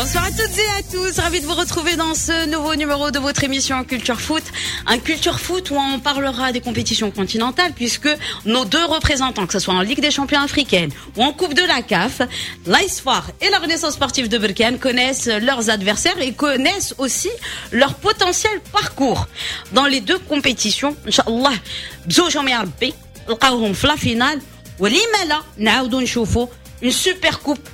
Bonsoir à toutes et à tous, ravi de vous retrouver dans ce nouveau numéro de votre émission Culture Foot. Un Culture Foot où on parlera des compétitions continentales puisque nos deux représentants, que ce soit en Ligue des Champions africaine ou en Coupe de la CAF, l'AS FAR et la Renaissance sportive de Berkane connaissent leurs adversaires et connaissent aussi leur potentiel parcours dans les deux compétitions. إن شاء الله, بزوجهم يا ربي نلقاوهم في la finale ولما لا نعاودوا نشوفوا une super coupe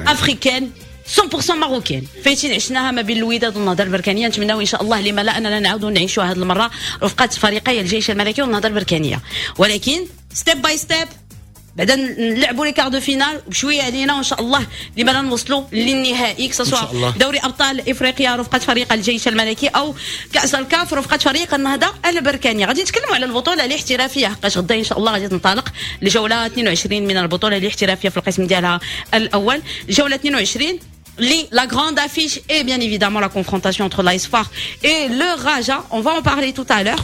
africaine 100% marocaine. فايتين عشناها ما بين الوداد والنهضه البركانيه. نتمناو ان شاء الله لما لا اننا نعاودوا نعيشوا هذه المرة رفقه فريقي الجيش الملكي والنهضه البركانيه، ولكن step by step. بعدا نلعبوا les quarts de finale بشوية علينا، وان شاء الله لما لا نوصلوا للنهائي، que ce soit دوري ابطال افريقيا رفقه فريق الجيش الملكي او كاس الكاف رفقه فريق النهضة البركانيه. غادي نتكلموا على البطولة الاحترافية حقاش غدا ان شاء الله غادي تنطلق الجولة 22 من البطولة الاحترافية في القسم ديالها الاول. الجولة 22 اللي la grande affiche est bien évidemment la confrontation entre l'AS FAR et le Raja. On va en parler tout à l'heure.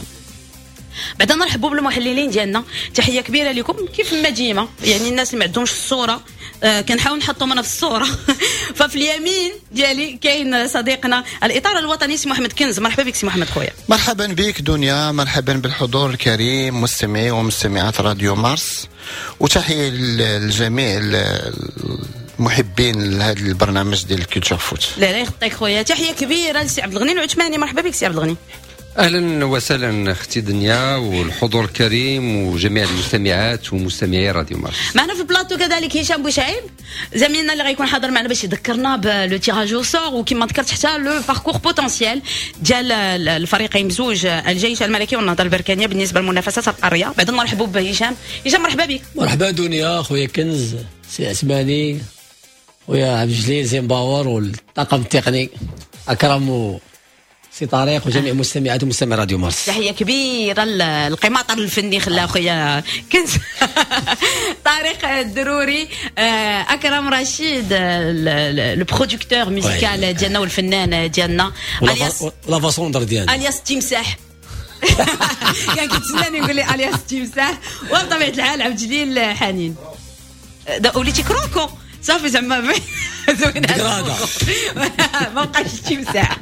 بعدا نرحبوا بالمحللين ديالنا، تحية كبيرة لكم كيف ما ديما. يعني الناس اللي ما عندهمش الصورة كنحاول نحطهم انا في الصوره. ففي اليمين ديالي كاين صديقنا الاطار الوطني سي محمد كنز. مرحبا بك سي محمد خويا. مرحبا بك دنيا، مرحبا بالحضور الكريم، مستمعي ومستمعات راديو مارس، وتحية للجميع المحبين لهذا البرنامج ديال ال Culture Foot. لا لا يخطيك خويا. تحية كبيرة لسي عبد الغني العثماني. مرحبا بك سي عبد الغني. اهلا وسهلا اختي دنيا والحضور الكريم وجميع المستمعات ومستمعي راديو مارس. معنا في البلاطو كذلك هشام بوشعيب، زميلنا اللي غيكون حاضر معنا باش يذكرنا ب le tirage au sort وكما ذكرت حتى le parcours potentiel ديال الفريقين بزوج، الجيش الملكي والنهضه البركانيه، بالنسبة للمنافسات القاريه. بعد نرحبوا بهشام. هشام، مرحبا بك. مرحبا دنيا، خويا كنز، سي عثماني، خويا عبد الجليل زيمباور والطاقم التقني اكرم، سي طارق، وجميع مستمعات ومستمعي راديو مارس. تحية كبيرة القماطر الفني خلا خويا كنز طارق الدروري، اكرم رشيد le producteur musical ديالنا والفنان ديالنا. alias لافاسوندر ديالنا. alias تمساح، كان كيتسناني يقول لي alias تمساح. وبطبيعة الحال عبد الجليل حنين، وليتي croco صافي، زعما زوين، ما بقاش تمساح.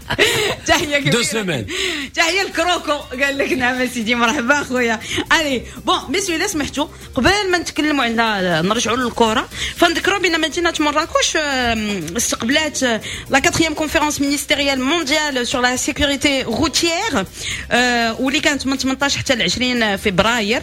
تحية كبيره. deux semaines. تحية ال croco، قال لك نعم سيدي. مرحبا خويا. allez bon messieurs، الا سمحتوا قبل ما نتكلموا على نرجعوا للكره، فنذكروا بان مدينة مراكش استقبلات la quatrième conférence ministérielle mondiale sur la sécurité routière واللي كانت من 18 حتى ل 20 فبراير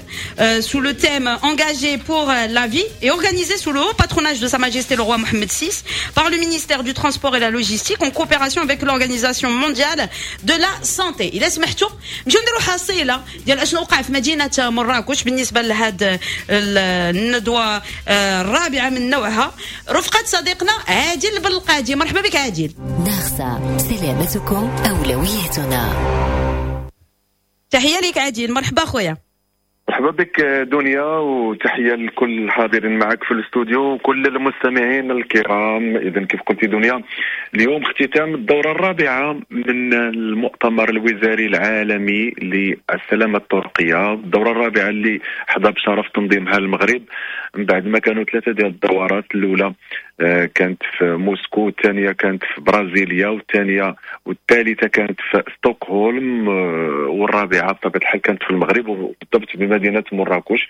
sous le thème engagé pour la vie et organisée sous le haut patronage de Sa Majesté le roi Mohamed VI par le ministère du Transport et la Logistique en coopération avec l'Organisation mondiale de la santé. إلا سمحتوا نمشيو نديروا حصيلة ديال اشنو وقع في مدينة مراكش بالنسبة لهاد الندوة الرابعة من نوعها رفقة صديقنا عادل بالقادي. مرحبا بك عادل. ناخسا، سلامتكم أولويتنا. تحية لك عادل، مرحبا خويا. مرحبا بك دنيا، وتحية لكل الحاضرين معك في الاستوديو وكل المستمعين الكرام. اذا كيف قلتي دنيا، اليوم اختتام الدورة الرابعة من المؤتمر الوزاري العالمي للسلامة الطرقيه، الدورة الرابعة اللي حظى بشرف تنظيمها المغرب من بعد ما كانوا ثلاثة ديال الدورات. الاولى كانت في موسكو، الثانية كانت في برازيليا، والثالثة كانت في ستوكهولم، والرابعة بطبيعة الحال كانت في المغرب وبالضبط بمدينة مراكش،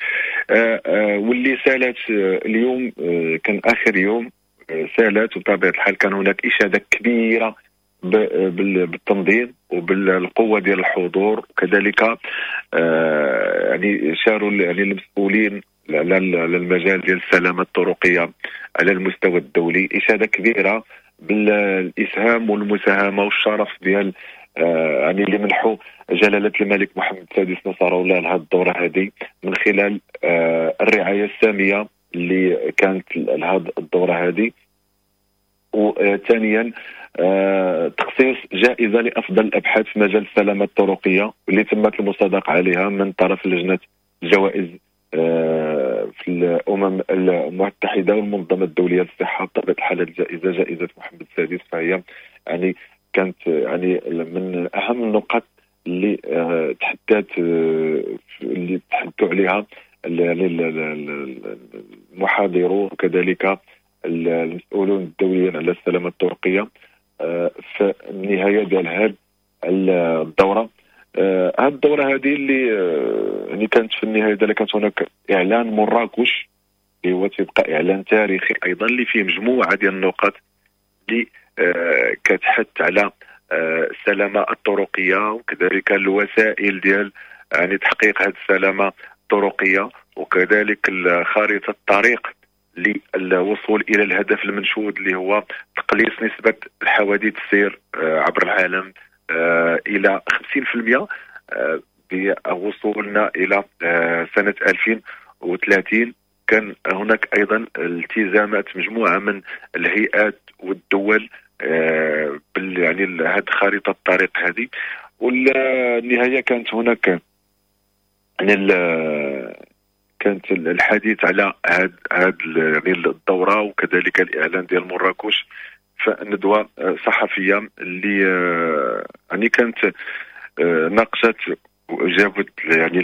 واللي سالت اليوم، كان اخر يوم سالت. وبطبيعة الحال كان هناك اشاده كبيرة بالتنظيم وبالقوة ديال الحضور، وكذلك يعني شاروا يعني المسؤولين على المجال ديال السلامة الطرقيه على المستوى الدولي اشاده كبيرة بالاسهام والمساهمة والشرف ديال يعني اللي منحوا جلاله الملك محمد السادس نصره الله لهذه الدورة هذه من خلال الرعاية السامية اللي كانت لهذه الدورة هذه. وثانيا تخصيص جائزة لافضل الابحاث في مجال السلامة الطرقيه واللي تمت المصادقة عليها من طرف لجنة الجوائز في الامم المتحدة والمنظمه الدولية للصحه. بطبيعة الحال الجائزة جائزة محمد السادس، فهي يعني كانت يعني من اهم النقاط اللي تحدثوا عليها المحاضرون وكذلك المسؤولون الدوليين على السلامة الطرقيه في النهاية ديال هذه الدورة. هذه الدورة هذه اللي يعني كانت في النهاية ديالها كانت هناك اعلان مراكش اللي هو تيبقى اعلان تاريخي ايضا، اللي فيه مجموعة ديال النقاط اللي كتحث على السلامة الطرقيه، وكذلك الوسائل ديال يعني تحقيق هذه السلامة الطرقيه، وكذلك خارطة الطريق للوصول الى الهدف المنشود اللي هو تقليص نسبه الحوادث السير عبر العالم الى 50% بوصولنا الى سنة 2030. كان هناك ايضا التزامات مجموعة من الهيئات والدول يعني هذه خارطة الطريق هذه. والنهاية كانت هناك يعني كانت الحديث على هاد يعني الدورة وكذلك الاعلان ديال مراكش في ندوه صحفية اللي يعني كانت ناقشت وجابت يعني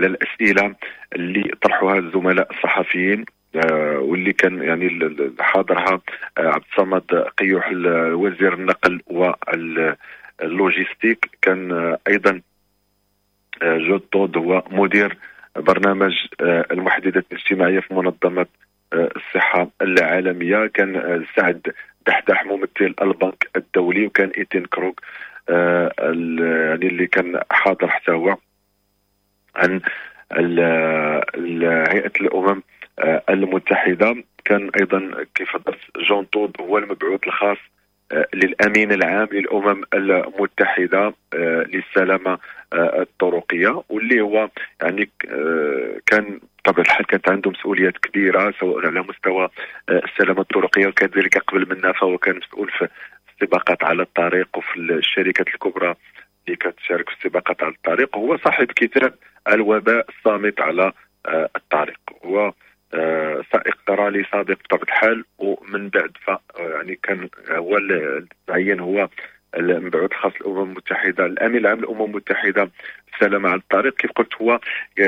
الاسئلة اللي طرحوها الزملاء الصحفيين، واللي كان يعني حاضرها عبد الصمد قيوح وزير النقل واللوجيستيك، كان ايضا جون تود هو مدير برنامج المحددات الاجتماعية في منظمة الصحة العالمية، كان سعد دحدح ممثل البنك الدولي، وكان ايتين كروغ يعني اللي كان حاضر حتى هو عن هيئة الامم المتحدة. كان ايضا كيف هضرت جون تود هو المبعوث الخاص للامين العام للامم المتحدة للسلامة الطرقيه، واللي هو يعني كان بطبيعة الحال كانت عنده مسؤوليات كبيرة سواء على مستوى السلامة الطرقيه، وكذلك قبل منها فهو كان مسؤول في السباقات على الطريق وفي الشركات الكبرى اللي كتشارك في السباقات على الطريق. هو صاحب كتاب الوباء الصامت على الطريق، هو سائق رالي سابق بطبيعة الحال، ومن بعد يعني كان هو تعين هو المبعوث الخاص للامم المتحدة، الامين العام للامم المتحدة السلامة على الطريق. كيف قلت هو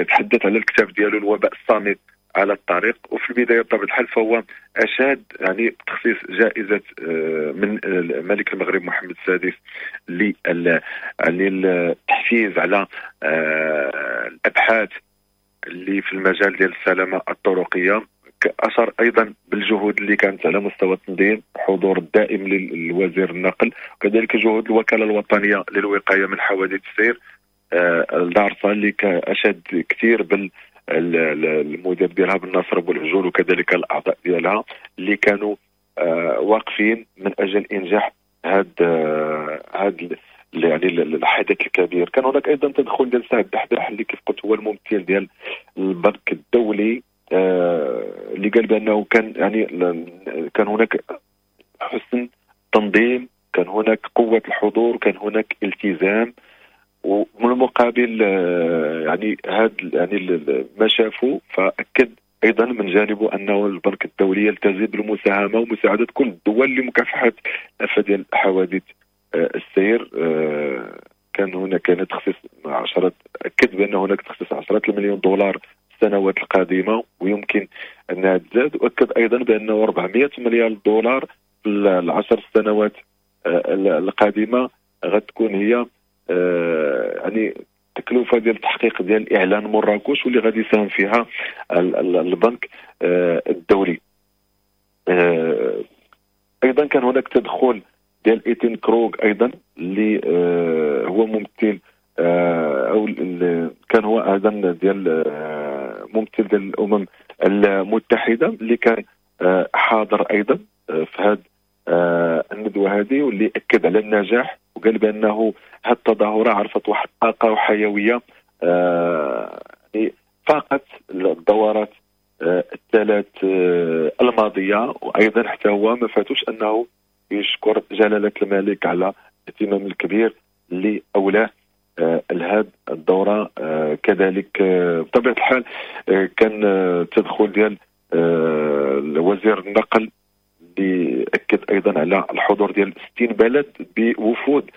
تحدث على الكتاب ديالو الوباء الصامت على الطريق، وفي البداية بطبيعة الحال فهو اشاد يعني بتخصيص جائزة من ملك المغرب محمد السادس للتحفيز على الابحاث اللي في المجال ديال السلامة الطرقيه. اشار ايضا بالجهود اللي كانت على مستوى التنظيم، حضور الدائم للوزير النقل، وكذلك جهود الوكالة الوطنية للوقايه من حوادث السير الدارسه اللي اشاد كثير بال المدير ديالها بالناصر ابو العجول، وكذلك الاعضاء ديالها اللي كانوا واقفين من اجل انجاح هذا يعني الحدث الكبير. كان هناك ايضا تدخل ديال سعد دحداح اللي كيف قلت هو الممثل ديال البنك الدولي، اللي قال بانه كان يعني كان هناك حسن تنظيم، كان هناك قوة الحضور، كان هناك التزام، ومن المقابل يعني هذا يعني ما شافوا. فاكد ايضا من جانبه انه البنك الدولي يلتزم بالمساهمه ومساعدة كل الدول لمكافحة الافة ديال حوادث السير. كان هناك كان تخصيص عشرات، اكد بان هناك تخصيص 10 المليون دولار السنوات القادمة ويمكن انها تزاد، واكد ايضا بانه 400 مليار دولار في العشر سنوات القادمة غتكون هي يعني التكلفة ديال التحقيق ديال اعلان مراكش واللي غادي يساهم فيها البنك الدولي. ايضا كان هناك تدخل ديال ايتين كروغ ايضا اللي هو ممثل او كان هو ايضا ديال ممثل ديال الامم المتحدة اللي كان حاضر ايضا في هذه الندوة هذه، واللي اكد على النجاح وقال بانه هذه التظاهرة عرفت واحد الطاقة وحيوية يعني فاقت الدورات الثلاث الماضية. وايضا حتى هو ما فاتوش انه يشكر جلاله الملك على الاهتمام الكبير اللي اولاه لهذه الدورة. كذلك بطبيعة الحال كان التدخل ديال وزير النقل اللي اكد ايضا على الحضور ديال 60 بلد بوفود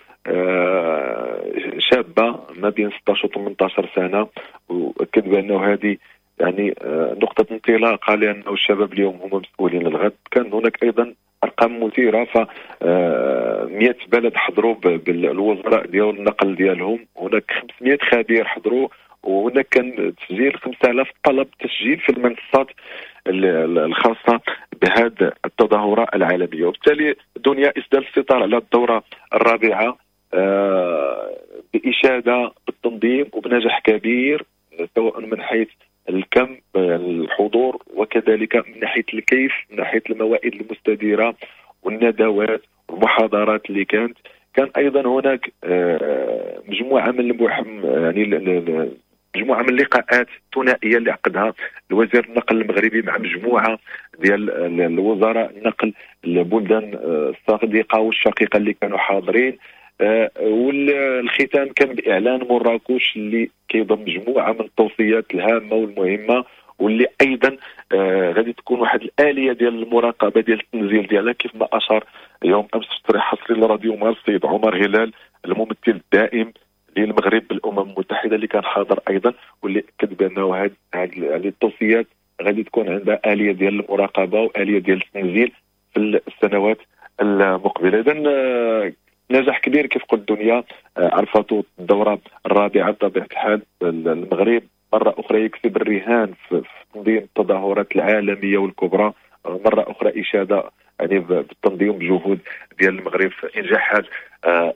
شابه ما بين 16 و 18 سنة، واكد بانه هذه يعني نقطة انطلاقة، لانه الشباب اليوم هم مسؤولين الغد. كان هناك ايضا ارقام مثيرة، ف 100 بلد حضروا بالوزراء ديال النقل ديالهم، هناك 500 خبير حضروا، وهناك كان تسجيل 5000 طلب تسجيل في المنصات الخاصة بهذه التظاهرة العالمية. وبالتالي دنيا اسدال الستار على الدورة الرابعة باشاده بالتنظيم وبنجاح كبير، سواء من حيث الكم الحضور، وكذلك من ناحية الكيف، من ناحية الموائد المستديرة والندوات والمحاضرات اللي كانت. كان ايضا هناك مجموعة من يعني مجموعة من اللقاءات الثنائية اللي عقدها الوزير النقل المغربي مع مجموعة ديال الوزراء النقل البلدان الصديقة والشقيقة اللي كانوا حاضرين. والختام كان باعلان مراكش اللي كيضم مجموعة من التوصيات الهامة والمهمه، واللي ايضا غادي تكون واحد الالية ديال المراقبة ديال التنزيل ديالها، كيف ما اشار يوم امس في تصريح حصري لراديو مارس السيد عمر هلال الممثل الدائم للمغرب بالامم المتحدة اللي كان حاضر ايضا، واللي اكد بانه هذه التوصيات غادي تكون عندها اليه ديال المراقبة واليه ديال التنزيل في السنوات المقبلة. اذا نجاح كبير كيف قلت دنيا عرفته الدورة الرابعة بطبيعة الحال. المغرب مرة اخرى يكسب الرهان في تنظيم التظاهرات العالمية والكبرى، مرة اخرى اشاده يعني بالتنظيم بجهود ديال المغرب في انجاح هذه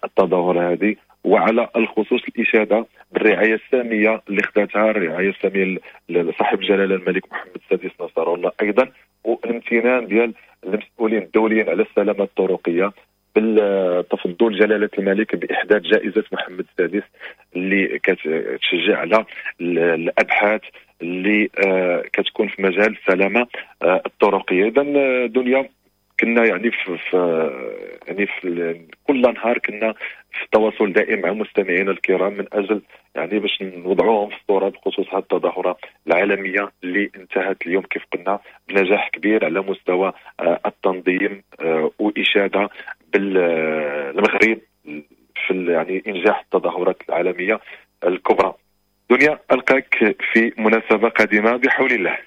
التظاهرة هذه، وعلى الخصوص الاشادة بالرعايه السامية اللي خداتها الرعاية السامية لصاحب الجلاله الملك محمد السادس نصره الله، ايضا والامتنان ديال المسؤولين الدوليين على السلامة الطرقيه بالتفضل جلاله الملك باحداث جائزة محمد السادس اللي كتشجع على الابحاث اللي كتكون في مجال السلامة الطرقيه. اذا دنيا كنا يعني في يعني في كل نهار كنا في تواصل دائم مع مستمعينا الكرام من اجل يعني باش نوضعوهم في الصورة بخصوص هذه التظاهرة العالمية اللي انتهت اليوم كيف قلنا بنجاح كبير على مستوى التنظيم واشاده بالمغرب في يعني انجاح التظاهرات العالمية الكبرى. دنيا ألقاك في مناسبة قادمة بحول الله.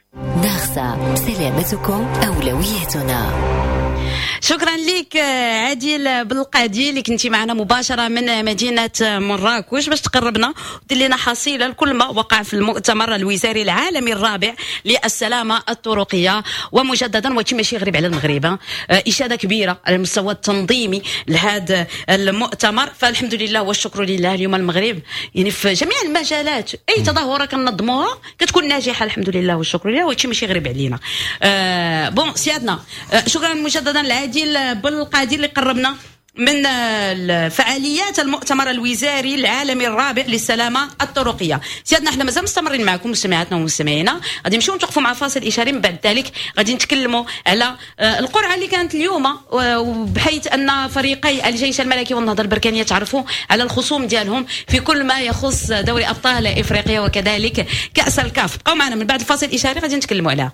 ناخسا، سلامتكم أولويتنا. شكرا لك عادل بالقادي اللي كنتي معنا مباشرة من مدينة مراكش باش تقربنا ودير لنا حصيله لكل ما وقع في المؤتمر الوزاري العالمي الرابع للسلامة الطرقيه. ومجددا وهادشي ماشي غريب على المغرب، اشاده كبيرة على المستوى التنظيمي لهذا المؤتمر، فالحمد لله والشكر لله. اليوم المغرب يعني في جميع المجالات اي تظاهرة كنظموها كتكون ناجحة الحمد لله والشكر لله، وهادشي ماشي غريب علينا. bon سيادنا، شكرا مجددا لعادل بالقادي اللي قربنا من فعاليات المؤتمر الوزاري العالمي الرابع للسلامة الطرقيه. سيادنا احنا مازال مستمرين معكم مستمعاتنا ومستمعينا، غادي نمشيو نتوقفوا مع فاصل اشاري، من بعد ذلك غادي نتكلموا على القرعة اللي كانت اليوم، وبحيث ان فريقي الجيش الملكي والنهضه البركانيه تعرفوا على الخصوم ديالهم في كل ما يخص دوري ابطال افريقيا وكذلك كاس الكاف. بقاو معنا من بعد الفاصل الاشاري غادي نتكلموا عليها.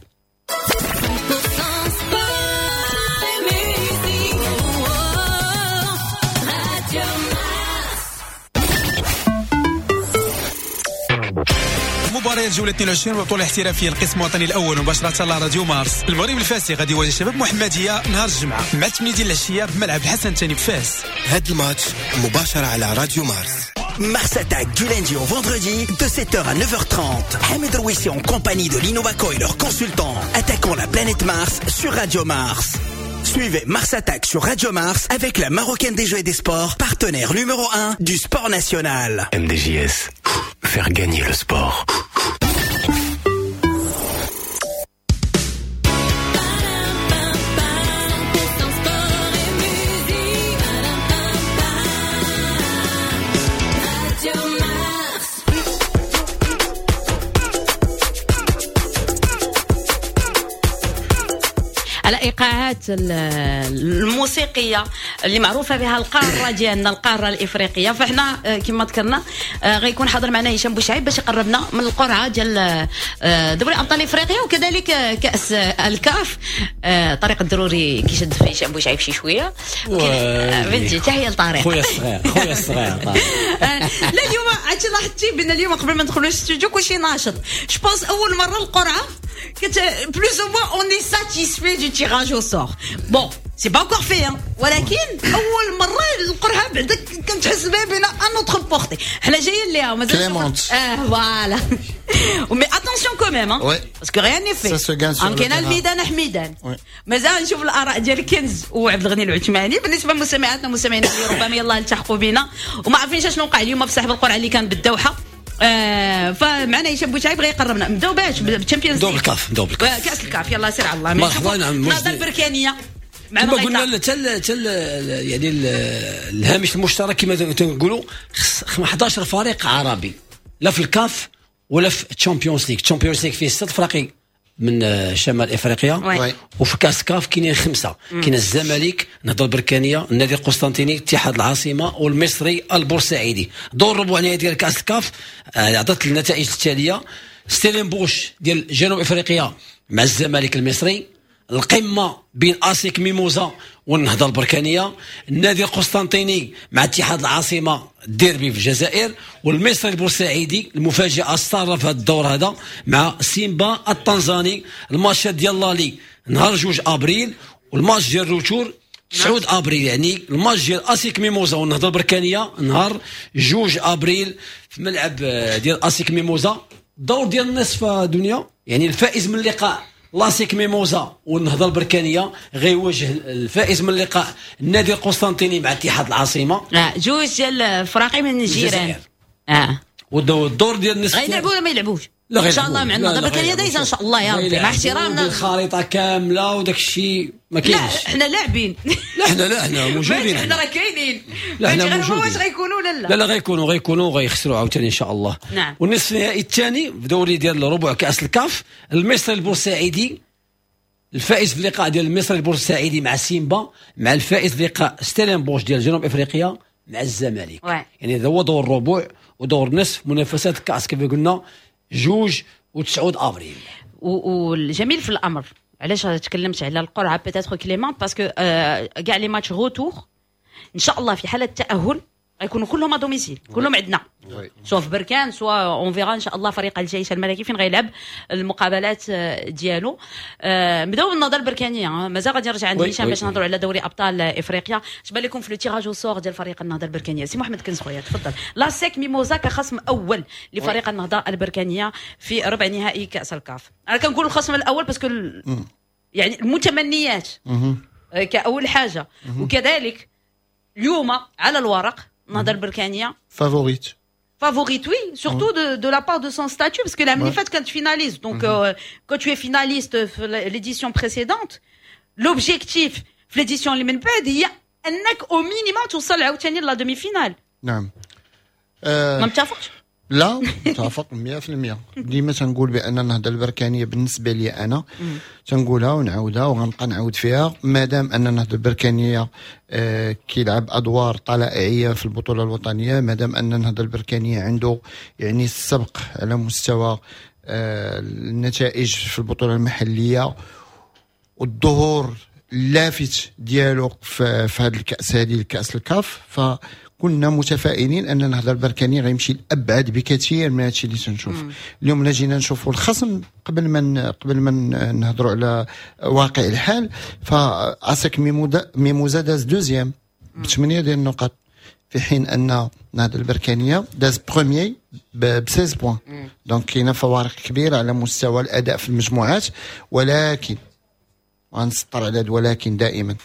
مباريات جولة 22 بطولة الاحترافية القسم الوطني الأول مباشرة على راديو مارس. المغرب الفاسي غادي يواجه شباب محمدية نهار الجمعة مع 8 ديال العشية بملعب الحسن الثاني بفاس. هاد الماتش مباشرة على راديو مارس. Mars Attack du lundi au vendredi de 7h à 9h30. Hamid Rouissi en compagnie de Lino Baco et leurs consultants attaquant la planète Mars sur Radio Mars. Suivez Mars Attack sur Radio Mars avec la Marocaine des Jeux et des Sports, partenaire numéro 1 du sport national. MDJS, faire gagner le sport. على ايقاعات التنوعات الموسيقية اللي معروفة بها القارة ديالنا، القارة الافريقيه. فاحنا كما ذكرنا غيكون حاضر معنا هشام بوشعيب باش يقربنا من القرعة ديال دوري ابطال افريقيا وكذلك كاس الكاف. طارق الضروري كيشد في هشام بوشعيب شي شويه، بنتي تحية لطارق خويا الصغير، خويا الصغير. لا اليوم عرفتي لاحظتي بان اليوم قبل ما ندخلوا للاستوديو كلشي ناشط. je pense اول مرة القرعة كت plus ou moins on est satisfait du tirage au sort. bon، c'est pas encore fait، ولكن اول مرة القرعة بعدا كنتحس بها بين à notre portée. حنا جايين ليها مازال voilà، mais attention quand même، parce que rien n'est fait. كاين الميدان حميدان. مازال نشوف الاراء ديال كنز وعبد الغني العثماني. بالنسبة لمستمعاتنا ومستمعينا اللي ربما يلاه التحقوا بنا وما عارفينش شنو وقع اليوم في سحب القرعة اللي كان بالدوحه، فمعنا هشام بوشعيب غيقربنا. نبداو باش بال Champions؟ نبداو بالكاف، نبداو بالكاف. كاس الكاف، يلا سير على الله. مرحبا. نعم. النهضة البركانيه. كما قلنا حتى يعني الهامش المشترك كما تنقولوا 11 فريق عربي لا في الكاف ولا في ال Champions League. ال Champions League فيه ست فرق من شمال افريقيا، وفي كاس كاف كاينين خمسه: كاين الزمالك، النهضة البركانيه، النادي القسطنطيني، اتحاد العاصمة والمصري البورسعيدي. دور ربع النهائي ديال كاس الكاف عطات النتائج التاليه: ستيلينبوش ديال جنوب افريقيا مع الزمالك المصري، القمه بين اسيك ميموزا والنهضه البركانيه، النادي القسطنطيني مع اتحاد العاصمه، الديربي في الجزائر، والمصري البورسعيدي المفاجاة الساره في هذا الدور هذا مع سيمبا التنزاني. الماتش ديال l'aller نهار 2 ابريل والماتش ديال ال retour 9 ابريل، يعني الماتش ديال اسيك ميموزا والنهضه البركانيه نهار 2 ابريل في ملعب ديال اسيك ميموزا. الدور ديال النصف دنيا، يعني الفائز من اللقاء لاسيك ميموزا والنهضه البركانيه غيواجه الفائز من اللقاء النادي القسطنطيني مع اتحاد العاصمه. جوج ديال الفراقي من الجيران. والدور ديال النصف غيلعبوا ولا ما يلعبوش؟ لا. ان شاء الله مع النهضة البركانيه دايزه ان شاء الله يا ربي، مع احترامنا. الخريطة كاملة وداك الشيء ما كاينش. لا حنا لاعبين. لا حنا، لا حنا موجودين. حنا راه كاينين. لا حنا موجودين. واش غيكونوا ولا لا؟ لا لا، غيكونوا غيخسروا عاوتاني ان شاء الله. والنصف النهائي الثاني في دوري ديال ربع كاس الكاف، المصري البورسعيدي، الفائز في اللقاء ديال المصري البورسعيدي مع سيمبا مع الفائز في لقاء ستيلينبوش ديال جنوب افريقيا مع الزمالك. يعني هذا هو دور الربع ودور النصف منافسات الكاس كيف قلنا 2 و9 ابريل. والجميل في الامر، علاش تكلمت على القرعة peut-être clémente، parce que كاع les matchs retour ان شاء الله في حاله التاهل غيكونوا كلهم à domicile، كلهم عندنا، soit في بركان soit on verra ان شاء الله فريق الجيش الملكي فين غيلعب المقابلات ديالو. نبداو بالنهضه البركانيه، مازال غادي نرجع عند هشام باش نهضروا على دوري ابطال افريقيا. اش بان لكم في le tirage au sort ديال فريق النهضة البركانيه؟ سي محمد كنز خويا تفضل. لاسيك ميموزا كخصم اول لفريق النهضة البركانيه في ربع نهائي كاس الكاف. انا كنقول الخصم الاول parce que يعني المتمنيات كاول حاجه، وكذلك اليوم على الورق النهضة البركانيه favorite. favorite، oui، surtout de la part de son statut، parce que العام اللي فات كانت finaliste. donc quand tu es finaliste في l'édition précédente، l'objectif في l'édition اللي من بعد هي انك au minimum توصل عاوتاني la demi-finale. نعم. ما متفقش؟ لا، متفق 100%. ديما تنقول بان النهضة البركانيه بالنسبة لي انا تنقولها ونعاودها وغنبقى نعاود فيها، مادام ان النهضة البركانيه كيلعب ادوار طلائعيه في البطولة الوطنيه، مادام ان النهضة البركانيه عنده يعني السبق على مستوى النتائج في البطولة المحلية والظهور اللافت ديالو في هذه الكاس هذه، الكاس الكاف، فكنا متفائلين ان النهضة البركاني غيمشي لابعد بكثير من هادشي اللي تنشوف اليوم. لا جينا نشوفوا الخصم قبل ما نهضروا على واقع الحال، فاسك ميموزا داز deuxième بثمانية ديال النقط، في حين ان النهضة البركانيه داز premier ب 16 points. donc كاينه فوارق كبيرة على مستوى الاداء في المجموعات، ولكن غنسطر على ولكن دائما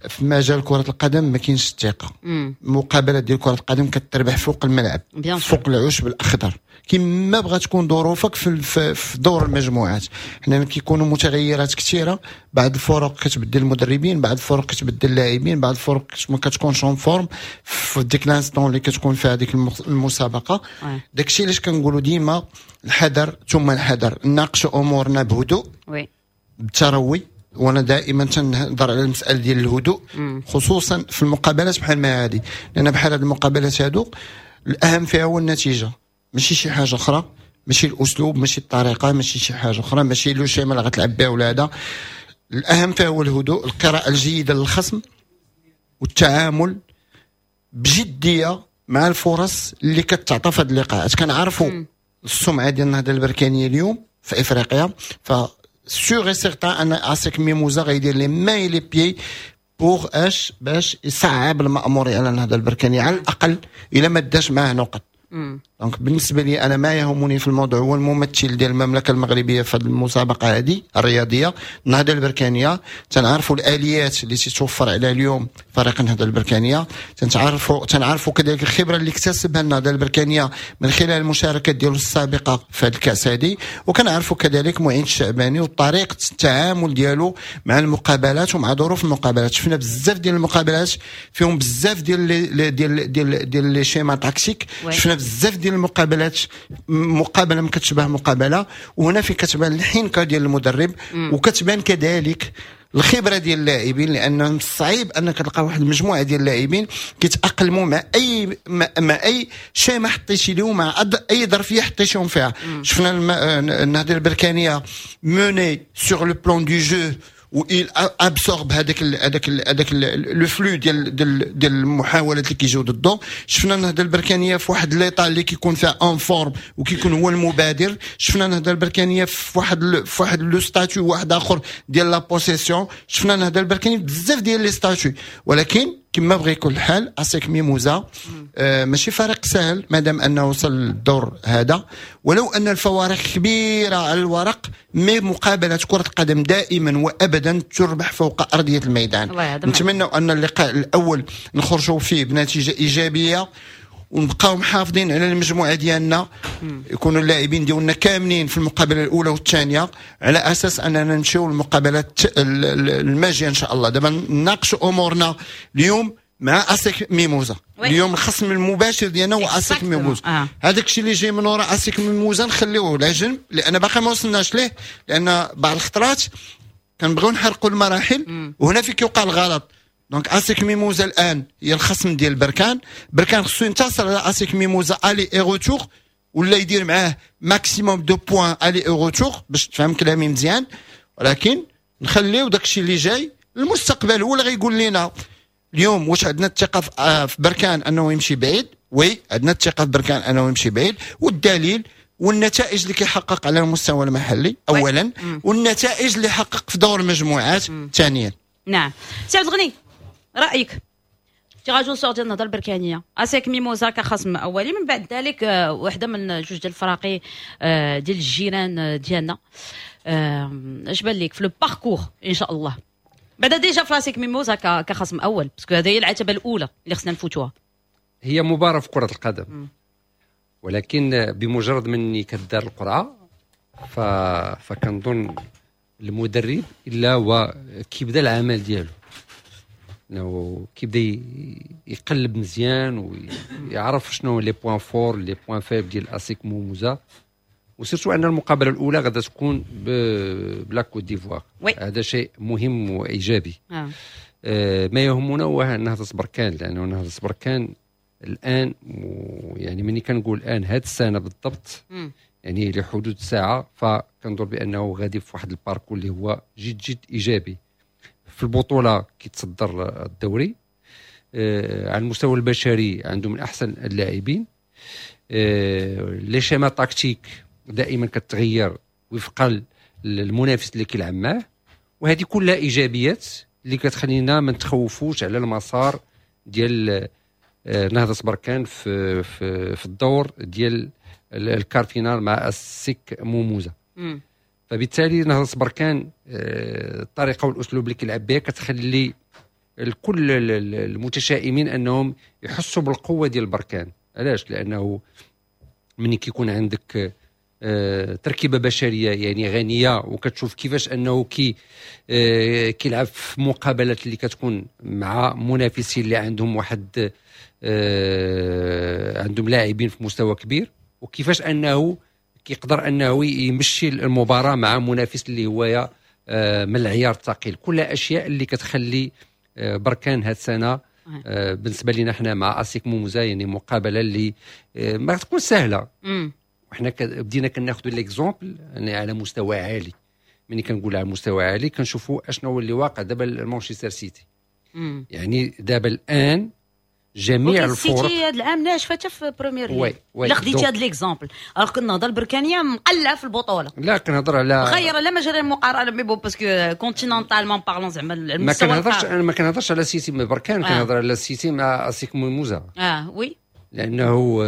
في مجال كرة القدم ما كاينش الثقة. مقابلات ديال كرة القدم كتربح فوق الملعب، فوق العشب الأخضر، كما بغات تكون ظروفك في دور المجموعات. حنا كيكونوا متغيرات كثيره، بعض الفرق كتبدل المدربين، بعض الفرق كتبدل اللاعبين، بعض الفرق ما كتكونش en forme في ديك l'instant اللي كتكون فيها هذيك المسابقه. داكشي علاش كنقولوا ديما الحذر ثم الحذر، نناقشوا امورنا بهدوء، بتروي. وانا دائما تنهضر على المسالة ديال الهدوء، خصوصا في المقابلات بحال ما هذه، لان بحال هذه المقابلات هادو الاهم فيها هو النتيجه، ماشي شي حاجة اخرى، ماشي الاسلوب، ماشي الطريقه، ماشي شي حاجة اخرى، ماشي le schéma اللي غتلعب بها ولا هذا. الاهم فيها هو الهدوء، القراءة الجيدة للخصم، والتعامل بجدية مع الفرص اللي كتعطى في هذه اللقاءات. كنعرفوا السمعة ديال النهضة البركانيه اليوم في افريقيا، ف sûr et certain ان اسيك ميموزا غيدير les mains les pieds pour اش باش يصعب المأمورية على النهضة البركانيه، على الاقل الا ما داش معاه نقط. donc بالنسبة لي انا ما يهمني في الموضوع هو الممثل ديال المملكة المغربية في هذه المسابقة هذه الرياضية النهضة البركانيه. تنعرفوا الاليات اللي تتوفر عليها اليوم فريق النهضة البركانيه، تنعرفوا كذلك الخبرة اللي اكتسبها النهضة البركانيه من خلال المشاركات ديالو السابقة في هذه الكاس هذه، وكنعرفوا كذلك معين الشعباني وطريقه التعامل ديالو مع المقابلات ومع ظروف المقابلات. شفنا بزاف ديال المقابلات فيهم بزاف ديال ديال ديال ديال les schémas tactiques، شفنا بزاف ديال المقابلات، مقابله ما كتشبه مقابله، وهنا في كتبان الحنكه ديال المدرب وكتبان كذلك الخبرة ديال اللاعبين، لان صعيب انك تلقى واحد المجموعة ديال اللاعبين كيتاقلموا مع اي schéma حطيتي لهم، مع اي ظرفيه حطيتيهم فيها. شفنا النهضة البركانيه menée sur le plan du jeu و il absorbe هذاك le flux ديال المحاولات اللي كيجيو ضده. شفنا النهضة البركانيه في واحد l'état اللي كيكون فيها en forme وكيكون هو المبادر. شفنا النهضة البركانيه في واحد le statut واحد اخر ديال la possession. شفنا النهضة البركانيه بزاف ديال les statuts، ولكن كما بغى يكون الحال اسيك ميموزا ماشي فريق سهل مادام انه وصل للدور هذا، ولو ان الفوارق كبيرة على الورق، mais مقابله كره القدم دائما وابدا تربح فوق ارضية الميدان. نتمنى ان اللقاء الاول نخرجوا فيه بنتيجة ايجابية ونبقاو محافظين على المجموعة ديالنا، يكونوا اللاعبين ديالنا كاملين في المقابلة الاولى والثانيه، على اساس اننا نمشيو للمقابلات الماجيه ان شاء الله. دابا نناقشوا امورنا اليوم مع اسيك ميموزا. اليوم الخصم المباشر ديالنا هو اسيك ميموزا. هذاك الشيء اللي جاي من وراء اسيك ميموزا نخليوه على جنب، لان باقي ما وصلناش ليه، لان بعض الخطرات كنبغيو نحرقوا المراحل وهنا في كيوقع الغلط. donc اسيك ميموزا الان هي الخصم ديال بركان. بركان خصو ينتصر على اسيك ميموزا aller et retour، ولا يدير معاه maximum de points aller et retour، باش تفهم كلامي مزيان. ولكن نخليو داكشي اللي جاي المستقبل هو اللي غيقول لنا. اليوم واش عندنا الثقة في بركان انه يمشي بعيد؟ oui، عندنا الثقة في بركان انه يمشي بعيد، والدليل والنتائج اللي كيحقق على المستوى المحلي اولا، والنتائج اللي حقق في دور المجموعات ثانيا. نعم، سي عبد الغني، رايك tirage au sort ديال النهضة البركانيه، اسيك ميموزا كخصم اولي، من بعد ذلك وحده من جوج ديال الفراقي ديال الجيران ديالنا، اش بان لك في le parcours ان شاء الله؟ بعدا déjà في لاسيك ميموزا كخصم اول، parce que هذه هي العتبة الاولى اللي خصنا نفوتوها. هي مباراة في كره القدم، ولكن بمجرد من كدار القرعة فكنظن المدرب الا هو كيبدا العمل ديالو، انه كيبدا يقلب مزيان ويعرف شنو les points forts، les points faibles ديال اسيك موموزا، و surtout ان المقابلة الاولى غادا تكون ب la Côte d'Ivoire. هذا شيء مهم وايجابي. ما يهمنا هو نهضة بركان، لانه نهضة بركان الان، يعني ملي كنقول الان هذه السنة بالضبط، يعني لحدود الساعه، فكنظن بانه غادي في واحد ال parcours اللي هو جد جد ايجابي. في البطولة كيتصدر الدوري، على المستوى البشري عنده من احسن اللاعبين، les schémas tactiques دائما كتغير وفقا للمنافس اللي كيلعب معاه، وهذه كلها ايجابيات اللي كتخلينا ما نتخوفوش على المسار ديال نهضة بركان في الدور ديال ال quart de finale مع السيك موموزا. فبالتالي نهضة بركان الطريقة والاسلوب اللي كيلعب بها كتخلي الكل المتشائمين انهم يحسوا بالقوة ديال بركان. علاش؟ لانه ملي كيكون عندك تركيبه بشرية يعني غنيه، وكتشوف كيفاش انه كيلعب في مقابلات اللي كتكون مع منافسين اللي عندهم واحد عندهم لاعبين في مستوى كبير، وكيفاش انه كيقدر انه يمشي المباراة مع منافس اللي هو من العيار الثقيل. كل اشياء اللي كتخلي بركان هذه السنة بالنسبة لنا حنا مع اسيك موموزا يعني مقابله اللي ما تكون سهله. وحنا بدينا كناخذوا les exemples يعني على مستوى عالي. ملي كنقول على مستوى عالي كنشوفوا اشنو هو اللي واقع دابا مانشستر سيتي. يعني دابا الان جميع الفرق السيتي هذا العام ناشفة حتى في Premier League. لا خديتي هذا l'exemple alors que النهضة البركانيه مقلعه في البطوله. لا كنهضر على غير لا مجال المقارنة mais bon parce que continentalement parlant زعما المستوى. ما كنهضرش انا ما كنهضرش على سيتي مع بركان، كنهضر على سيتي مع اسيك موموزا. oui لانه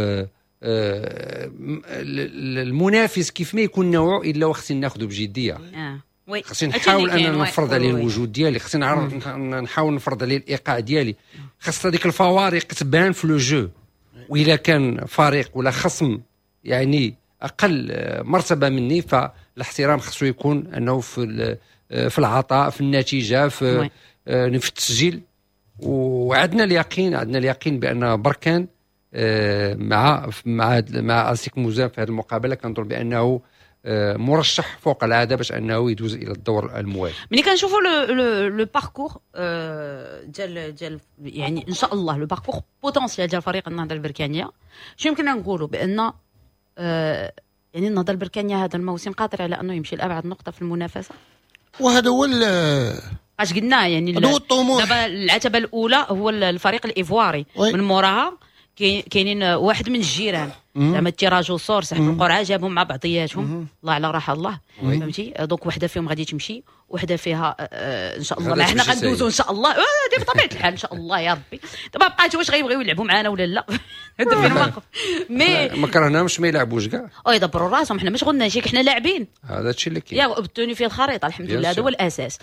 المنافس كيف ما يكون نوعه الا وخصني ناخذه بجدية. oui خصني نحاول ان نفرض عليه الوجود ديالي، خصني نحاول نفرض عليه الايقاع ديالي، خاص هذيك الفوارق تبان في le jeu. واذا كان فريق ولا خصم يعني اقل مرتبه مني فالاحترام خصو يكون انه في العطاء، في النتيجه، في التسجيل. وعندنا اليقين، عندنا اليقين بان بركان مع مع مع اسيك موزان في هذه المقابلة كنظن بانه مرشح فوق العادة باش انه يدوز الى الدور الموالي. ملي كنشوفوا le parcours ديال يعني ان شاء الله le parcours potentiel ديال فريق النهضة البركانيه، شنو يمكننا نقولوا؟ بان يعني النهضة البركانيه هذا الموسم قادر على انه يمشي لابعد نقطة في المنافسة. وهذا هو اش قلنا يعني هذا هو الطموح. دابا العتبة الاولى هو الفريق الايفواري، من موراها كاينين واحد من الجيران زعما ال tirage au sort سحب القرعة جابهم مع بعضياتهم، الله على راحة الله، فهمتي؟ donc وحده فيهم غادي تمشي، وحده فيها ان شاء الله حنا غندوزو ان شاء الله بطبيعة الحال ان شاء الله يا ربي. دابا بقات واش غيبغيو يلعبوا معنا ولا لا، هذا فين واقف. mais ما كرهناهمش ما يلعبوش كاع، يدبروا راسهم، حنا مش غنى شي، حنا لاعبين، هذا الشيء اللي كاين يا بتوني في الخريطة الحمد لله، هذا هو الاساس.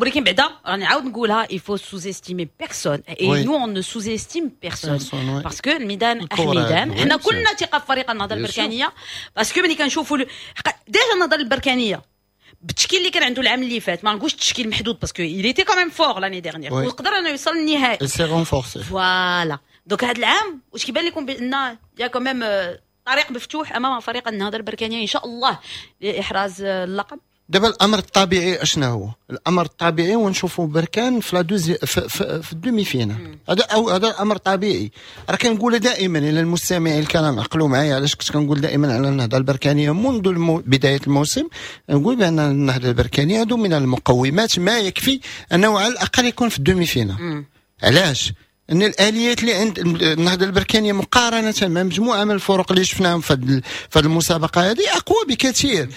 ولكن بعدا راني نعاود نقولها، il faut sous-estimer personne et nous on ne sous-estime personne parce que الميدان احميدان، حنا كلنا ثقة في فريق النهضة البركانيه parce que ملي كنشوفوا déjà النهضة البركانيه بالتشكيل اللي كان عنده العام اللي فات، ما نقولش التشكيل محدود parce que il était quand même fort l'année dernière وقدر انه يوصل للنهائي، s'est renforcé voilà. donc هذا العام واش كيبان لكم بان y a quand même طريق مفتوح امام فريق النهضة البركانيه ان شاء الله لاحراز اللقب؟ دابا الامر الطبيعي اشنا هو؟ الامر الطبيعي ونشوفوا بركان في la deuxi في ال demi-finale، هذا او هذا الامر طبيعي. راه كنقول دائما الى المستمعين الكرام عقلوا معايا علاش كنت كنقول دائما على النهضة البركانيه منذ بداية الموسم، نقول بان النهضة البركانيه عنده من المقومات ما يكفي انه على الاقل يكون في ال demi-finale. علاش؟ ان الاليات اللي عند النهضة البركانيه مقارنة مع مجموعة من الفرق اللي شفناهم في هذه المسابقة هذه اقوى بكثير.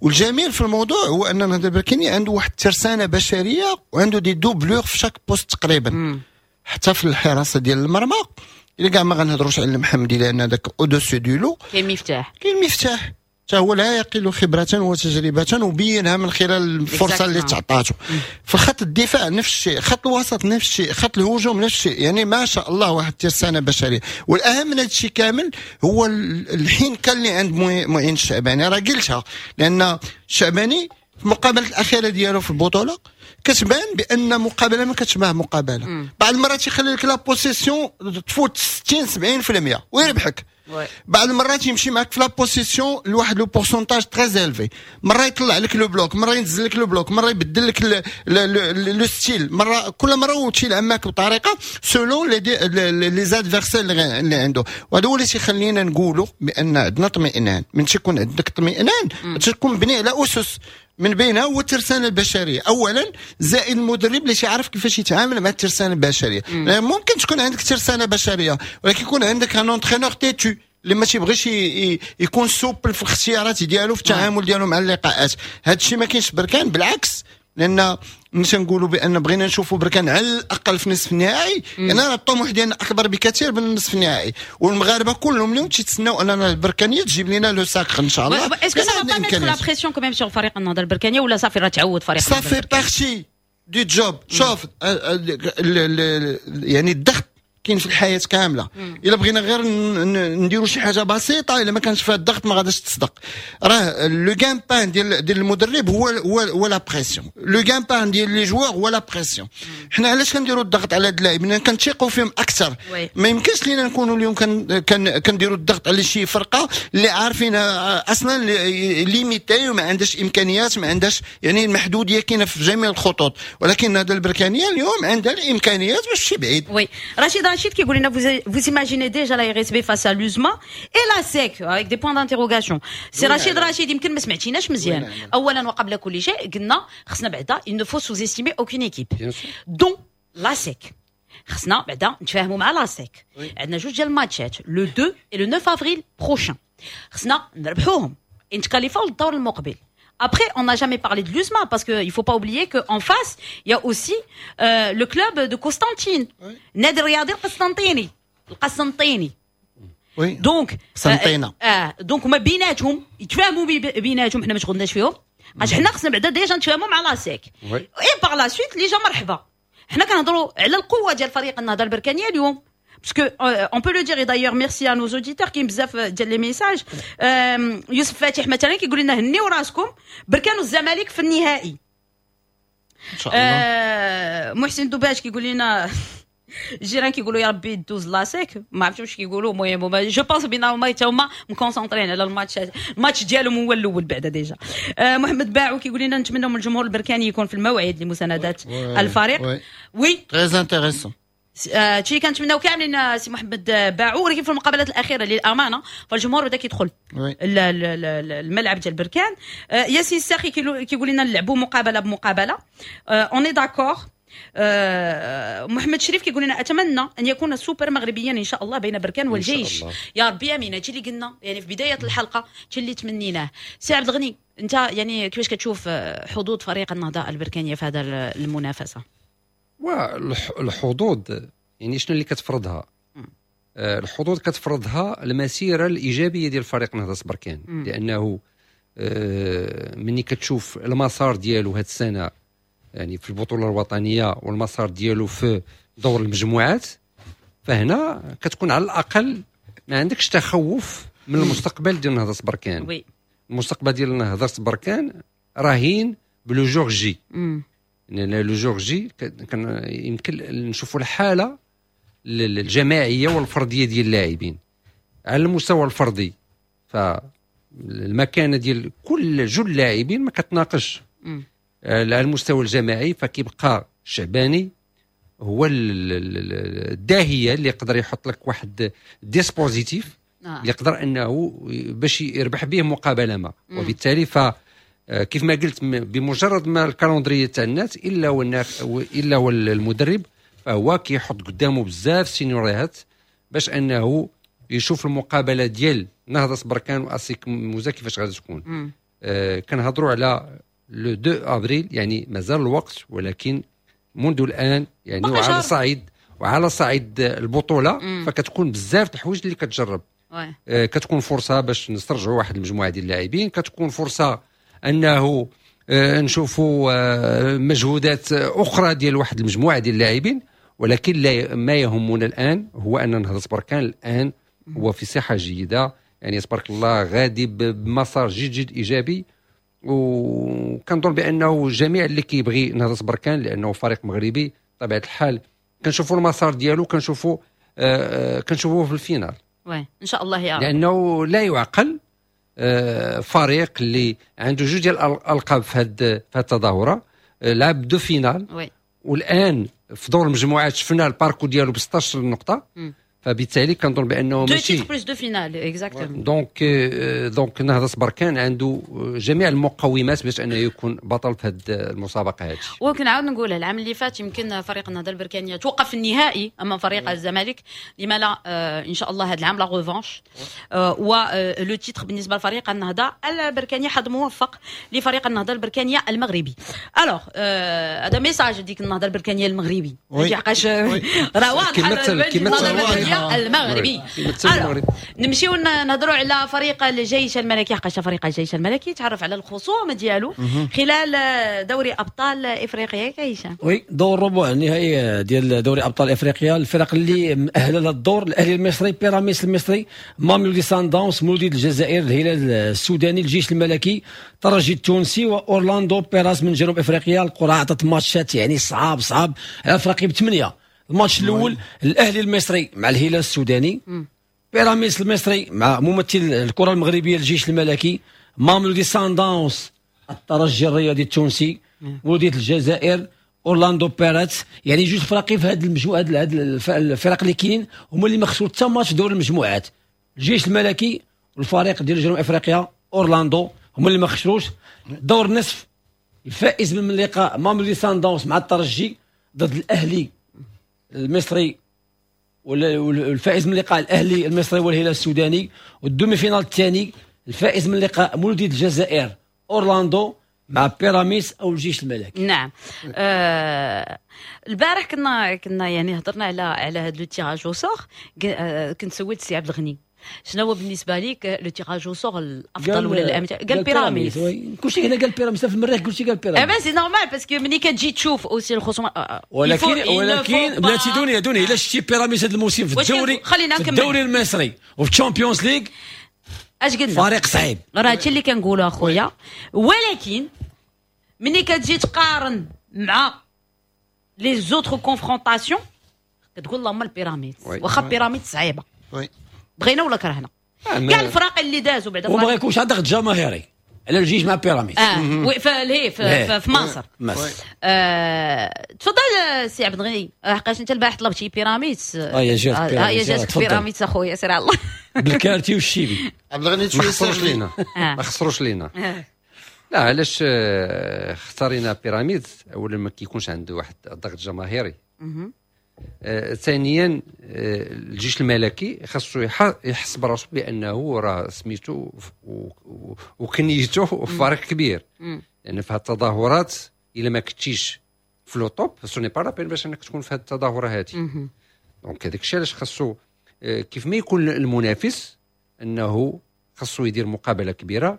والجميل في الموضوع هو ان النهضة البركانيه عنده واحد الترسانه بشرية وعنده des doublures في chaque poste تقريبا، حتى في الحراسة ديال المرمى الا كاع ما غنهضروش على المحمدي لان هذاك au-dessus du lot. كاين مفتاح، كاين مفتاح حتى هو لا يقل خبره وتجربه وبينها من خلال الفرصة اللي تعطاته. في خط الدفاع نفس الشيء، خط الوسط نفس الشيء، خط الهجوم نفس الشيء، يعني ما شاء الله واحد الترسانه بشرية. والاهم من هذا الشيء كامل هو الحنكه اللي عند معين الشعباني. راه قلتها لان الشعباني في المقابلة الاخيرة ديالو في البطولة كتبان بان مقابله ما كتشبه مقابله. بعض المرات يخلي لك la possession تفوت 60 70% ويربحك، بعض المرات يمشي معك في la possession لواحد le pourcentage très élevé، مرة يطلع لك le bloc، مرة ينزل لك le bloc، مرة يبدل لك le style، مرة كل مرة وتيلعب معك بطريقة selon les adversaires اللي عنده. وهذا هو اللي تيخلينا نقولوا بان عندنا اطمئنان. من تيكون عندك اطمئنان تكون مبني على اسس من بينها هو الترسانه البشرية اولا، زائد المدرب اللي تيعرف كيفاش يتعامل مع الترسانه البشرية. ممكن تكون عندك ترسانه بشرية ولكن يكون عندك un entraîneur têtu اللي ما تيبغيش يكون souple في الاختيارات ديالو في التعامل ديالو مع اللقاءات. هذا الشيء ما كاينش بركان، بالعكس، لان ملي تنقولوا بان بغينا نشوفوا بركان على الاقل في نصف النهائي، يعني الطموح ديالنا اكبر بكثير من النصف النهائي، والمغاربة كلهم اليوم تيتسناو اننا البركانيه تجيب لنا le sacre ان شاء الله. est-ce que ça va pas mettre la pression quand même sur فريق النهضة البركانيه ولا صافي راه تعود فريق؟ ça fait partie du job. شوف يعني الضغط كاين في الحياة كاملة. الا بغينا غير نديروا شي حاجة بسيطة، الا ما كانش فيها الضغط ما غاديش تصدق. راه le gagne-pain ديال المدرب هو la pression، le gagne-pain ديال les joueurs هو la pression. حنا علاش كنديروا الضغط على هاد اللاعبين؟ كنثيقوا فيهم اكثر. ما يمكنش لينا نكونوا اليوم كنديروا الضغط على شي فرقه اللي عارفين اصلا limitée وما عندهاش امكانيات، ما عندهاش يعني المحدوديه كاينه في جميع الخطوط. ولكن هذا البركانيه اليوم عندها الامكانيات باش تمشي بعيد. oui، رشيد رشيد كيقول لنا vous imaginez déjà la RSB face à l'USMA et l'ASEC avec des points d'interrogation. سي رشيد رشيد، يمكن ما سمعتيناش مزيان. اولا وقبل كل شيء قلنا خصنا بعدا il ne faut sous-estimer aucune équipe dont l'ASEC. خصنا بعدا نتفاهموا مع l'ASEC. عندنا جوج ديال الماتشات، le 2 et le 9 avril prochain، خصنا نربحوهم نتكاليفاو للدور المقبل. Après, on n'a jamais parlé de l'USMA parce qu'il faut pas oublier qu'en face, il y a aussi le club de Constantine. نادي الرياضي القسنطيني. القسنطيني. oui. donc قسنطينة. Donc هما بيناتهم يتفاهموا، بيناتهم، حنا ما شغلناش فيهم. علاش حنا خصنا بعدا déjà نتفاهموا مع l'ASEC et par la suite اللي جا مرحبا. حنا كنهضروا على القوة ديال فريق النهضة البركانيه اليوم parce que on peut le dire، et d'ailleurs merci à nos auditeurs، كاين بزاف ديال les messages. يوسف فاتح مثلا كيقول لنا هنيو راسكم، بركان والزمالك في النهائي. ان شاء الله. محسن دوباش كيقول لنا الجيران كيقولوا يا ربي دوز l'ASEC، ما عرفتش واش كيقولوا. المهم je pense بان هما حتى هما مكونسونطرين على الماتش ديالهم هو الاول بعدا déjà. محمد باعو كيقول لنا نتمنى من الجمهور البركاني يكون في الموعد لمساندات الفريق. oui، très intéressant. هادشي اللي كنتمناو كاملين سي محمد باعو. ولكن في المقابلات الاخيرة للامانة فالجمهور بدا كيدخل الملعب ديال بركان. ياسين الساخي كيقول لنا نلعبوا مقابله بمقابله، on est d'accord. محمد شريف كيقول لنا اتمنى ان يكون السوبر مغربيا ان شاء الله بين بركان والجيش. يا ربي امين. هادشي اللي قلنا يعني في بداية الحلقه، هادشي اللي تمنيناه. سي عبد الغني، انت يعني كيفاش كتشوف حظوظ فريق النهضة البركانيه في هذا المنافسه؟ والحظوظ يعني شنو اللي كتفرضها؟ الحظوظ كتفرضها المسيرة الايجابية ديال فريق نهضة بركان، لانه ملي كتشوف المسار ديالو هذه السنة يعني في البطولة الوطنية والمسار ديالو في دور المجموعات، فهنا كتكون على الاقل ما عندكش تخوف من المستقبل ديال نهضة بركان. المستقبل ديال نهضة بركان رهين ب le jour J. لان le jour J كان يمكن نشوفوا الحالة الجماعية والفرديه ديال اللاعبين. على المستوى الفردي فالمكانه ديال كل جل اللاعبين ما كتناقش. على المستوى الجماعي فكيبقى الشعباني هو الداهيه اللي يقدر يحط لك واحد dispositif اللي يقدر انه باش يربح به مقابله ما. وبالتالي ف كيف ما قلت، بمجرد ما ال calendrier تاع الناس الا هو المدرب فهو كيحط قدامه بزاف سيناريوهات باش انه يشوف المقابلة ديال نهضة بركان واسيك موزا كيفاش غادي تكون. كنهضروا على le 2 افريل، يعني مازال الوقت، ولكن منذ الان يعني وعلى صعيد البطولة فكتكون بزاف الحوايج اللي كتجرب. كتكون فرصة باش نسترجعوا واحد المجموعة ديال اللاعبين، كتكون فرصة انه نشوفوا مجهودات اخرى ديال واحد المجموعة ديال اللاعبين. ولكن ما يهمنا الان هو ان نهضة بركان الان هو في صحة جيده، يعني تبارك الله غادي بمسار جد جد ايجابي. وكنظن بانه جميع اللي كيبغي نهضة بركان، لانه فريق مغربي بطبيعة الحال، كنشوفوا المسار ديالو، كنشوفوه في ال finale. oui، ان شاء الله يا رب. لانه لا يعقل فريق اللي عنده جوج ديال الالقاب في هذه التظاهره، لعب deux finales، والان في دور المجموعات شفنا ال parcours ديالو ب 16 نقطه. فبالتالي كنظن بانه ماشي deux titres plus deux finales، exactement. donc نهضة بركان عنده جميع المقومات باش انه يكون بطل في هذه المسابقة هذه. وكنعاود نقول العام اللي فات يمكن فريق النهضة البركانيه توقف في النهائي امام فريق الزمالك. لما لا ان شاء الله هذا العام la revanche و le titre بالنسبة لفريق النهضة البركانيه. حظ موفق لفريق النهضة البركانيه المغربي. alors هذا message ديك النهضة البركانيه المغربي، حقاش راه واضح. كما الوداد المغربي. نمشيو نهضروا على فريق الجيش الملكي، حقاش فريق الجيش الملكي تعرف على الخصوم ديالو خلال دوري ابطال افريقيا. كايشه oui، دور ربع النهائي ديال دوري ابطال افريقيا، الفرق اللي مؤهلة للدور: الاهلي المصري، بيراميدز المصري، ماميلودي سان داونز، مولودية الجزائر، الهلال السوداني، الجيش الملكي، الترجي التونسي، واورلاندو بيراس من جنوب افريقيا. القرعة عطت ماتشات يعني صعاب صعاب على الفريق بثمانيه. الماتش الاول الاهلي المصري مع الهلال السوداني، بيراميدز المصري مع ممثل الكره المغربية الجيش الملكي، ماميلودي سان داونز، الترجي الرياضي التونسي، مولودية الجزائر، اورلاندو بيراتس. يعني جوج فراقي في هذه المجموعه، هاد الفرق اللي كاينين هما اللي ما خسروا حتى ماتش دور المجموعات، الجيش الملكي والفريق ديال جنوب افريقيا اورلاندو هما اللي ما خسروش. دور النصف الفائز من اللقاء ماميلودي سان داونز مع الترجي ضد الاهلي المصري، والفائز من لقاء الاهلي المصري والهلال السوداني. وال demi-finale الثاني الفائز من لقاء مولودية الجزائر اورلاندو مع بيراميدز او الجيش الملكي. نعم. البارح كنا يعني هضرنا على هذا le tirage au sort. كنت سولت سي عبد الغني شنو هو بالنسبة لك le tirage au sort الافضل ولا الامثل، قال بيراميدز. كلشي هنا قال بيراميدز، في المريخ كلشي قال بيراميدز. mais c'est normal parce que ملي كتجي تشوف aussi الخصوم. ولكن بلاتي دنيا دنيا، الا شتي بيراميدز هذا الموسم في الدوري، خلينا في الدوري المصري وفي ال Champions League اش قلنا؟ فريق صعيب. راه هادشي اللي كنقولوا اخويا، ولكن ملي كتجي تقارن مع les autres confrontations كتقول اللهم البيراميدز، واخا بيراميدز صعيبة بغينا ولا كرهنا كاع الفرق اللي دازوا بعدا، وما يكونش عندك جماهيري على الجيش مع بيراميدز. في في مصر. تفضل سي عبد الغني، حقاش انت البارح طلبتي بيراميدز. يا جات بيراميدز، يا جات بيراميدز اخويا، سير على الله. بالكارتي والشيبي. عبد الغني ما خسروش لينا، ما خسروش لينا. لا علاش اختارينا بيراميدز؟ اولا ما كيكونش عنده واحد الضغط جماهيري، ثانيا الجيش الملكي خاصو يحس براسو بانه راه سميتو وكنيتو فريق كبير، لان يعني في هاد التظاهرات الا ما كنتيش في le top ce n'est pas la peine باش انك تكون في هاد التظاهرة هادي. donc هذاك الشيء علاش خاصو كيف ما يكون المنافس انه خاصو يدير مقابله كبيرة.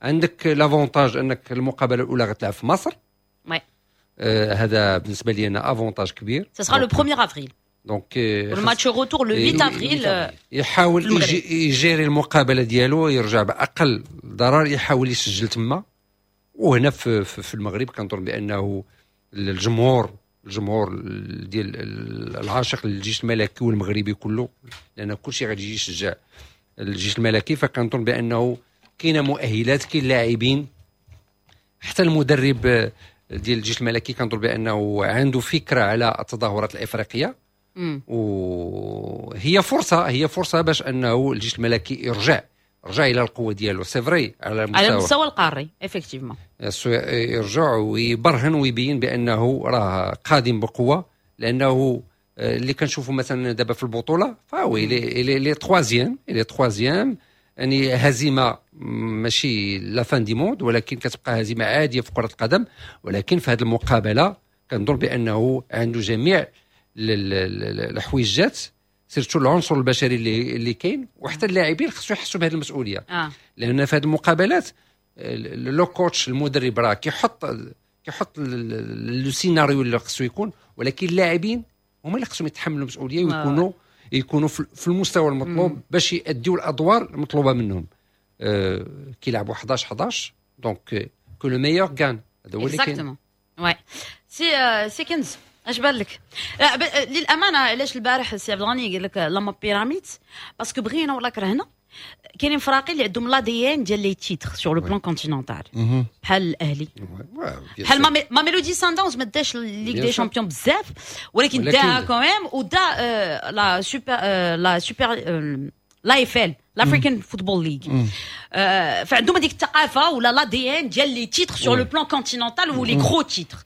عندك l'avantage انك المقابلة الاولى غتلعب في مصر. هذا بالنسبة لي انا avantage كبير. ça sera le 1 avril. donc ال match retour le 8 افريل. يحاول يجيري المقابلة ديالو، يرجع باقل ضرر، يحاول يسجل تما. وهنا في المغرب كنظن بانه الجمهور ديال العاشق للجيش الملكي والمغربي كله، لان كلشي غادي يجي يشجع الجيش الملكي، فكنظن بانه كاينه مؤهلات، كاين لاعبين، حتى المدرب ديال الجيش الملكي كنظن بانه عنده فكرة على التظاهرات الافريقية، وهي فرصة، هي فرصة باش انه الجيش الملكي يرجع الى القوة ديالو. c'est vrai على المستوى القاري effectivement يرجع ويبرهن ويبين بانه راه قادم بقوة، لانه اللي كنشوفوا مثلا دابا في البطولة فهو il est troisième، il est troisième، يعني هزيمة ماشي la fin du monde، ولكن كتبقى هزيمة عادية في كره القدم. ولكن في هذه المقابلة كنظن بانه عنده جميع الحويجات، surtout العنصر البشري اللي كاين، وحتى اللاعبين خصو يحسوا بهذه المسؤولية. لان في هذه المقابلات le coach المدرب راه كيحط le scénario اللي خصو يكون، ولكن اللاعبين هما اللي خصهم يتحملوا المسؤولية ويكونوا يكونوا في المستوى المطلوب باش يأديوا الادوار المطلوبة منهم. كيلعبوا 11 donc que le meilleur gagne. هذا هو اللي كاين. oui سي كنز اش بان لك؟ للامانة علاش البارح السي عبد الغني قال لك لما بيراميدز، parce que بغينا ولا كرهنا كاينين فراقي اللي عندهم l'ADN ديال les titres sur le plan continental، بحال الاهلي، بحال ماميلودي سان داونز ما داش Ligue des Champions بزاف، ولكن داها quand même، ودا la super l'AFL l'African Football League. فعندهم هذيك الثقافة ولا l'ADN ديال les titres sur le plan continental و les gros titres.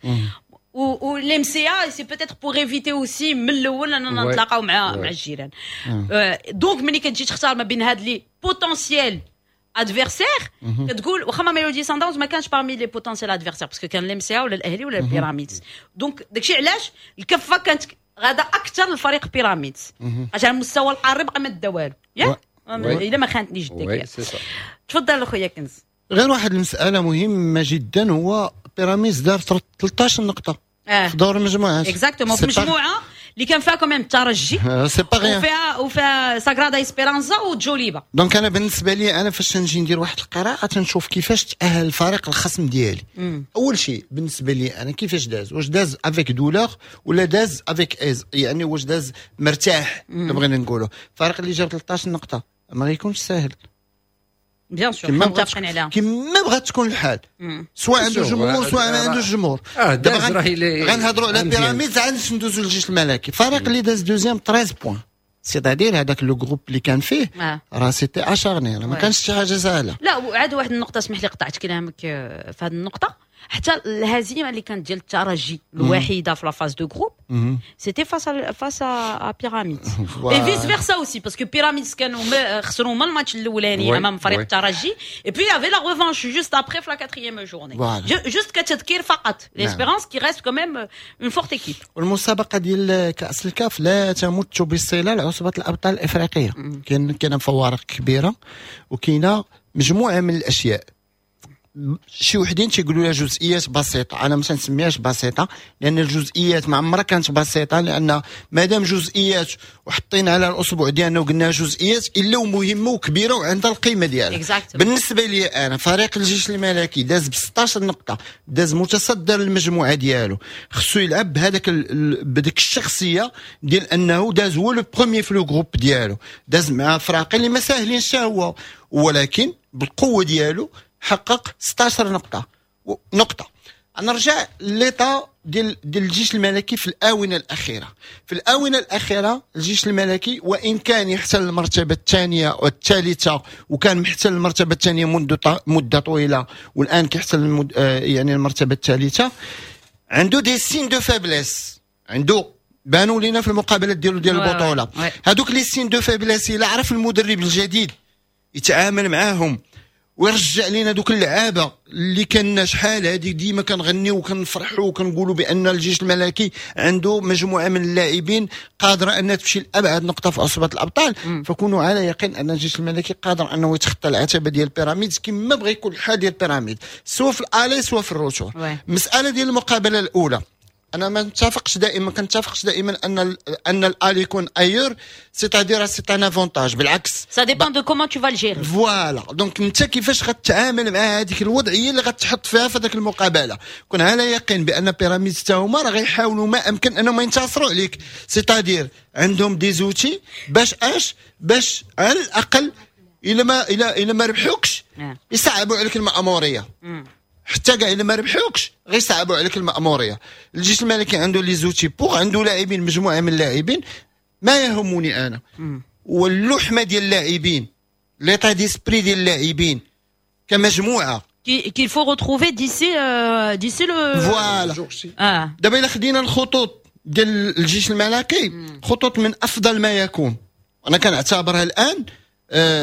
و l'MCA c'est peut-être pour éviter aussi من الاول اننا نتلاقاو مع الجيران. donc ملي كتجي تختار ما بين هاد les potentiels adversaires كتقول واخا ما ميلودي سان داونز ما كانش parmi les potentiels adversaires parce que كان l'MCA ولا الاهلي ولا البيراميدز. donc داكشي علاش الكفة كانت غادا اكثر لفريق بيراميدز عشان المستوى القاري بقى ما دا والو، ياك؟ الا ما خانتنيش الذاكرة. تفضل اخويا كنز. غير واحد المسالة مهمة جدا، هو بيراميدز دار 13 نقطة في دور المجموعات. exactement، في مجموعة اللي كان فيها quand même الترجي c'est pas rien وفيها ساغرادا اسبيرانزا وجوليبا. donc انا بالنسبة لي انا فاش نجي ندير واحد القراءة تنشوف كيفاش تاهل الفريق الخصم ديالي. اول شيء بالنسبة لي انا كيفاش داز، واش داز avec douleur ولا داز avec aise، يعني واش داز مرتاح. بغينا نقولوا الفريق اللي جاب 13 نقطة ما غيكونش ساهل. bien sûr، متفقين عليها. كما بغات تكون الحال، سواء عنده جمهور سواء ما عندوش جمهور. دابا غنهضروا على بيراميدز عاد ندوزو للجيش الملكي. الفريق اللي داز deuxième 13 points، c'est-à-dire هذاك le groupe اللي كان فيه راه c'était acharné، ما كانش شي حاجة سهلة. لا، وعاد واحد النقطه، اسمح لي قطعت كلامك في هذه النقطه، حتى الهزيمة اللي كانت ديال الترجي الوحيدة في la phase de groupes c'était face à بيراميدز et vice versa aussi، parce que بيراميدز كانوا خسروا هما الماتش الاولاني امام فريق الترجي et puis y avait la revanche juste après في la quatrième journée. juste كتذكير فقط، l'Espérance qui reste quand même une forte équipe. والمسابقه ديال كاس الكاف لا تمت بالصله لعصبه الابطال الافريقيه. كاين فوارق كبيرة وكاينه مجموعة من الاشياء. شي وحدين تيقولوا لها جزئيات بسيطه، انا ما تنسميهاش بسيطة لان الجزئيات ما عمرها كانت بسيطه، لان مادام جزئيات وحطينا على الاصبع ديالنا وقلنا جزئيات الا ومهمة وكبيره وعندها القيمة ديالها. بالنسبة لي انا فريق الجيش الملكي داز ب 16 نقطة، داز متصدر المجموعة ديالو، خصو يلعب بهذاك بديك الشخصية ديال انه داز هو le premier في le groupe ديالو، داز مع فراقي اللي ما ساهلينش هو، ولكن بالقوة ديالو حقق 16 نقطة. نرجع l'état ديال الجيش الملكي في الآونة الأخيرة. في الآونة الأخيرة الجيش الملكي وإن كان يحتل المرتبة الثانية والثالثة، وكان محتل المرتبة الثانية منذ مدة طويلة، والآن كيحتل يعني المرتبة الثالثة، عنده des signes de faiblesse، عنده بانوا لينا في المقابلات ديالو ديال البطولة. هذوك les signes de faiblesse إلا عرف المدرب الجديد يتعامل معاهم ويرجع لينا دوك اللعابه اللي كنا شحال هذيك ديما كنغنيو وكنفرحوا وكنقولوا بان الجيش الملكي عنده مجموعة من اللاعبين قادرة انها تمشي لابعد نقطة في عصبه الابطال. فكونوا على يقين ان الجيش الملكي قادر انه يتخطى العتبة ديال بيراميدز كما بغى يكون الحال ديال بيراميدز، سواء في ال aller سواء في ال retour. المسالة ديال المقابلة الاولى انا ما نتفقش دائما، كنتفقش دائما ان ال aller يكون ailleurs، c'est-à-dire c'est un avantage، بالعكس ça dépend de comment tu vas le gérer. voilà، donc انت كيفاش غتعامل مع هذيك الوضعية اللي غتحط فيها في هذاك المقابلة. كون على يقين بان بيراميدز حتى هما راه غيحاولوا ما امكن انهم ينتصروا عليك، c'est-à-dire عندهم des outils باش اش باش على الاقل الا ما ربحوكش يصعبوا عليك الماموريه. حتى كاع الا ما ربحوكش غيصعبوا عليك الماموريه. الجيش الملكي عنده les outils pour، عنده لاعبين، مجموعة من اللاعبين. ما يهمني انا واللحمة ديال اللاعبين، l'état d'esprit ديال اللاعبين كمجموعة qu'il faut retrouver d'ici le voilà. دابا الا خدينا الخطوط ديال الجيش الملكي، خطوط من افضل ما يكون، انا كنعتبرها الان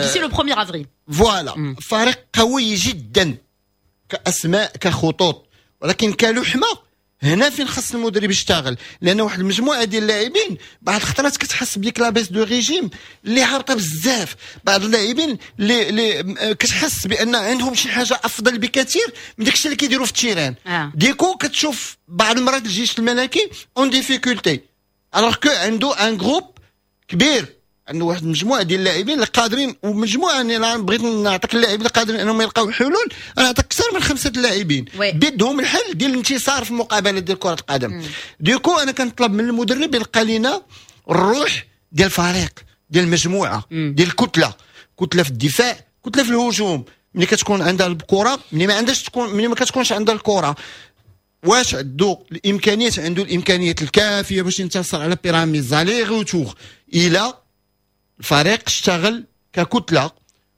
d'ici le 1 avril. voilà، فريق قوي جدا كاسماء كخطوط، ولكن كلحمه هنا فين خص المدرب يشتغل، لان واحد المجموعة ديال اللاعبين بعض الخطرات كتحس بديك la baisse de régime اللي هابطة بزاف، بعض اللاعبين اللي كتحس بان عندهم شي حاجة افضل بكثير من داكشي اللي كيديروا في ال terrain. Du coup كتشوف بعض المرات الجيش الملكي en difficulté، alors que عنده un groupe كبير، عنده واحد المجموعة ديال اللاعبين اللي قادرين، ومجموعة يعني بغيت نعطيك اللاعبين اللي قادرين انهم يلقاو حلول، انا نعطيك اكثر من 5 اللاعبين بيدهم الحل ديال الانتصار في المقابلة ديال كره القدم. du coup انا كنطلب من المدرب يلقى لنا الروح ديال الفريق، ديال المجموعة، ديال الكتلة، كتلة في الدفاع، كتلة في الهجوم. ملي كتكون عندها الكره، ملي ما عندهاش تكون، ملي ما كتكونش عندها الكره، واش عنده الامكانيات؟ عنده الامكانيات الكافيه باش ينتصر على بيراميدز aller-retour الى الفريق اشتغل ككتله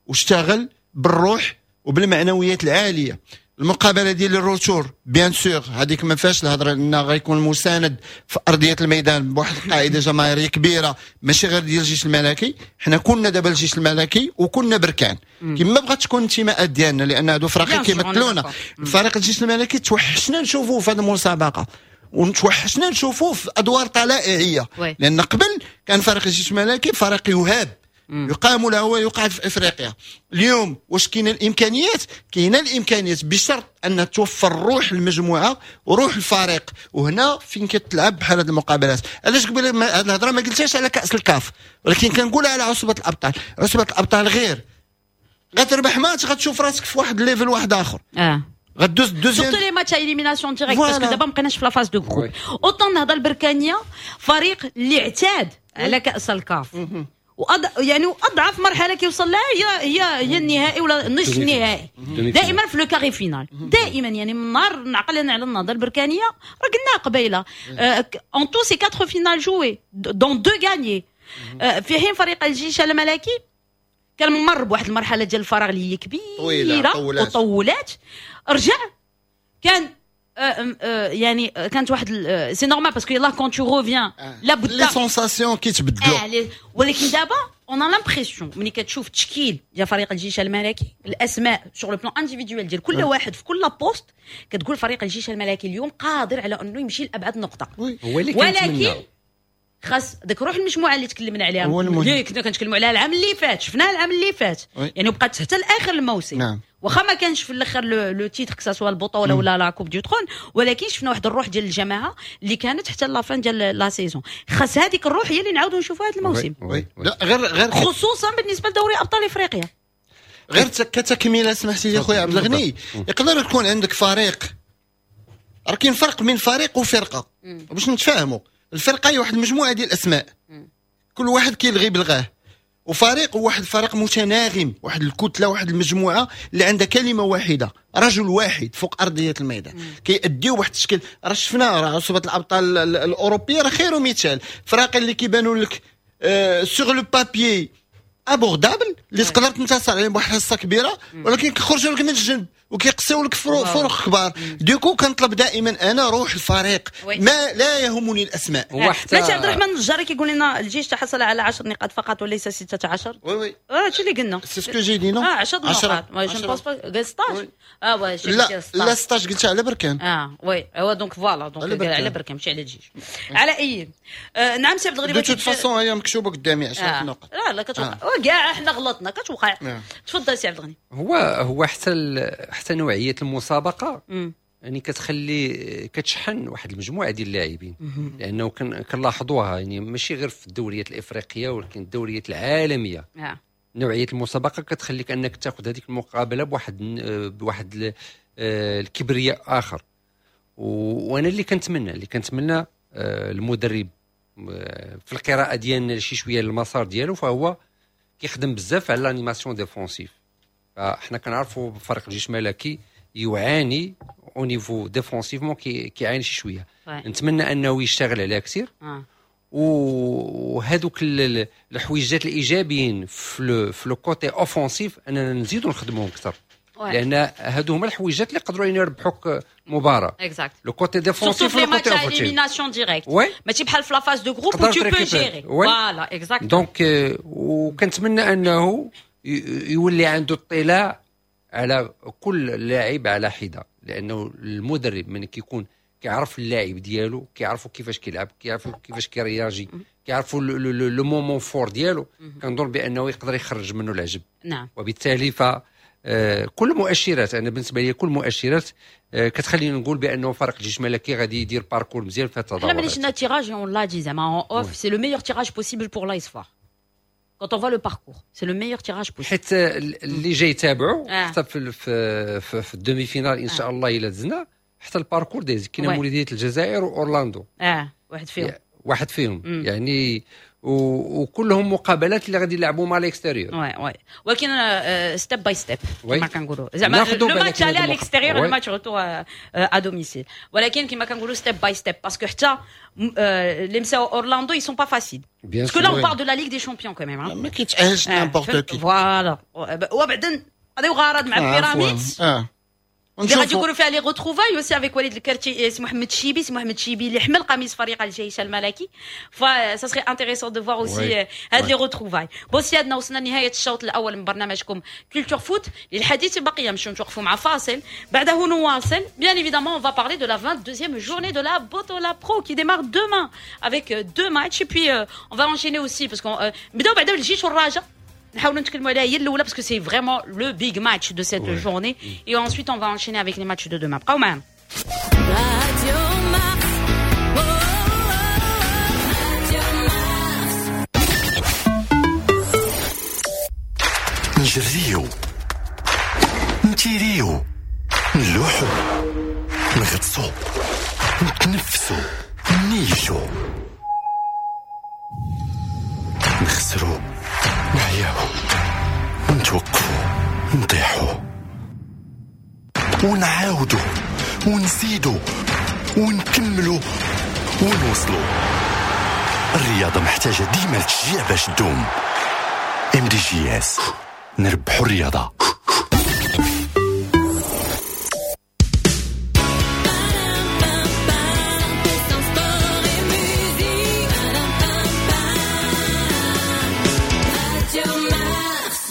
واشتغل بالروح وبالمعنويات العالية. المقابلة ديال ال retour bien sûr هذيك ما فيهاش الهضرة، لان غيكون مساند في ارضية الميدان بواحد القاعدة جماهيرية كبيرة، ماشي غير ديال الجيش الملكي. حنا كنا دابا الجيش الملكي وكنا بركان، كما بغات تكون الانتماءات ديالنا، لان هادو فراقي كيمثلونا. فريق الجيش الملكي توحشنا نشوفوه في هذه المسابقة، ونتوحشنا نشوفوه في ادوار طلائعيه، لان قبل كان فريق الجيش الملكي فريق يهاب يقام له ويقعد في افريقيا. اليوم واش كاينه الامكانيات؟ كاينه الامكانيات بشرط ان توفر روح المجموعة وروح الفريق، وهنا فين كتلعب بحال هذه المقابلات. علاش قبل هذه الهضرة ما قلتهاش على كاس الكاف، ولكن كنقولها على عصبه الابطال. عصبه الابطال غير غتربح ماتش غتشوف راسك في واحد level واحد اخر، غدوز deuxième، surtout les matchs élimination directe، parce que دابا ما بقيناش في la phase de groupes. autant النهضة البركانيه فريق اللي اعتاد على كاس الكاف، يعني اضعف مرحلة كيوصل لها هي النهائي ولا نصف النهائي، دائما في le carré final دائما. يعني من نهار نعقل انا على النهضة البركانيه راه قلنا قبيلة en tout c'est 4 finales jouées dont 2 gagnées. في حين فريق الجيش الملكي كان مر بواحد المرحلة ديال الفراغ اللي هي كبيرة وطولات، رجع كان يعني كانت واحد c'est normal parce que يلاه quand tu reviens لابد les sensations كيتبدلوا. ولكن دابا on a l'impression ملي كتشوف التشكيل ديال فريق الجيش الملكي، الاسماء sur le plan individuel ديال كل واحد في كل poste، كتقول فريق الجيش الملكي اليوم قادر على انه يمشي لابعد نقطة. ولكن خاص داك روح المجموعة اللي تكلمنا عليها، اللي كنا كنتكلموا عليها العام اللي فات، شفناها العام اللي فات، يعني بقات حتى لاخر الموسم. نعم. واخا ما كانش في الاخر le titre que ce soit البطولة ولا la coupe du trône، ولكن شفنا واحد الروح ديال الجماعة اللي كانت حتى la fin ديال la saison. خاص هذيك الروح هي اللي نعاودوا نشوفوها هذا الموسم. oui. لا غير خصوصا بالنسبة لدوري ابطال افريقيا. غير كتكمله سمحتي لي خويا عبد الغني، يقدر يكون عندك فريق، راه كاين فرق بين فريق وفرقه باش نتفاهموا. الفرقة هي واحد المجموعة ديال الاسماء، كل واحد كيلغي بلغاه، وفريق واحد فريق متناغم، واحد الكتلة، واحد المجموعة اللي عندها كلمة واحدة، رجل واحد فوق ارضية الميدان، كيأديو واحد الشكل. راه شفنا راه عصبه الابطال الاوروبية راه خير مثال، فراقي اللي كيبانوا لك sur le papier abordables اللي تقدر تنتصر عليهم بواحد الحصة كبيرة، ولكن كيخرجوا لك من الجنب وكيقصيو لك فروق كبار. du coup كنطلب دائما انا روح الفريق، ما لا يهمني الاسماء. ماشي عبد الرحمن الجاري كيقول لنا الجيش تحصل على 10 نقاط فقط وليس 16. oui oui هادشي اللي قلنا، c'est ce que j'ai dit non 10 نقاط، je pense pas قال 16. oui لا لا 16 قلتها على بركان. oui هو donc voilà donc على بركان ماشي على الجيش. على اي نعم سي عبد الغني، de toute façon هي مكتوبة قدامي 10 نقاط. لا لا كتوقع كاع احنا غلطنا كتوقع. تفضل سي عبد الغني. هو حتى نوعية المسابقة يعني كتخلي كتشحن واحد المجموعة ديال اللاعبين، لانه كنلاحظوها يعني ماشي غير في الدوريات الافريقية ولكن الدوريات العالمية. نوعية المسابقة كتخليك انك تاخذ هذيك المقابلة بواحد الكبرياء اخر. وانا اللي كنتمنى المدرب في القراءة ديالنا شي شوية المسار ديالو، فهو كيخدم بزاف على l'animation défensive. فاحنا كنعرفوا فريق الجيش الملكي يعاني au niveau défensivement، كيعاني شي شوية. نتمنى انه يشتغل عليها كثير. وهذوك الحويجات الايجابيين في le côté offensif اننا نزيدوا نخدموهم اكثر، لان هادو هما الحويجات اللي يقدروا يربحوك مباراة. exact le côté défensif، le côté offensif، élimination directe ماشي بحال في la phase de groupes où tu peux gérer. voilà exact. donc وكنتمنى انه يولي عنده اطلاع على كل لاعب على حده، لانه المدرب من كيكون كيعرف اللاعب ديالو، كيعرفوا كيفاش كيلعب، كيعرفوا كيفاش كي réagir، كيعرفوا le moment fort ديالو، كنظن بانه يقدر يخرج منه العجب. نعم. وبالتالي ف كل مؤشرات، انا بالنسبة لي كل مؤشرات كتخليني نقول بانه فريق الجيش الملكي غادي يدير parcours مزيان في التدورات. حنا ملي شفنا tirage on l'a dit زعما en off، c'est le meilleur tirage possible pour l'AS FAR. Quand on voit le parcours, c'est le meilleur tirage possible. حيت اللي جاي يتابعوا حتى في ال demi-finale ان شاء الله الى دزنا، حتى ال parcours دايز كاين مولوديه الجزائر واورلاندو، واحد فيهم يعني، وكلهم مقابلات اللي غادي يلعبوا مع l'extérieur. oui oui ولكن step by step كما كنقولوا، زعما le match aller à l'extérieur، le match retour à domicile، ولكن كما كنقولوا step by step parce que حتى اللي مساو اورلاندو ils sont pas faciles، parce que là on parle de la Ligue des Champions quand même. ما كيتاهلش n'importe qui. voilà، وبعدين غادي غرض مع بيراميدز. اللي غادي يكونوا فيها les retrouvailles aussi avec وليد الكرتي، سي محمد شيبي، سي محمد شيبي اللي حمل قميص فريق الجيش الملكي، ف ça serait intéressant de voir aussi هاد les retrouvailles. bon سيادنا، وصلنا لنهاية الشوط الاول من برنامجكم Culture Foot. للحديث بقية، نمشيو نتوقفوا مع فاصل، بعده نواصل. bien évidemment on va parler de la 22e journée de la Botola Pro qui démarre demain avec deux matchs et puis on va enchaîner aussi parce qu'on نبداو بعدا بالجيش والرجاء، نحاولوا نتكلموا عليها هي الاولى parce que c'est vraiment le big match de cette journée et ensuite on va enchaîner avec les matchs de demain. بقاو معنا. Radio Mars. Oh, Radio Mars. نجريو، نتيريو، نلوحو، نغطسو، نتنفسو، نيشو، نخسرو، نعياو، نتوقفو، نطيحو، ونعاودو، ونزيدو، ونكملو، ونوصلو. الرياضة محتاجة ديما التشجيع باش تدوم. MDJS، نربحو الرياضة. Sport et musique. Radio Mars.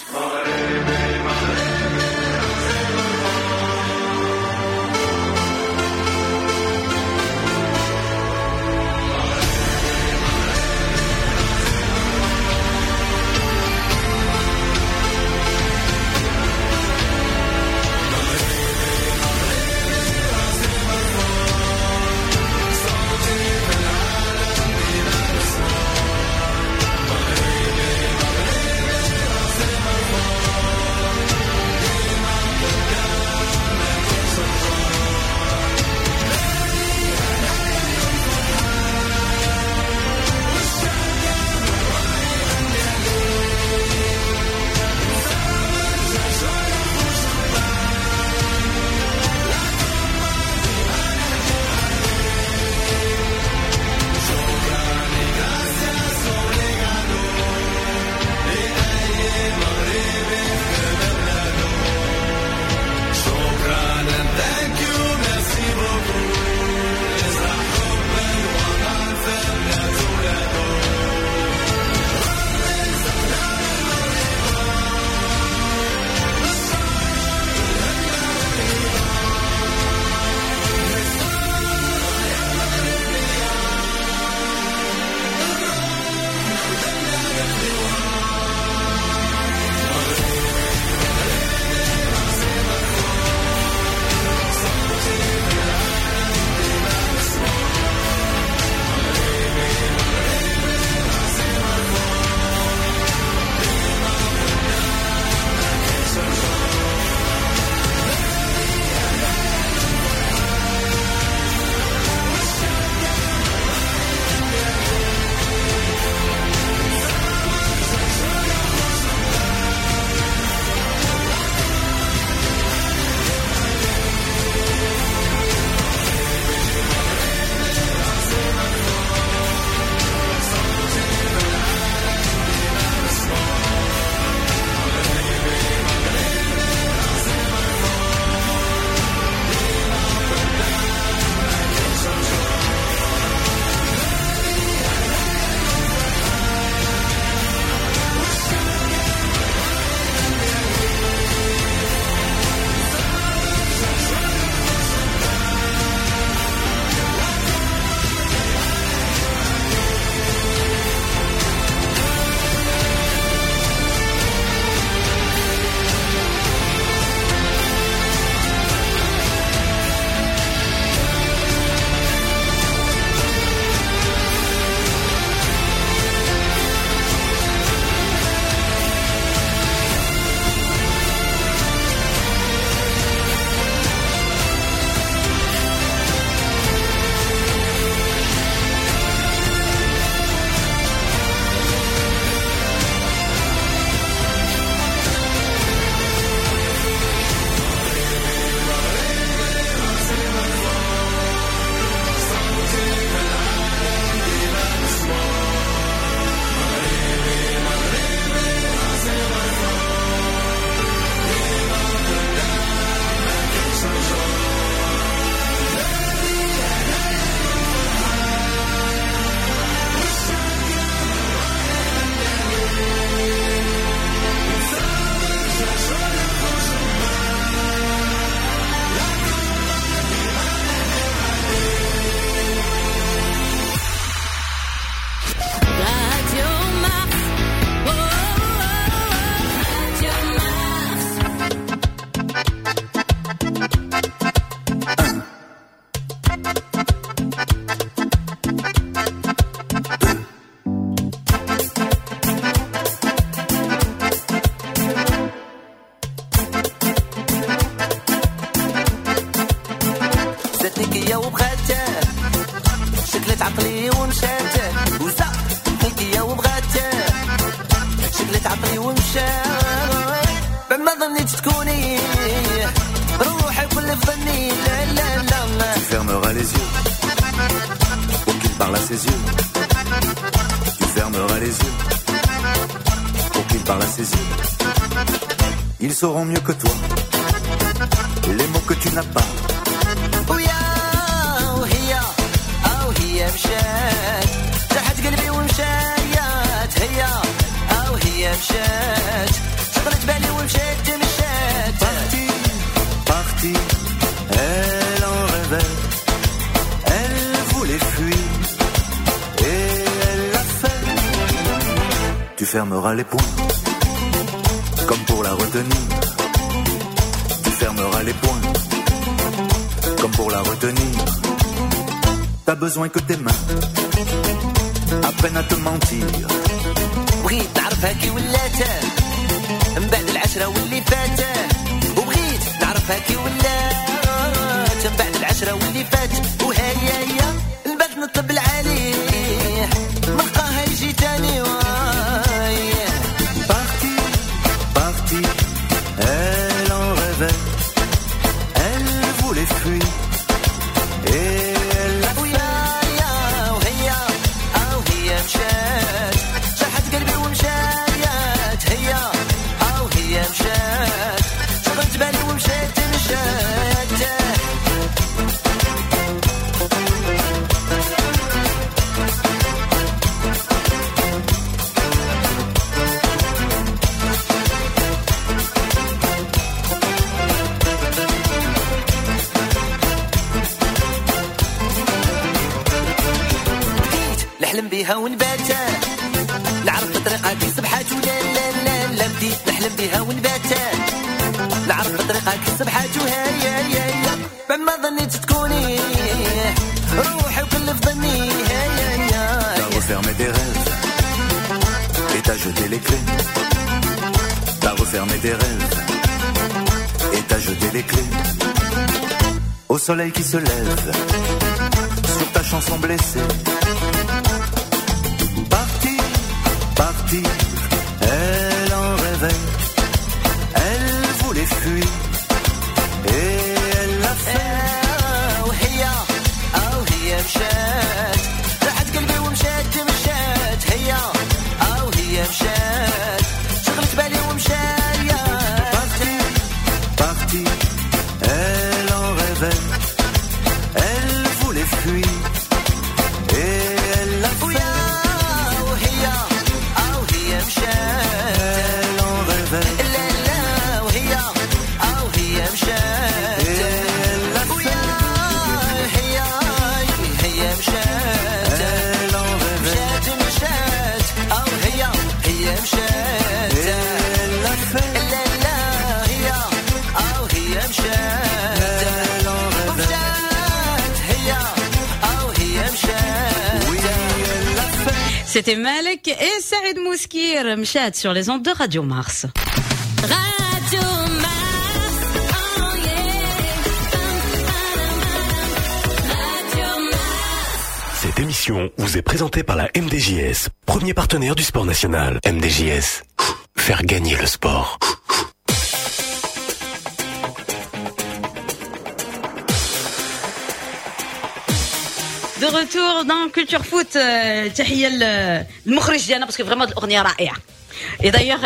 عقلي ومشات وزقت يا وبغات شغلت عقلي ومشات بعد ما ظنيت تكوني روحي كل في ظني لا لا لا. Tu fermeras les yeux pour qu'il parle à ses yeux. Tu fermeras les yeux pour qu'il parle à ses yeux. Ils sauront mieux que toi les mots que tu n'as pas. ويا وهي أو هي مشات جرحت قلبي ومشات هي أو هي مشات شغلت بالي ومشات مشات. Partie, partie, elle en rêvait, elle voulait fuir et elle l'a fait. Tu fermeras les poings comme pour la retenir. Tu fermeras les poings comme pour la retenir. T'as besoin que tes mains apprennent à te mentir. بغيت نعرفها كي ولات من بعد العشرة واللي فات، وبغيت نعرفها كي ولات من بعد العشرة واللي فات، وهيا هي البات نطلب العالي ملقاها يجي تاني. Partie, partie, elle en rêvait, elle voulait fuir et elle l'a ويا يا وهي أو هي مشات جرحت قلبي ومشات هي أو هي مشات شغلت بالي ومشات مشات. نحلم بها ونبات نعرف طريقها كي صبحات ولا لا لا لا. بديت نحلم بها ونبات نعرف طريقها كي صبحات وهيا يا يا بعد ما ظنيت تكوني روحي وكل في ظني هيا يا. T'as refermé des rêves et t'as jeté les clés. T'as refermé des rêves et t'as jeté les clés. Au soleil qui se lève sur ta chanson blessée. Partir, partir, elle en rêvait, elle voulait fuir et elle l'a fait. وهي أو هي مشات راحت قلبي ومشات مشات هي أو هي مشات شغلت بالي ومشات. Partir, partir, elle en rêvait, elle voulait fuir et elle l'a fait. ويا وهي أو هي مشات Elle en rêvait لا لا وهي أو هي مشات et elle l'a ويا fait. هي هي مشات Elle en rêvait مشات مشات أو هي هي مشات et elle l'a fait. لا لا هي أو هي مشات Elle en rêvait مشات هي أو هي مشات. oui, elle l'a fait. C'était Malek et Saïd Mouskir, مشات sur les ondes de Radio Mars. Radio Mars, oh yeah. Radio Mars. Cette émission vous est présentée par la MDJS, premier partenaire du sport national. MDJS, faire gagner le sport. De retour dans Culture Foot, تحية للمخرج ديالنا parce que vraiment الأغنية رائعة. Et d'ailleurs,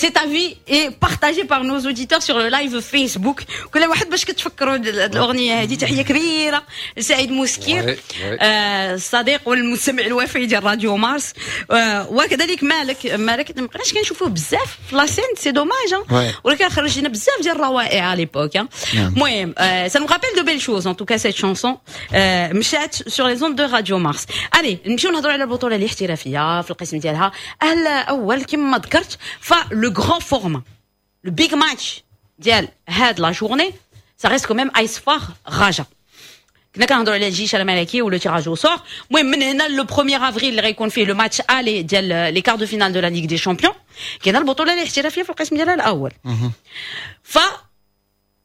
cet avis est partagé par nos auditeurs sur le live Facebook. كل واحد باش كتفكروا الأغنية هذه. تحية كبيرة لسعيد موسكير، الصديق والمستمع الوفي ديال راديو مارس، وكذلك مالك. مالك ما بقيناش كنشوفوه بزاف في la scène، c'est dommage، ولكن خرج لنا بزاف ديال الروائع à l'époque. المهم ça nous rappelle de belles choses en tout cas cette chanson مشات sur les ondes de Radio Mars. Allez نمشيو نهضروا على البطولة الاحترافية في القسم ديالها الأول كما ذكرت. ف le grand format, le big match ديال هاد la journée, ça reste quand même AS FAR Raja. كنا كنهضروا على الجيش الملكي و le tirage au sort. المهم من هنا le 1 افريل اللي غيكون فيه le match aller ديال les quarts de finale de la Ligue des Champions، كاينه البطولة الاحترافية في القسم ديالها الاول. ف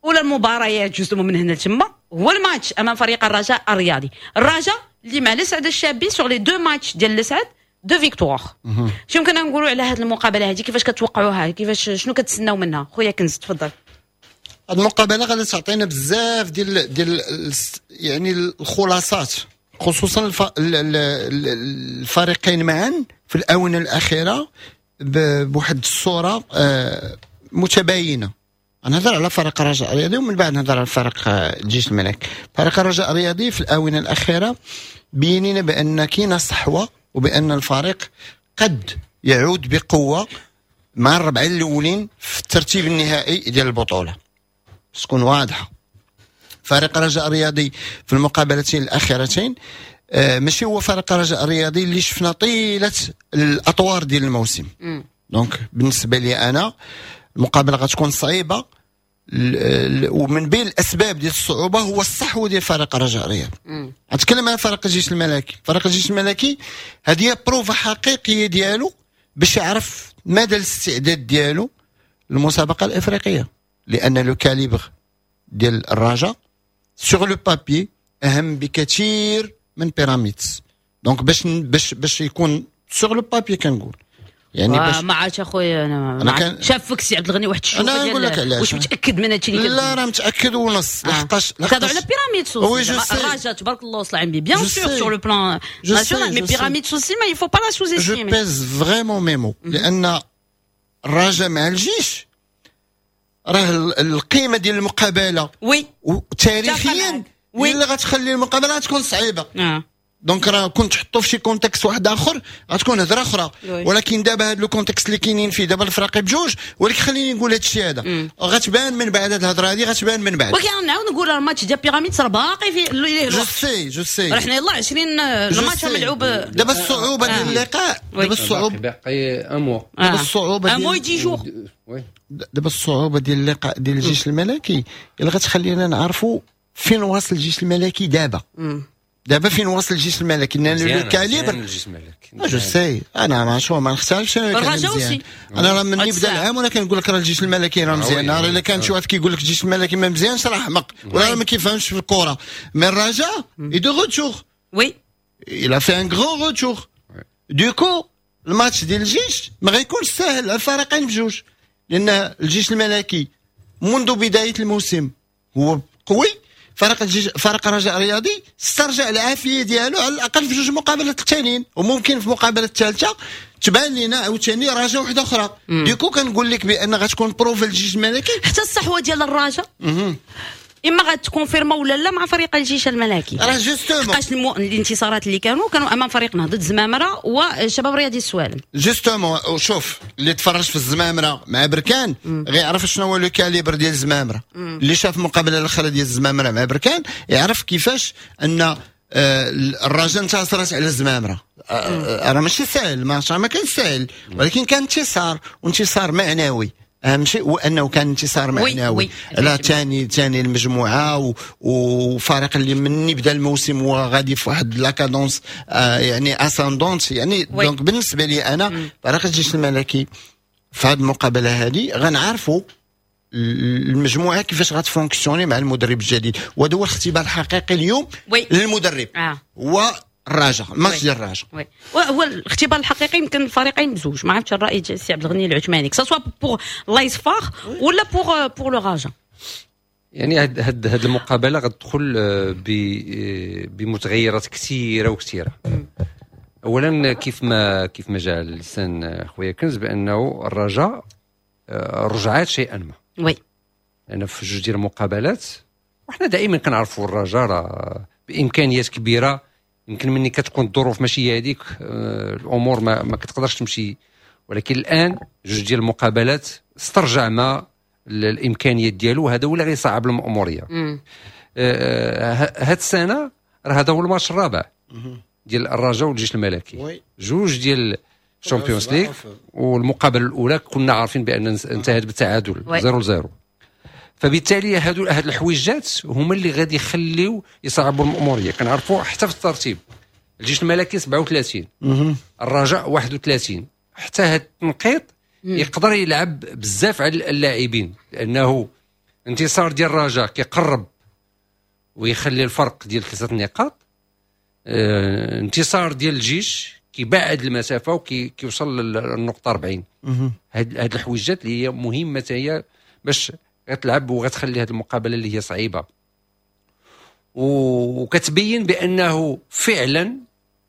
اولى المباريات justement من هنا لتما هو الماتش امام فريق الرجاء الرياضي. الرجاء اللي مع الاسعد الشابي sur les deux matchs ديال الاسعد deux victoires. شنو يمكن نقولوا على هذه المقابلة هذه؟ كيفاش كتوقعوها؟ كيفاش شنو كتسناو منها؟ خويا كنز تفضل. هذه المقابلة غادي تعطينا بزاف ديال يعني الخلاصات، خصوصا الفريقين معا في الاونة الاخيرة بواحد الصورة متباينة. نهضر على فريق الرجاء الرياضي ومن بعد نهضر على فريق الجيش الملكي. فريق الرجاء الرياضي في الاونة الاخيرة بيننا بان كاينه صحوة وبان الفريق قد يعود بقوة مع الربعه الاولين في الترتيب النهائي ديال البطولة. تكون واضحة، فريق الرجاء الرياضي في المقابلتين الاخيرتين ماشي هو فريق الرجاء الرياضي اللي شفنا طيلة الاطوار ديال الموسم. donc بالنسبة لي انا المقابلة غتكون صعيبة، ومن بين الاسباب ديال الصعوبة هو الصحوة ديال فريق الرجاء الرياضي. غنتكلم على فريق الجيش الملكي. فريق الجيش الملكي هذه هي بروفا حقيقية ديالو باش يعرف مدى الاستعداد ديالو للمسابقه الافريقية، لان le calibre ديال الرجاء sur le papier اهم بكثير من بيراميدز. donc باش باش باش يكون sur le papier كنقول يعني باش ما عرفتش اخويا انا كان شافك سي عبد الغني واحد الشوفه. انا نقول لك علاش. واش متاكد من هادشي اللي لا راه متاكد ونص. لحقاش تهضر على بيراميدز الرجاء تبارك الله وصل عندي bien sûr sur le plan national، mais بيراميدز aussi mais il faut pas la sous-estimer. je pèse vraiment mes mots، لان الرجاء مع الجيش راه القيمة ديال المقابلة oui وتاريخيا اللي غتخلي المقابلة تكون صعيبة. donc راه كنت تحطو في شي contexte واحد اخر غتكون هضره اخرى، ولكن دابا هذا le contexte اللي كاينين فيه دابا الفراقي بجوج. ولكن خليني نقول هذا الشيء هذا غتبان من بعد، هذه الهضرة هذه غتبان من بعد. ولكن نعاود نقول الماتش ديال بيراميدز راه باقي في je sais je sais، راه حنا يلاه 20 الماتش ملعوب. دابا الصعوبة ديال اللقاء، دابا الصعوبة باقي un mois، دابا الصعوبة un mois dix jours. دابا الصعوبة ديال اللقاء ديال الجيش الملكي اللي غتخلينا نعرفوا فين واصل الجيش الملكي دابا. دابا فين واصل الجيش الملكي؟ لان le calibre الجيش الملكي je sais انا ما شو ما نختلفش. انا مزيان، انا راه من بدا العام وانا كنقول لك راه الجيش الملكي راه مزيان. راه الا كان شي واحد كيقول لك الجيش الملكي ما مزيانش راه احمق ولا ما كيفهمش في الكره. mais الرجاء est de retour، oui il a fait un grand retour. du coup الماتش ديال الجيش ما غيكونش ساهل على الفريقين بجوج، لان الجيش الملكي منذ بداية الموسم هو قوي. فريق الجيش فريق الرجاء الرياضي استرجع العافية ديالو على الاقل في جوج مقابلات الثانيين، وممكن في المقابلة الثالثة تبان لنا عاوتاني رجاء وحده اخرى. du coup كنقول لك بان غتكون بروفا الجيش الملكي. حتى الصحوة ديال الرجاء اما غت confirma ولا لا مع فريق الجيش الملكي. راه justement حقاش الانتصارات اللي كانوا امام فريق نهضة الزمامره وشباب رياضي السوالم. justement شوف اللي تفرج في الزمامره مع بركان غيعرف شنو هو le calibre ديال الزمامره. اللي شاف المقابلة الاخرى ديال الزمامره مع بركان يعرف كيفاش ان الرجاء انتصرت على الزمامره. راه ماشي سهل، ما كان سهل، ولكن كان انتصار، وانتصار معنوي. اهم شيء هو انه كان انتصار معنوي على ثاني المجموعة وفريق اللي من بدا الموسم هو غادي في واحد la cadence يعني ascendante يعني. donc بالنسبة لي انا فريق الجيش الملكي في هذه المقابلة هذه غنعرفوا المجموعة كيفاش غت fonctionner مع المدرب الجديد، وهذا هو الاختبار الحقيقي اليوم للمدرب هو الرجاء، الماتش ديال الرجاء. هو الاختبار الحقيقي يمكن الفريقين بزوج. ما عرفتش الراي ديال السي عبد الغني العثماني، que ce soit pour l'AS FAR ولا pour le Raja. يعني هاد المقابلة غتدخل بمتغيرات كثيرة وكثيره. اولا كيف ما جاء لسان خويا كنز بانه الرجاء رجعات شيئا ما. oui لان في جوج ديال المقابلات وحنا دائما كنعرفوا الرجاء راه بامكانيات كبيرة، يمكن مني كتكون الظروف ماشي هي هذيك الامور ما كتقدرش تمشي، ولكن الان جوج ديال المقابلات استرجع ما الامكانيات ديالو، هذا هو اللي غيصعب الاموريه. هاد السنة راه هذا هو الماتش الرابع ديال الرجاء والجيش الملكي، جوج ديال الشامبيونز ليغ، والمقابلة الاولى كنا عارفين بان انتهت بالتعادل 0-0. فبالتالي هاد الحويجات هما اللي غادي يخليو يصعبوا الاموريه. كنعرفوا حتى في الترتيب الجيش الملكي 37، الرجاء 31، حتى هاد التنقيط يقدر يلعب بزاف على اللاعبين، لانه انتصار ديال الرجاء كيقرب ويخلي الفرق ديال 3 نقاط. انتصار ديال الجيش كيبعد المسافة وكيوصل للنقطة 40. هاد الحويجات اللي هي مهمة هي باش غتلعب وغتخلي هاد المقابلة اللي هي صعيبة، وكتبين بانه فعلا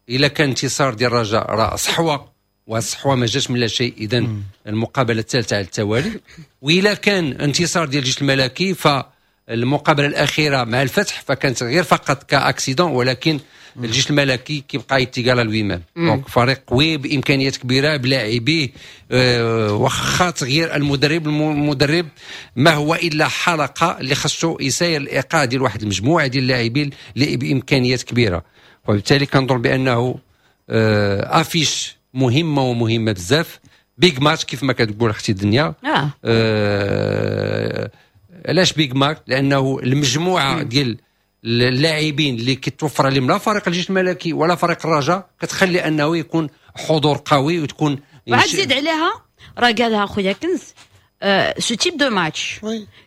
الا كان انتصار ديال الرجاء راه صحوة، والصحوه ما جاش من لا شيء. اذا المقابلة الثالثة على التوالي، والا كان انتصار ديال الجيش الملكي فالمقابله الاخيرة مع الفتح فكانت غير فقط ك accident، ولكن الجيش الملكي كيبقى égal à lui-même. donc فريق قوي بامكانيات كبيرة بلاعبيه، واخا تغيير المدرب، المدرب ما هو الا حلقة اللي خصو يساير الايقاع ديال واحد المجموعة ديال اللاعبين اللي بامكانيات كبيرة. وبالتالي كنظن بانه affiche مهمة ومهمة بزاف، big match كيف ما كتقول اختي الدنيا. علاش big match؟ لانه المجموعة ديال اللاعبين اللي كيتوفر عليهم لا فريق الجيش الملكي ولا فريق الرجاء كتخلي انه يكون حضور قوي وتكون وعاد زيد عليها راه قالها خويا كنز، ce type de match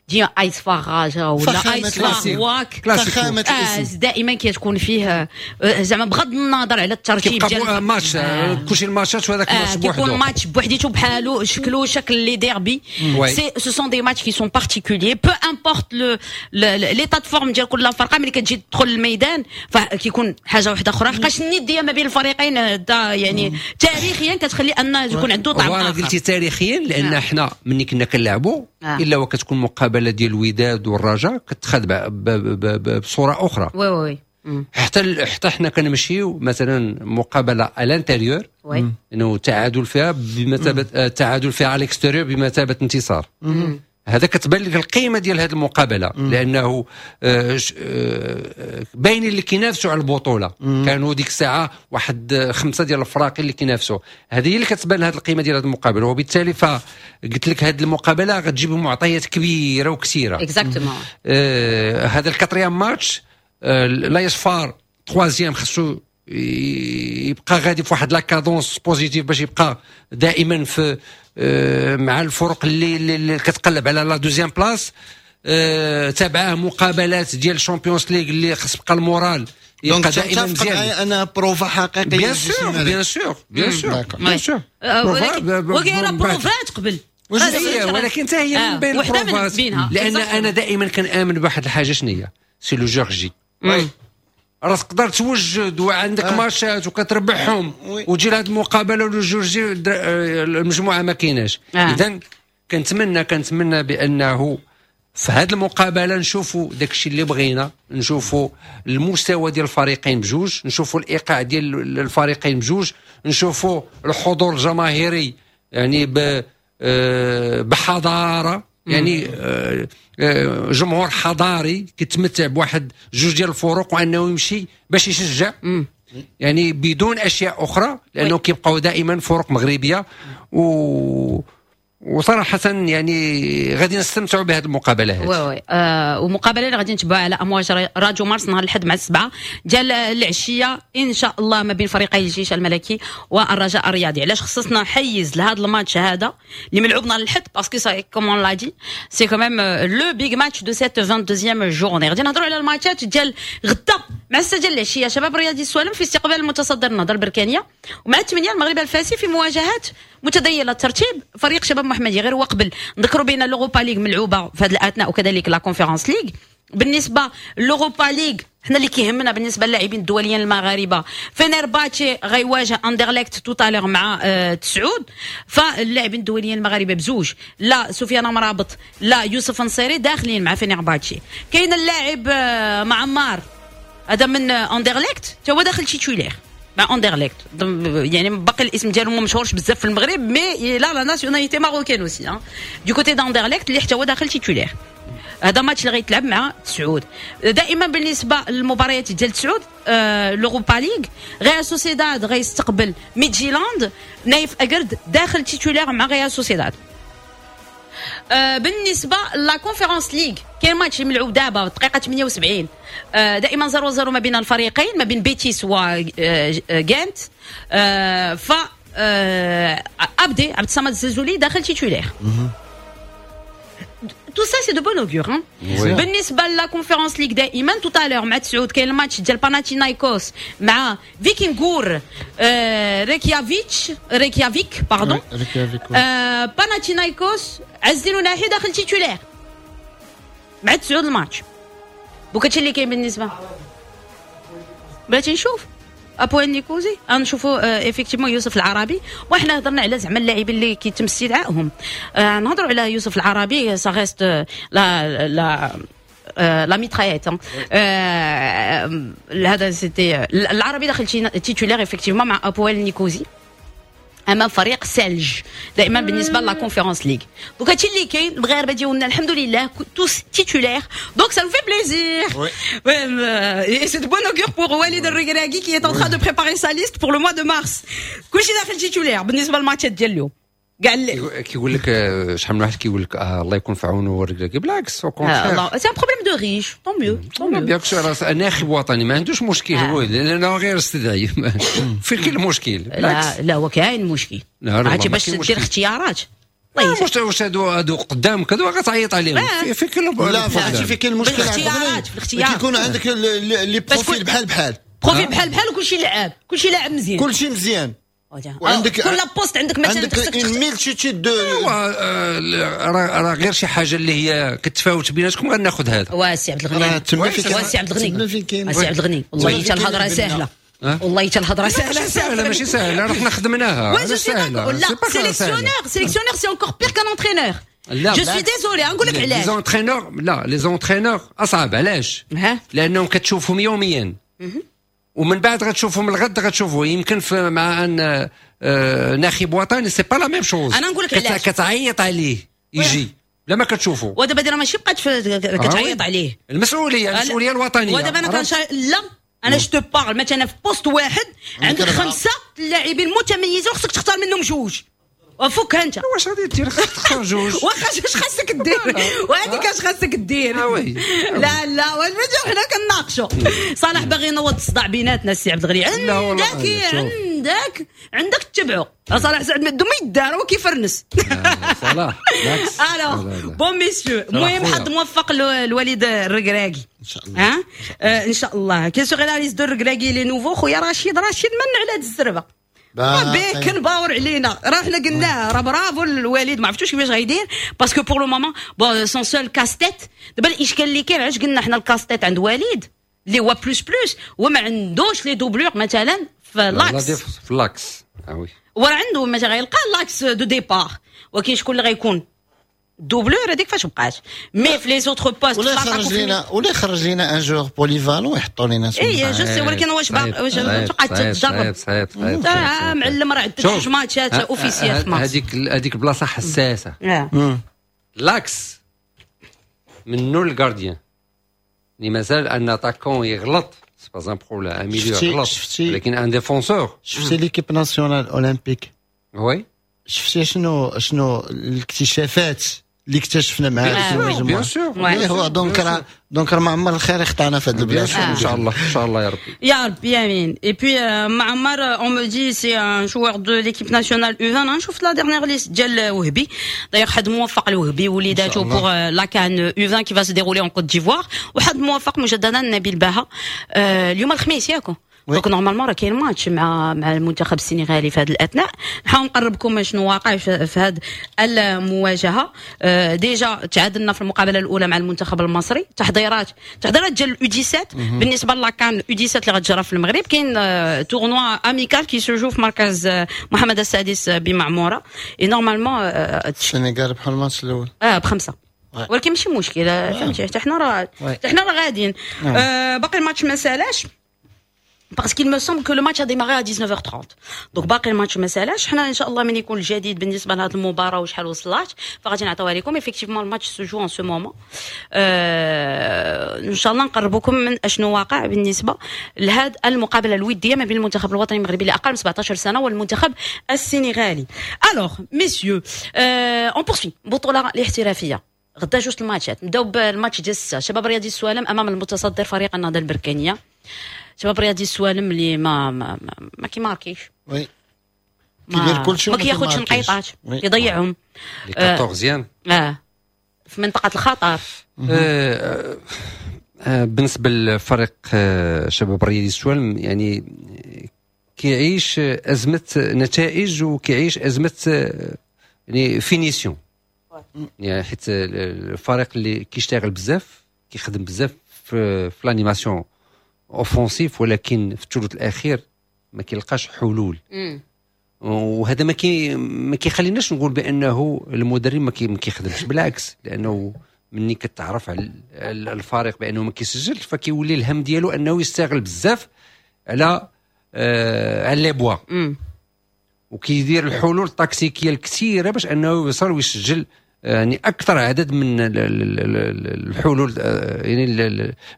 ديال AS FAR رجا ولا AS FAR واك فخامة الاسم دائما كتكون فيه زعما بغض النظر على الترتيب ديال ماتش، كلشي الماتشات وهذاك الماتش بوحدو كيكون ماتش بوحديتو بحالو شكلو شكل les derbys، c'est ce sont des matchs qui sont particuliers، peu importe le l'état de forme ديال كل فرقه، ملي كتجي تدخل الميدان فكيكون حاجة واحدة اخرى، حقاش الندية ما بين الفريقين يعني تاريخيا كتخلي ان يكون عنده طعم اخر. قلتي تاريخيا لان حنا ملي كنا كنلعبوا الا وكتكون مقابله ديال الوداد والرجاء كتخاد بصورة اخرى. oui oui حتى حنا كنمشيو مثلا مقابله à l'intérieur انه تعادل فيها بمثابة تعادل فيها à l'extérieur بمثابة انتصار. هذا كتبان لك القيمة ديال هذه المقابلة، لانه باين اللي كينافسوا على البطولة. كانوا ديك الساعة واحد 5 ديال الفراقي اللي كينافسوا، هذه هي اللي كتبان هذه القيمة ديال هذه المقابلة. وبالتالي فقلت لك هذه المقابلة غتجيب معطيات كبيرة وكثيره. exactement. هذا ال quatrième match، l'AS FAR troisième خصو يبقى غادي في واحد la cadence positive باش يبقى دائما في مع الفرق اللي كتقلب على la deuxième place. تابعه مقابلات ديال ال Champions League اللي خص يبقى ال moral يبقى دائما مزيان. انا بروفا حقيقية. bien sûr bien sûr bien sûr bien sûr. ولكن بروفات قبل، ولكن حتى هي من بين البروفات، لان انا دائما كنامن بواحد الحاجة، شنو هي؟ c'est le jour J. راه تقدر توجد وعندك ماتشات وكتربحهم وتجي لهاد المقابلة و le jour J المجموعة ما كايناش. اذا كنتمنى بانه في هذه المقابلة نشوفوا داكشي اللي بغينا، نشوفوا المستوى ديال الفريقين بجوج، نشوفوا الايقاع ديال الفريقين بجوج، نشوفوا الحضور الجماهيري يعني بحضاره، يعني جمهور حضاري كيتمتع بواحد جوج ديال الفروق وانه يمشي باش يشجع يعني بدون اشياء اخرى، لانه كيبقاو دائما فرق مغربية. وصراحة يعني غادي نستمتعوا بهذه المقابلة هذه. oui oui ومقابله اللي غادي نتبعوها على امواج راديو مارس نهار الاحد مع 7 ديال العشية ان شاء الله ما بين فريقي الجيش الملكي والرجاء الرياضي. علاش خصصنا حيز لهذا الماتش هذا اللي ملعوب نهار الاحد؟ parce que ça comme on l'a dit c'est quand même le big match de cette 22 journée. غادي نهضروا على الماتشات ديال غدا مع 6 ديال العشية، شباب رياضي السوالم في استقبال المتصدر النهضة البركانيه، ومع 8 المغرب الفاسي في مواجهات متذيله الترتيب فريق شباب محمدي. غير هو قبل نذكروا بان l'Europa League ملعوبه في هذه الاثناء وكذلك la Conference League. بالنسبة l'Europa League حنا اللي كيهمنا بالنسبة للاعبين الدوليين المغاربة، فينيرباتشي غيواجه اندرليكت tout à l'heure مع 9. فاللاعبين الدوليين المغاربة بزوج، لا سفيان مرابط لا يوسف نصيري، داخلين مع فينيرباتشي. كاين اللاعب معمار هذا من اندرليكت تا هو داخل titulaire مع اندرليكت، يعني باقي الاسم ديالو ما مشهورش بزاف في المغرب، mais il a la nationalité marocaine aussi du côté d'Anderlecht اللي حتى هو داخل titulaire. هذا ماتش اللي غيتلعب مع 9. دائما بالنسبة للمباريات ديال 9، l'Europa League، ريال سوسيداد غيستقبل ميدجيلاند، نايف اكرد داخل titulaire مع ريال سوسيداد. بالنسبة la Conference League كاين ماتش ملعوب دابا دقيقة 78، دائما 0-0 ما بين الفريقين، ما بين بيتيس وغانت. ف ابدي عبد الصمد الزلزولي داخل titulaire. tout ça c'est de bon augure. بالنسبة la Conférence League دائما tout à l'heure مع 9 كاين الماتش ديال باناتينايكوس مع فيكينغور ريكيافيك pardon. باناتينايكوس عزين وناحي داخل titulaire مع 9 الماتش. donc هادشي اللي كاين بالنسبة بغيتي نشوف ابويل نيكوزي غنشوفوا effectivement يوسف العربي. وحنا هضرنا على زعما اللاعبين اللي كيتم استدعائهم. نهضروا على يوسف العربي، ça reste la la mitraillette. هذا c'était العربي داخل titulaire effectivement مع ابويل نيكوزي امام فريق سالج دائما بالنسبة la Conférence League. donc هادشي اللي كاين. المغاربة ديالنا الحمد لله tous titulaires، donc ça nous fait plaisir. Et c'est de bon augure pour Walid Regragui qui est en train de préparer sa liste pour le mois de mars. كلشي داخل titulaire بالنسبة للماتشات ديال اليوم كاع. كيقول لك شحال من واحد كيقول لك الله يكون في عونه الركراكي، بالعكس. c'est un problème de riche، tant mieux. bien sûr، ناخب وطني ما عندوش مشكل هو، لانه غير استدعي فين كاين المشكل؟ لا لا، هو كاين مشكل، عرفتي باش دير اختيارات. واش هادو قدامك هادو غتعيط عليهم في كل لا، عرفتي فين كاين المشكل؟ في الاختيارات، في الاختيار. كيكون عندك les profils بحال بحال. profil بحال بحال، وكلشي لعاب، كلشي لاعب مزيان. كلشي مزيان. وعندك كل poste عندك مثلا عندك une multitude de راه غير شي حاجة اللي هي كتفاوت بيناتكم غناخذ هذا. واسي عبد الغني، واسي عبد الغني، واسي عبد الغني، والله حتى الهضرة سهله، والله حتى الهضرة سهله. ماشي سهله، ماشي سهله، راه حنا خدمناها. سهله؟ لا، sélectionneur، sélectionneur c'est encore pire qu'un entraîneur. لا، je suis désolé، نقول لك علاش. les entraîneurs، لا، les entraîneurs اصعب. علاش؟ لانهم كتشوفهم يوميا ومن بعد غتشوفهم الغد، غتشوفوا يمكن في مع ان ناخب وطني c'est pas la même chose. انا نقول لك علاش. كتعيط عليه يجي لا ما كتشوفوا. ودابا دير ماشي بقات كتعيط عليه. المسؤوليه، المسؤولية الوطنيه. ودابا انا كان لا، انا je te parle مثلا في poste واحد عندك خمسة اللاعبين متميزين وخصك تختار منهم جوج، وفكها انت. واش غادي دير؟ خصك تختار جوج. واخا، اش خاصك دير؟ وهذيك اش خاصك دير؟ oui. لا لا، واش حنا كنناقشوا؟ صلاح باغي ينوض الصداع بيناتنا. السي عبد الغني، عندك عندك عندك تتبعوا صلاح سعد ما يدار، هو كيفرنس. صلاح. alors bon messieurs، المهم حظ موفق الوليد الركراكي. ان شاء الله. ها ان شاء الله. quelle sera la liste de الركراكي les nouveaux؟ خويا رشيد، رشيد من على هاد الزربه بيكنباور علينا؟ راه حنا قلناه، راه برافو الوليد، ما عرفتوش كيفاش غيدير parce que pour le moment bon son seul casse-tête. دابا الاشكال اللي كاين، علاش قلنا حنا ال casse-tête عند وليد اللي هو plus plus، هو ما عندوش les doublures مثلا في l'axe. في l'axe، oui. وراه عنده مثلا غيلقى l'axe de départ، ولكن شكون اللي غيكون doublure هذيك فاش بقات؟ mais في les autres postes ولا يخرج لينا un joueur polyvalent ويحطوا لنا. اي je sais، ولكن واش تبقى تجرب؟ صعيب صعيب. معلم، راه عندك جوج ماتشات officiels. هذيك البلاصة حساسه، l'axe منو ال gardien اللي مازال un attaquant يغلط c'est pas un problème، un milieu يغلط، ولكن un défenseur. شفتي l'équipe nationale olympique؟ oui. شفتي شنو الاكتشافات اللي اكتشفنا مع bien sûr. هو donc راه معمر الخير يخطانا في هذا البلاد. ان شاء الله، ان شاء الله يا ربي. يا ربي امين. et puis معمر، on me dit c'est un joueur de l'équipe nationale U20. نشوف la dernière liste ديال وهبي. d'ailleurs حظ موفق لوهبي وليداتو pour la CAN U20 qui va se dérouler en Côte d'Ivoire، وحظ موفق مجددا نبيل باها. اليوم الخميس ياكو، donc normalement راه كاين ماتش مع المنتخب السنغالي. في هذه الاثناء نحاول نقربكم شنو واقع في هذه المواجهه. Déjà تعادلنا في المقابلة الاولى مع المنتخب المصري. تحضيرات ديال ال U17 بالنسبة la CAN U17 اللي غتجرى في المغرب. كاين tournoi amical qui se joue في مركز محمد السادس بمعموره et normalement السنغال ربحوا الماتش الاول. اه، بخمسه، ولكن ماشي مشكل، فهمتي؟ حتى حنا راه غاديين. باقي الماتش ما سالاش parce qu'il me semble que le match a démarré à 19h30، donc باقي الماتش ما سالاش. حنا ان شاء الله من يكون الجديد بالنسبة لهذه المباراة وشحال وصلات فغادي نعطيوها لكم. effectivement الماتش se joue en ce moment. ان شاء الله نقربكم من اشنو واقع بالنسبة لهذه المقابلة الودية ما بين المنتخب الوطني المغربي لاقل من 17 سنة والمنتخب السنغالي. alors messieurs، on poursuit. البطولة الاحترافيه، غدا جوج الماتشات. نبداو بالماتش ديال 6، شباب رياضي السوالم امام المتصدر فريق النهضة البركانيه. شباب رياضي السوالم اللي ما كيماركيش. oui، كيدير كلشي. ما كياخذش نقيطات، يضيعهم. les 14. اه. في منطقة الخطر. بالنسبة للفريق شباب الرياضي السوالم، يعني كيعيش ازمة نتائج وكيعيش ازمة يعني finition، يعني حيت الفريق اللي كيشتغل بزاف، كيخدم بزاف في l'animation offensive، ولكن في الثلث الاخير ما كيلقاش حلول. وهذا ما كيخليناش نقول بانه المدرب ما كيخدمش، بالعكس، لانه مني كتعرف على الفريق بانه ما كيسجلش، فكيولي الهم ديالو انه يستغل بزاف على les bois وكيدير الحلول التكتيكيه الكثيرة باش انه يوصل ويسجل يعني اكثر عدد من الحلول، يعني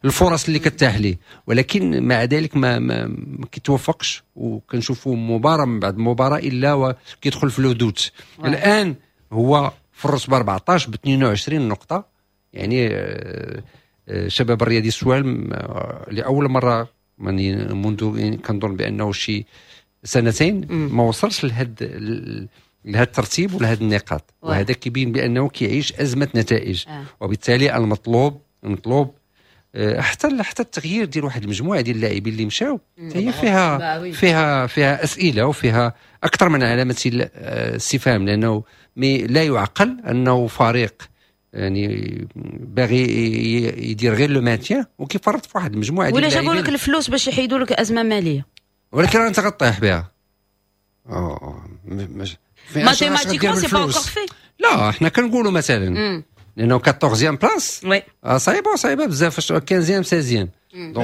الفرص اللي كتاح ليه، ولكن مع ذلك ما كيتوفقش، وكنشوفوا مباراة من بعد مباراة الا وكيدخل في le doute. الان هو في الرتبة 14 ب 22 نقطه، يعني شباب الرياضي السوالم لاول مرة منذ يعني كنظن بانه شي سنتين ما وصلش لهذا الترتيب ولهذه النقاط، وهذا كيبين بانه كيعيش ازمة نتائج. وبالتالي المطلوب حتى التغيير ديال واحد المجموعة ديال اللاعبين اللي مشاو هي فيها فيها اسئلة وفيها اكثر من علامة استفهام، لانه mais لا يعقل انه فريق يعني باغي يدير غير le maintien وكيفرط في واحد المجموعة ديال ولا جابوا اللاعبين. لك الفلوس باش يحيدوا لك ازمة ماليه. ولكن انت غطيح بها mathématiquement c'est pas encore fait. لا، احنا كنقولوا مثلا لانه 14 place صعيبه، صعيبة بزاف، 15، 16. ما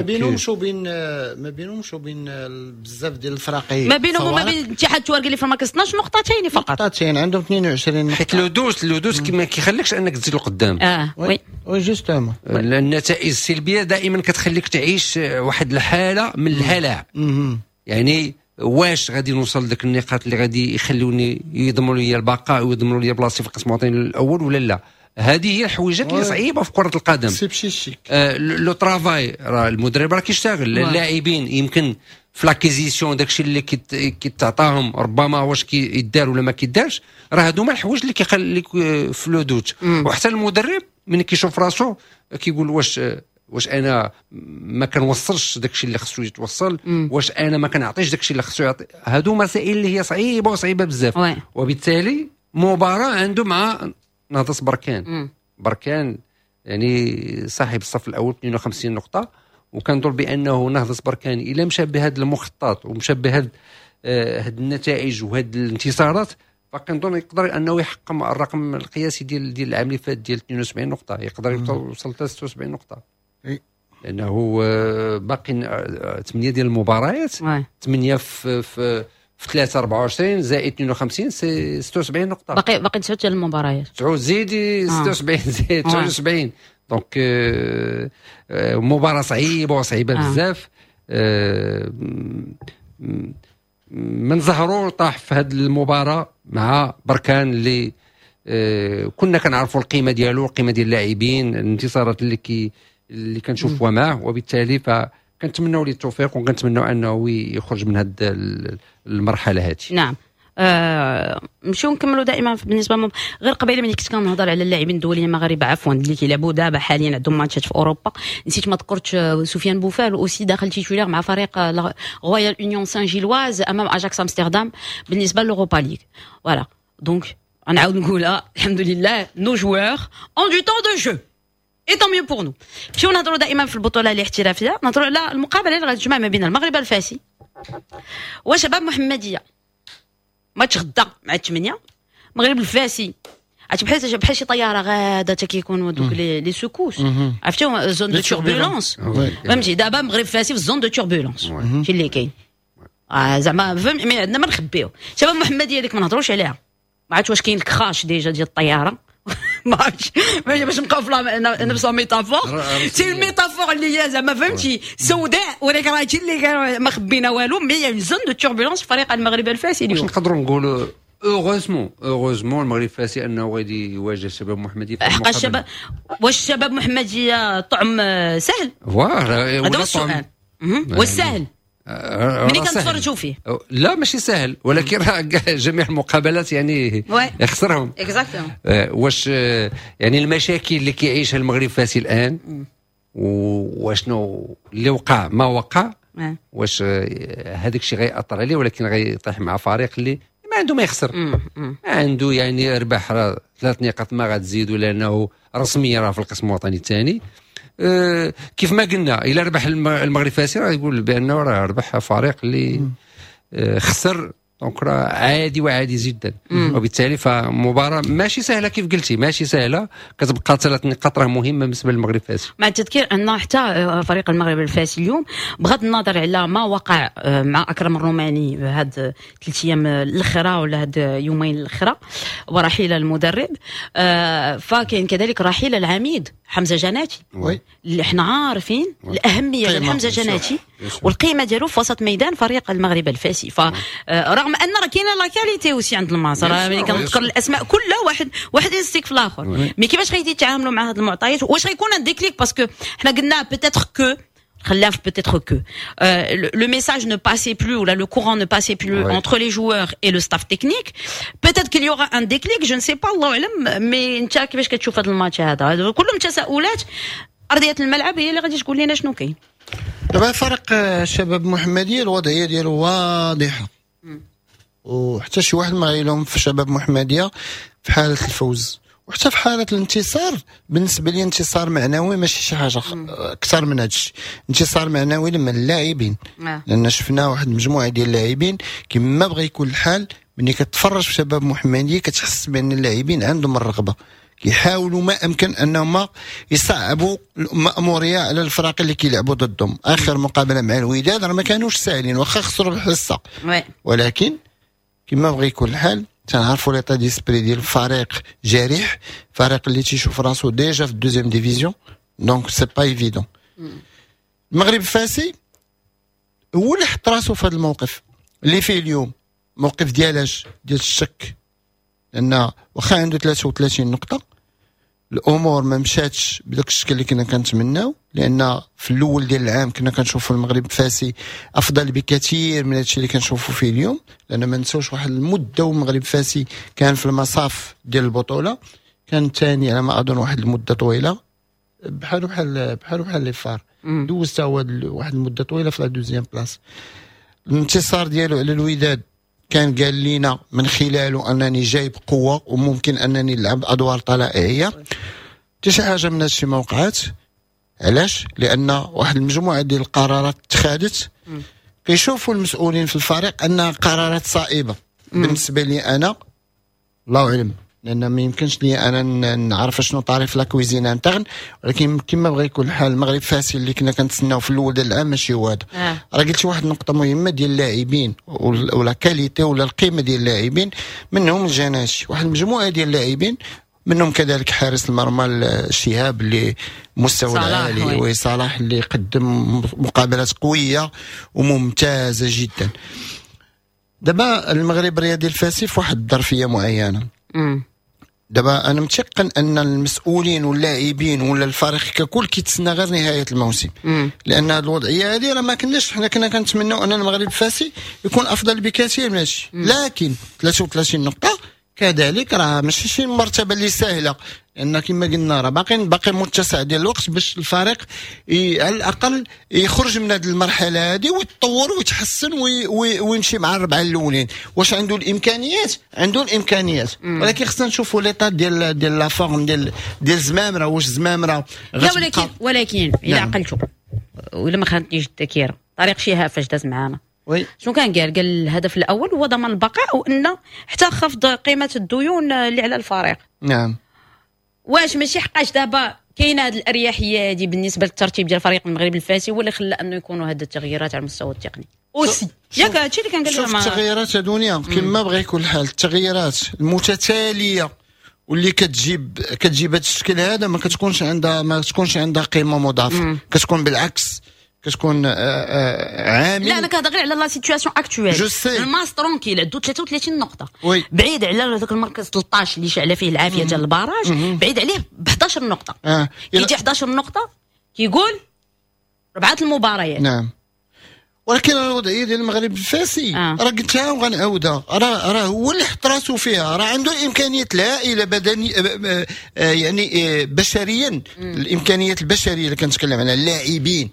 بينهمش وبين بزاف ديال الفراقي. ما بينهم وما بين اتحاد التوارق اللي في المركز 12 نقطتين فقط. نقطتين، عندهم 22 نقطه. حيت le doute ما كيخليكش انك تزيد لقدام. اه oui. oui justement. النتائج السلبية دائما كتخليك تعيش واحد الحالة من الهلع، يعني واش غادي نوصل لك النقاط اللي غادي يخلوني يضمنوا لي البقاء ويضمنوا لي بلاصتي في القسم الوطني الاول ولا لا؟ هذه هي الحويجات اللي صعيبة في كره القدم. c'est psychique. Le travail، راه المدرب راه كيشتغل، اللاعبين يمكن في l'acquisition داكشي اللي كيتعطاهم ربما واش كيدار ولا ما كيدارش. راه هادو هما الحوايج اللي كيخليك في le doute. وحتى المدرب من كيشوف راسو كيقول واش انا ما كنوصلش داكشي اللي خصو يتوصل؟ واش انا ما كنعطيش داكشي اللي خصو يعطي؟ هادو مسائل اللي هي صعيبة وصعيبه بزاف. وبالتالي مباراة عنده مع نهضة بركان. بركان يعني صاحب الصف الاول 52 نقطه، وكنظن بانه نهضة بركان الا مشى بهذا المخطط ومشى بهذا هاد النتائج وهاد الانتصارات، فكنظن يقدر انه يحقق الرقم القياسي ديال العام اللي فات ديال 72 نقطه، يقدر يوصل 76 نقطه، لانه باقي 8 ديال المباريات، 8 في 3 24 زائد 52 c'est 76 نقطه. باقي 9 ديال المباريات. 9 زيدي 76 زائد 79، donc مباراة صعيبة وصعيبه بزاف. من زهرو طاح في هذه المباراة مع بركان اللي كنا كنعرفوا القيمة ديالو، القيمة ديال اللاعبين، الانتصارات اللي كنشوفوها معه، وبالتالي فكنتمنوا ليه التوفيق وكنتمنوا انه يخرج من هذه المرحلة هذه. نعم، نمشيو نكملوا دائما بالنسبة غير قبيلة ملي كنت كنهضر على اللاعبين الدوليين المغاربه، عفوا، اللي كيلعبوا دابا حاليا عندهم ماتشات في اوروبا، نسيت ما ذكرتش سفيان بوفال aussi داخل titulaire مع فريق رويال اونيون سان جيلواز امام اجاكس امستردام بالنسبة l'Europa League. voilà، donc غنعاود نقولها، الحمد لله nos joueurs ont du temps de jeu et tant mieux pour nous. نمشيو نهضروا دائما في البطولة الاحترافيه، نهضروا على المقابلة اللي غتجمع ما بين المغرب الفاسي وشباب محمديه، ماتش غدا مع 8. المغرب الفاسي عرفتي بحال شي طيارة غاده حتى كيكونوا دوك les secousses، عرفتي، zone de turbulences، فهمتي؟ دابا المغرب فاسي في zone de turbulences، شي اللي كاين زعما فهم، mais عندنا ما نخبيو. شباب محمديه ديك ما نهضروش عليها، ما عرفتش واش كاين ال crash déjà ديال الطياره، ما عرفتش، باش نبقاو في نفس ال métaphore، c'est ال métaphore اللي هي زعما فهمتي سوداء، ولكن راه هادشي اللي كان، ما خبينا والو، mais zone de turbulences فريق المغرب الفاسي واش اليوم. نقدروا نقولوا heureusement، heureusement المغرب الفاسي انه غادي يواجه الشباب المحمدي في حق المقابلة. الشباب، واش الشباب محمديه طعم سهل؟ voilà. هذا هو السؤال. واش سهل؟ ملي كنتفرجوا فيه لا ماشي سهل، ولكن راه جميع المقابلات يعني خسرهم. exactement. واش يعني المشاكل اللي كيعيشها المغرب الفاسي الان وشنو اللي وقع ما وقع، واش هذاك الشيء غيأثر عليه، ولكن غيطيح مع فريق اللي ما عنده ما يخسر، ما عنده يعني ربح راه 3 نقاط ما غتزيدوا لانه رسميا راه في القسم الوطني الثاني. كيف ما قلنا الا ربح المغرب الفاسي راه يقول بانه راه ربح فريق اللي خسر، donc راه عادي وعادي جدا. وبالتالي فمباراه ماشي سهلة كيف قلتي، ماشي سهلة، كتبقى 3 نقاط راه مهمة بالنسبة للمغرب الفاسي. مع التذكير ان حتى فريق المغرب الفاسي اليوم بغض النظر على ما وقع مع اكرم الروماني هاد 3 ايام الاخرى ولا هاد يومين الاخرى ورحيل المدرب، فكاين كذلك رحيل العميد حمزة جناتي اللي احنا عارفين الاهمية ديال حمزة جناتي والقيمة ديالو في وسط ميدان فريق المغرب الفاسي. فرغم ان راه كاينه la qualité aussi عند الماس، راه ملي كنذكر الاسماء كلها واحد يستيك في الاخر، mais كيفاش غادي يتعاملوا مع هذه المعطيات؟ واش غيكون un déclic؟ parce que حنا قلنا peut-être que خلاف peut-être que le message ne passait plus ou là le courant ne passait plus entre les joueurs et le staff technique. Peut-être qu'il y aura un déclic, je ne sais pas، الله اعلم. mais انت كيفاش كتشوف هذا الماتش هذا؟ كلهم تساؤلات، ارضية الملعب هي اللي غادي تقول لنا شنو كاين. دابا فريق الشباب المحمدية الوضعية ديالو واضحة، وحتى شي واحد ما غيلوم في شباب محمديه في حاله الفوز وحتى في حاله الانتصار. بالنسبة لي انتصار معنوي ماشي شي حاجة اكثر من هذا الشيء، انتصار معنوي لما اللاعبين، لان شفنا واحد المجموعة ديال اللاعبين كما بغى يكون الحال. ملي كتفرج في شباب محمديه كتحس بان اللاعبين عندهم الرغبة، كيحاولوا ما امكن انهم يصعبوا المأموريه على الفرق اللي كيلعبوا ضدهم. اخر مقابله مع الوداد راه ما كانوش ساهلين واخا خسروا الحصة، ولكن كما بغى يكون الحال تنعرفوا l'état d'esprit ديال الفريق جريح، فريق اللي تيشوف راسو déjà في ال deuxième division، donc c'est pas évident. المغرب الفاسي هو اللي حط راسو في هذا الموقف اللي فيه اليوم، موقف ديالاش؟ ديال الشك، لان واخا عنده 33 نقطة الامور ما مشاتش بداك الشكل اللي كنا كنتمناو، لان في الاول ديال العام كنا كنشوفوا المغرب الفاسي افضل بكثير من هادشي اللي كنشوفوا فيه اليوم، لان ما نساوش واحد المدة والمغرب الفاسي كان في المصاف ديال البطولة، كان ثاني على ما اظن واحد المدة طويلة، بحالو بحال بحالو بحال les FAR، دوز تا هو واحد المدة طويلة في la deuxième place. الانتصار ديالو على الوداد كان قال لنا من خلاله انني جاي بقوة وممكن انني نلعب ادوار طلائعيه. حتى شي حاجة من هادشي ما وقعات. علاش؟ لان واحد المجموعة ديال القرارات اتخذت، كيشوفوا المسؤولين في الفريق انها قرارات صائبة. بالنسبة لي انا الله اعلم، لان ما يمكنش لي انا نعرف شنو طاري في la cuisine interne، ولكن كما بغى يكون الحال المغرب فاسي اللي كنا كنتسناو في الاول ديال العام ماشي هو هذا. راه قلت واحد النقطة مهمة ديال اللاعبين ولا qualité ولا القيمة ديال اللاعبين، منهم الجناشي، واحد المجموعة ديال اللاعبين منهم كذلك حارس المرمى الشهاب اللي مستوى العالي، وصلاح اللي قدم مقابلات قوية وممتازة جدا. دابا المغرب الرياضي الفاسي في واحد الظرفية معينة. دابا انا متيقن ان المسؤولين واللاعبين ولا الفريق ككل كيتسنى غير نهاية الموسم، لان هذه الوضعية هذه راه ما كناش حنا كنا كنتمناو ان المغرب الفاسي يكون افضل بكثير من هادشي، لكن 33 نقطة كذلك راه ماشي شي مرتبه اللي سهلة، لان كما قلنا راه باقي متسع ديال الوقت باش الفريق على الاقل يخرج من هذه المرحلة هذه ويتطور ويتحسن ويمشي مع الربعه الاولين. واش عنده الامكانيات؟ عنده الامكانيات، ولكن خصنا نشوفوا l'état ديال la forme ديال زمامرة. واش زمامرة لا، ولكن الا عقلتو ولا ما خانتنيش الذاكرة، طريق شهاب فاش داز معانا شنو كان قال؟ قال الهدف الاول هو ضمان البقاء، وان حتى خفض قيمة الديون اللي على الفريق. نعم. واش ماشي حقاش دابا كاينه هذه الاريحيه هذه بالنسبة للترتيب ديال فريق المغرب الفاسي هو اللي خلى انه يكونوا هاد التغييرات على المستوى التقني aussi؟ ياك هادشي اللي كان قال. شوف التغييرات دنيا كما بغى يكون الحال، التغييرات المتتالية واللي كتجيب هذا الشكل هذا ما تكونش عندها قيمة مضافة، كتكون بالعكس كتكون عامل. لا انا كنهضر غير على la situation actuelle. الماس tranquille عنده 33 نقطة، بعيد على هذاك المركز 13 اللي شعل فيه العافية ديال ال barrage، بعيد عليه ب 11 نقطة. كيجي 11 نقطة كيقول 4 المباريات. نعم. ولكن الوضعية ديال المغرب الفاسي راه قلتها وغنعاودها، راه هو اللي حط راسو فيها، راه عنده الامكانيات الهائلة بدني يعني بشريا، الامكانيات البشرية اللي كنتكلم عليها، اللاعبين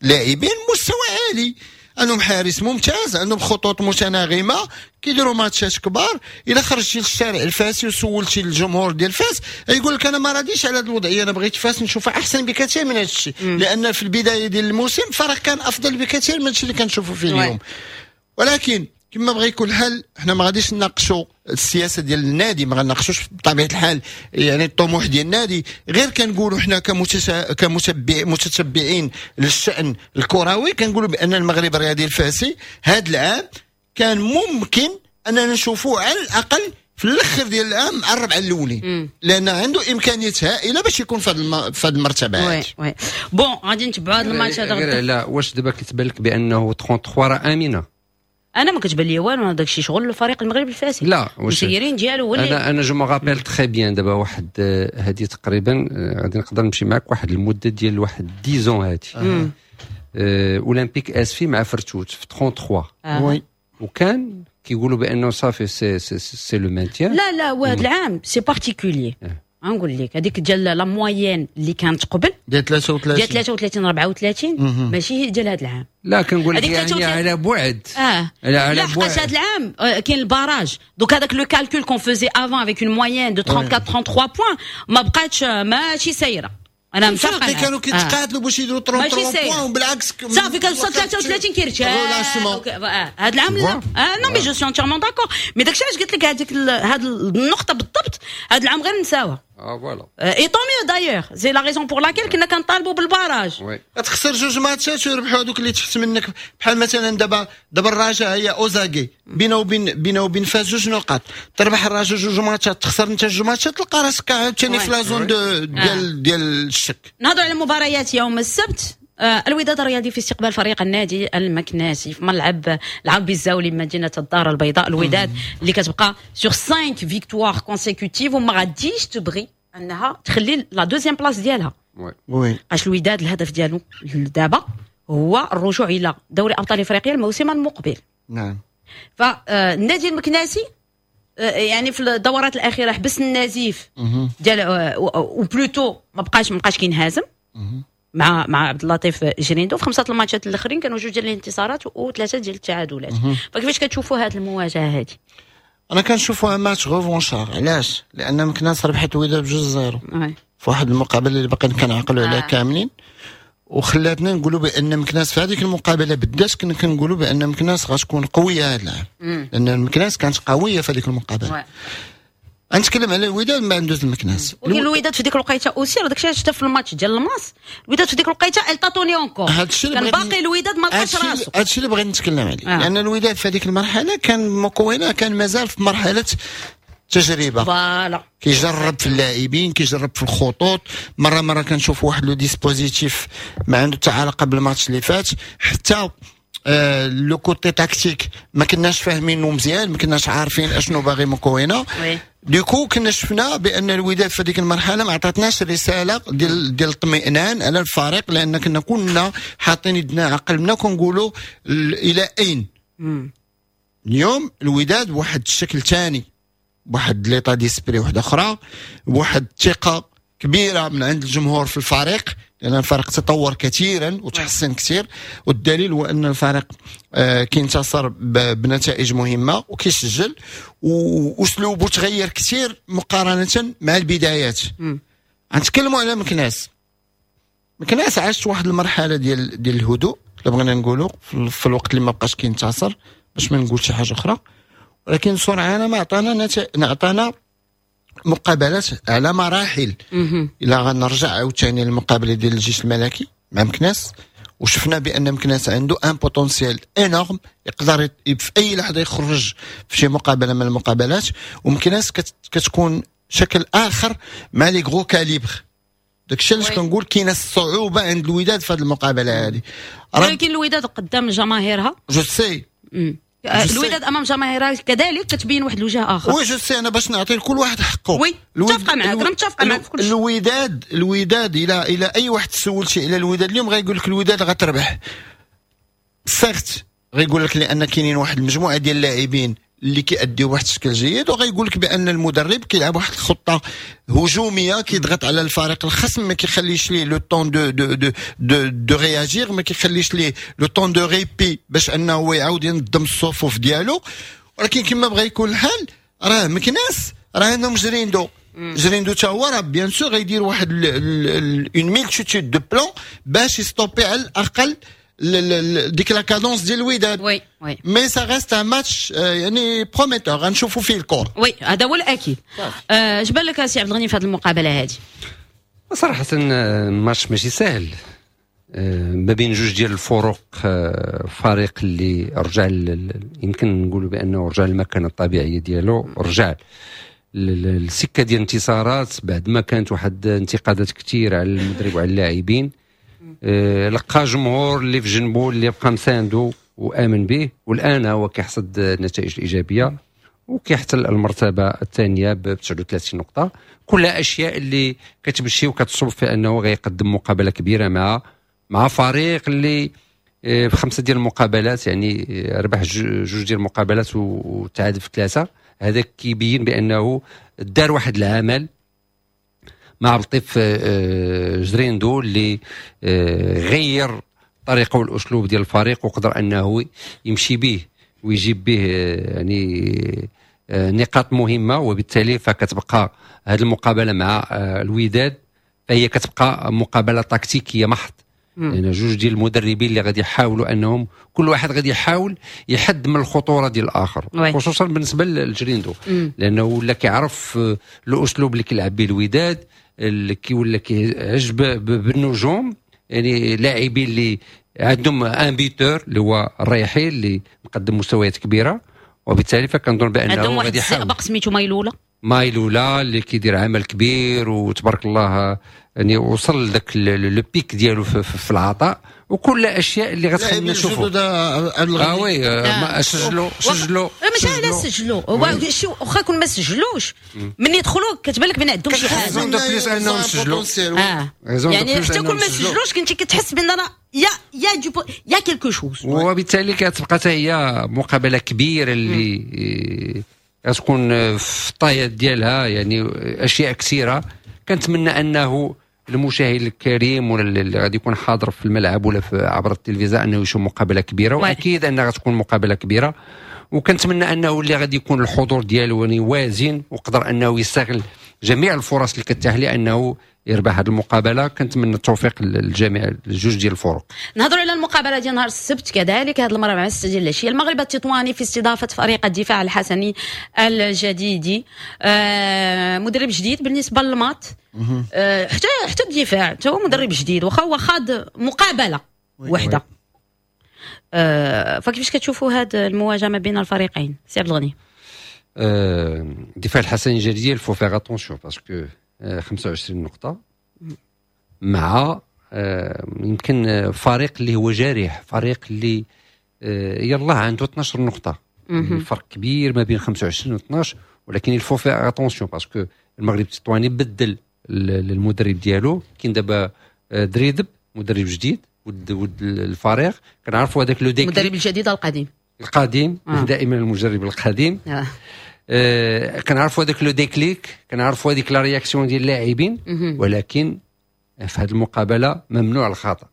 لاعبين مستوى عالي، عندهم حارس ممتاز، عندهم خطوط متناغمه، كيديروا ماتشات كبار. الا خرجتي للشارع الفاسي وسولتي الجمهور ديال فاس يقول لك انا ما راضيش على هذه الوضعية، انا بغيت فاس نشوفها احسن بكثير من هذا الشيء، لان في البداية ديال الموسم فرق كان افضل بكثير من الشيء اللي كنشوفوا فيه اليوم. ولكن كما بغى يكون الحال، حنا ما غاديش نناقشوا السياسة ديال النادي، ما غنناقشوش بطبيعة الحال يعني الطموح ديال النادي، غير كنقولوا حنا كمتتبعين للشان الكروي كنقولوا بان المغرب الرياضي الفاسي هذا العام كان ممكن اننا نشوفوه على الاقل في الاخر ديال العام مع الربعه الاولين، لان عنده امكانيات هائلة باش يكون في هذه المرتبة. oui oui bon غادي نتبعوا هذا الماتش هذا. لا واش دابا كتبان لك بانه 33 راه امنه؟ انا ما كتبان لي والو، داك الشيء شغل الفريق المغربي الفاسي، لا المسيرين ديالو هو اللي انا je me rappelle très bien. دابا واحد هذه تقريبا غادي نقدر نمشي معاك واحد المدة ديال واحد 10 هذه اولمبيك اسفي مع فرتوت في 33 oui، وكان كيقولوا بانه صافي c'est le maintien. لا لا، وهذا العام c'est particulier، غنقول لك هذيك ديال la moyenne اللي كانت قبل ديال 33 ديال 33 34 ماشي ديال هذا العام. لا كنقول لك يعني على بعد على بعد هذا العام كاين ال barrage، donc هذاك le calcul qu'on faisait avant avec une moyenne de 34 33 points ما بقاتش ماشي سايرة. انا متفقه كانوا كيتقاتلوا باش يديروا 33 points، وبالعكس صافي كنوصل 33 كيرتاح هذا العام. لا non mais je suis entièrement d'accord، mais داكشي علاش قلت لك هذيك هاد النقطة بالضبط، هذا العام غير نساوها. voilà et tant mieux d'ailleurs، c'est la raison pour laquelle كنا كنطالبوا بال barrage. تخسر جوج ماتشات ويربحوا هذوك اللي تحت منك، بحال مثلا دابا الرجاء هي اوزاكي بينه وبين فاس جوج نقاط، تربح الرجاء جوج ماتشات، تخسر انت جوج ماتشات، تلقى راسك عاوتاني في la zone ديال الشك. نهضروا على مباريات يوم السبت. الوداد الرياضي في استقبال فريق النادي المكناسي في ملعب العربي الزاولي بمدينة الدار البيضاء. الوداد اللي كتبقى sur 5 victoires consécutives وما غاديش تبغي انها تخلي la deuxième place ديالها. oui اش الوداد الهدف ديالو دابا هو الرجوع الى دوري ابطال افريقيا الموسم المقبل. نعم. فالنادي المكناسي يعني في الدورات الاخيرة حبس النزيف ديال ou plutôt ما بقاش كينهزم مع عبد اللطيف جريندو. في 5 الماتشات الاخرين كانوا 2 ديال الانتصارات و3 ديال التعادلات. فكيفاش كتشوفوا هذه المواجهة هذه؟ انا كنشوفوها match revanchard. علاش؟ لان مكناس ربحت الوداد ب2-0 في واحد المقابلة اللي باقي كنعقلوا عليها كاملين، وخلاتنا نقولوا بان مكناس في هذيك المقابلة بالذات كنا كنقولوا بان مكناس غتكون قوية هذا العام، لان مكناس كانت قوية في هذيك المقابلة. غنتكلم على الوداد ما ندوز المكناس. ولكن الوداد في ديك الوقيته aussi راه داكشي علاش حتى في الماتش ديال الماس الوداد في ديك الوقيته elle tâtonnait encore، كان باقي الوداد ما لقاش راسو. هادشي اللي بغيت نتكلم عليه، لان الوداد في هذيك المرحلة كان مكونة، كان مازال في مرحلة تجربه، voilà كيجرب في اللاعبين، كيجرب في الخطوط، مرة كنشوف واحد le dispositif ما عنده حتى علاقة بالماتش اللي فات، حتى le côté tactique ما كناش فاهمينه مزيان، ما كناش عارفين اشنو باغي مكونة. du coup كنا شفنا بان الوداد في هذيك المرحلة ما عطاتناش رسالة ديال الاطمئنان على الفريق، لان كنا حاطين يدنا على قلبنا وكنقولوا الى اين. اليوم الوداد بواحد الشكل ثاني، بواحد l'état d'esprit واحدة اخرى، بواحد الثقة كبيرة من عند الجمهور في الفريق، لان الفريق تطور كثيرا وتحسن كثير، والدليل هو ان الفريق كينتصر بنتائج مهمة وكيسجل، واسلوبه تغير كثير مقارنة مع البدايات. غنتكلموا على مكناس. مكناس عاشت واحد المرحلة ديال الهدوء، الا بغينا نقولوا في الوقت اللي ما بقاش كينتصر، باش ما نقول شي حاجة اخرى، ولكن سرعان ما عطانا مقابلات على مراحل. الى غنرجع عاوتاني للمقابله ديال الجيش الملكي مع مكناس، وشفنا بان مكناس عنده un potentiel énorme، يقدر في اي لحظة يخرج في شي مقابله من المقابلات، ومكناس كتكون شكل اخر مع les gros calibres. داكشي علاش كنقول كاينه الصعوبة عند الوداد في هذه المقابلة هذه. ولكن الوداد قدام جماهيرها je sais، الوداد امام جماهيرها كذلك كتبين واحد الوجه اخر. oui je sais، انا باش نعطي لكل واحد حقه. oui متفقه معاك، انا متفقه معاك في كل شيء. الوداد الى اي واحد سولتي على الوداد اليوم غايقول لك الوداد غتربح. certes غيقول لك لان كاينين واحد المجموعة ديال اللاعبين اللي كيأديو بواحد الشكل جيد، وغيقول لك بان المدرب كيلعب واحد الخطة هجومية، كيضغط على الفريق الخصم، ما كيخليش ليه le temps de réagir، ما كيخليش ليه le temps de répit باش انه هو يعاود ينظم الصفوف ديالو. ولكن كما بغى يكون الحال، راه مكناس راه عندهم جريندو، جريندو تا هو راه bien sûr غيدير واحد une multitude de plans باش يستوبي على الاقل ديك la cadence ديال الوداد. oui. mais ça reste un match يعني prometteur، غنشوفوا فيه الكور. oui، هذا هو الاكيد. اش بان لك سي عبد الغني في هذه المقابلة هذه؟ صراحة ماتش ماشي سهل ما بين جوج ديال الفرق، فريق اللي رجع يمكن نقولوا بانه رجع للمكانه الطبيعية ديالو، رجع السكة ديال الانتصارات بعد ما كانت واحد انتقادات كثيرة على المدرب وعلى اللاعبين. لقى جمهور اللي في جنبه، اللي بقى مساندو وامن به، والان هو كيحصد النتائج الايجابية وكيحتل المرتبة الثانية ب 39 نقطه. كلها اشياء اللي كتمشي وكتصب في انه غيقدم مقابله كبيرة مع فريق اللي في خمسة ديال المقابلات يعني ربح جوج ديال المقابلات وتعادل في ثلاثه. هذا كيبين بانه دار واحد العمل مع عبد اللطيف جريندو اللي غير الطريقة والاسلوب ديال الفريق، وقدر انه يمشي به ويجيب به يعني نقاط مهمه. وبالتالي فكتبقى هذه المقابلة مع الوداد فهي كتبقى مقابله تكتيكية محض، لان يعني جوج ديال المدربين اللي غادي يحاولوا انهم كل واحد غادي يحاول يحد من الخطورة ديال الاخر، خصوصا بالنسبة للجريندو، لانه ولا كيعرف الاسلوب اللي كيلعب به الوداد، اللي كي ولا كيعجب بالنجوم، يعني لاعبين اللي عندهم un buteur اللي هو الريحي اللي مقدم مستويات كبيره. وبالتالي فكنظن بانه عندهم واحد الزئبق سميتو مايلولا. مايلولا اللي كيدير عمل كبير وتبارك الله، يعني وصل لذاك le pic ديالو في العطاء، وكل اشياء اللي غتخلينا نشوفوا. اه oui، سجلوا سجلوا. ماشي على سجلوا، هو شي واخا يكون ما سجلوش، من يدخلوا كتبان لك بان عندهم شي حاجه. raison de plus انهم سجلوا. يعني حتى كون ما سجلوش كنتي كتحس بان راه y a quelque chose. وبالتالي كتبقى حتى هي مقابله كبيرة اللي غتكون في الطايات ديالها يعني اشياء كثيره. كنتمنى انه المشاهد الكريم ولا اللي غادي يكون حاضر في الملعب ولا في عبر التلفزيون انه يشوف مقابله كبيره، واكيد انها غتكون مقابله كبيره. وكنتمنى انه اللي غادي يكون الحضور ديالو يعني وازن وقدر انه يستغل جميع الفرص اللي كتاح ليه انه يربح هذه المقابله. كنتمنى التوفيق للجميع، الجوج ديال الفرق. نهضروا على المقابلة ديال نهار السبت كذلك، هذه المرة مع 6 ديال العشيه، المغرب التطواني في استضافة فريق الدفاع الحسني الجديدي. مدرب جديد بالنسبة للمات، حتى الدفاع حتى هو مدرب جديد، واخا هو خاض مقابله واحده. فكيفاش كتشوفوا هذه المواجهة ما بين الفريقين سي عبد الغني؟ الدفاع الحسني الجديدي il faut faire attention parce que 25 نقطة مع يمكن فريق اللي هو جارح، فريق اللي يلا عنده 12 نقطة. فرق كبير ما بين 25 و 12، ولكن il faut faire attention parce que المغرب التطواني بدل المدرب ديالو. كاين دابا دريدب مدرب جديد ود الفريق، كنعرفوا هذاك le déclic. المدرب الجديد القديم؟ القديم. دائما المجرب القديم. كنعرفوا هذاك le déclic، كنعرفوا هذيك la réaction ديال اللاعبين، ولكن في هذه المقابلة ممنوع الخطا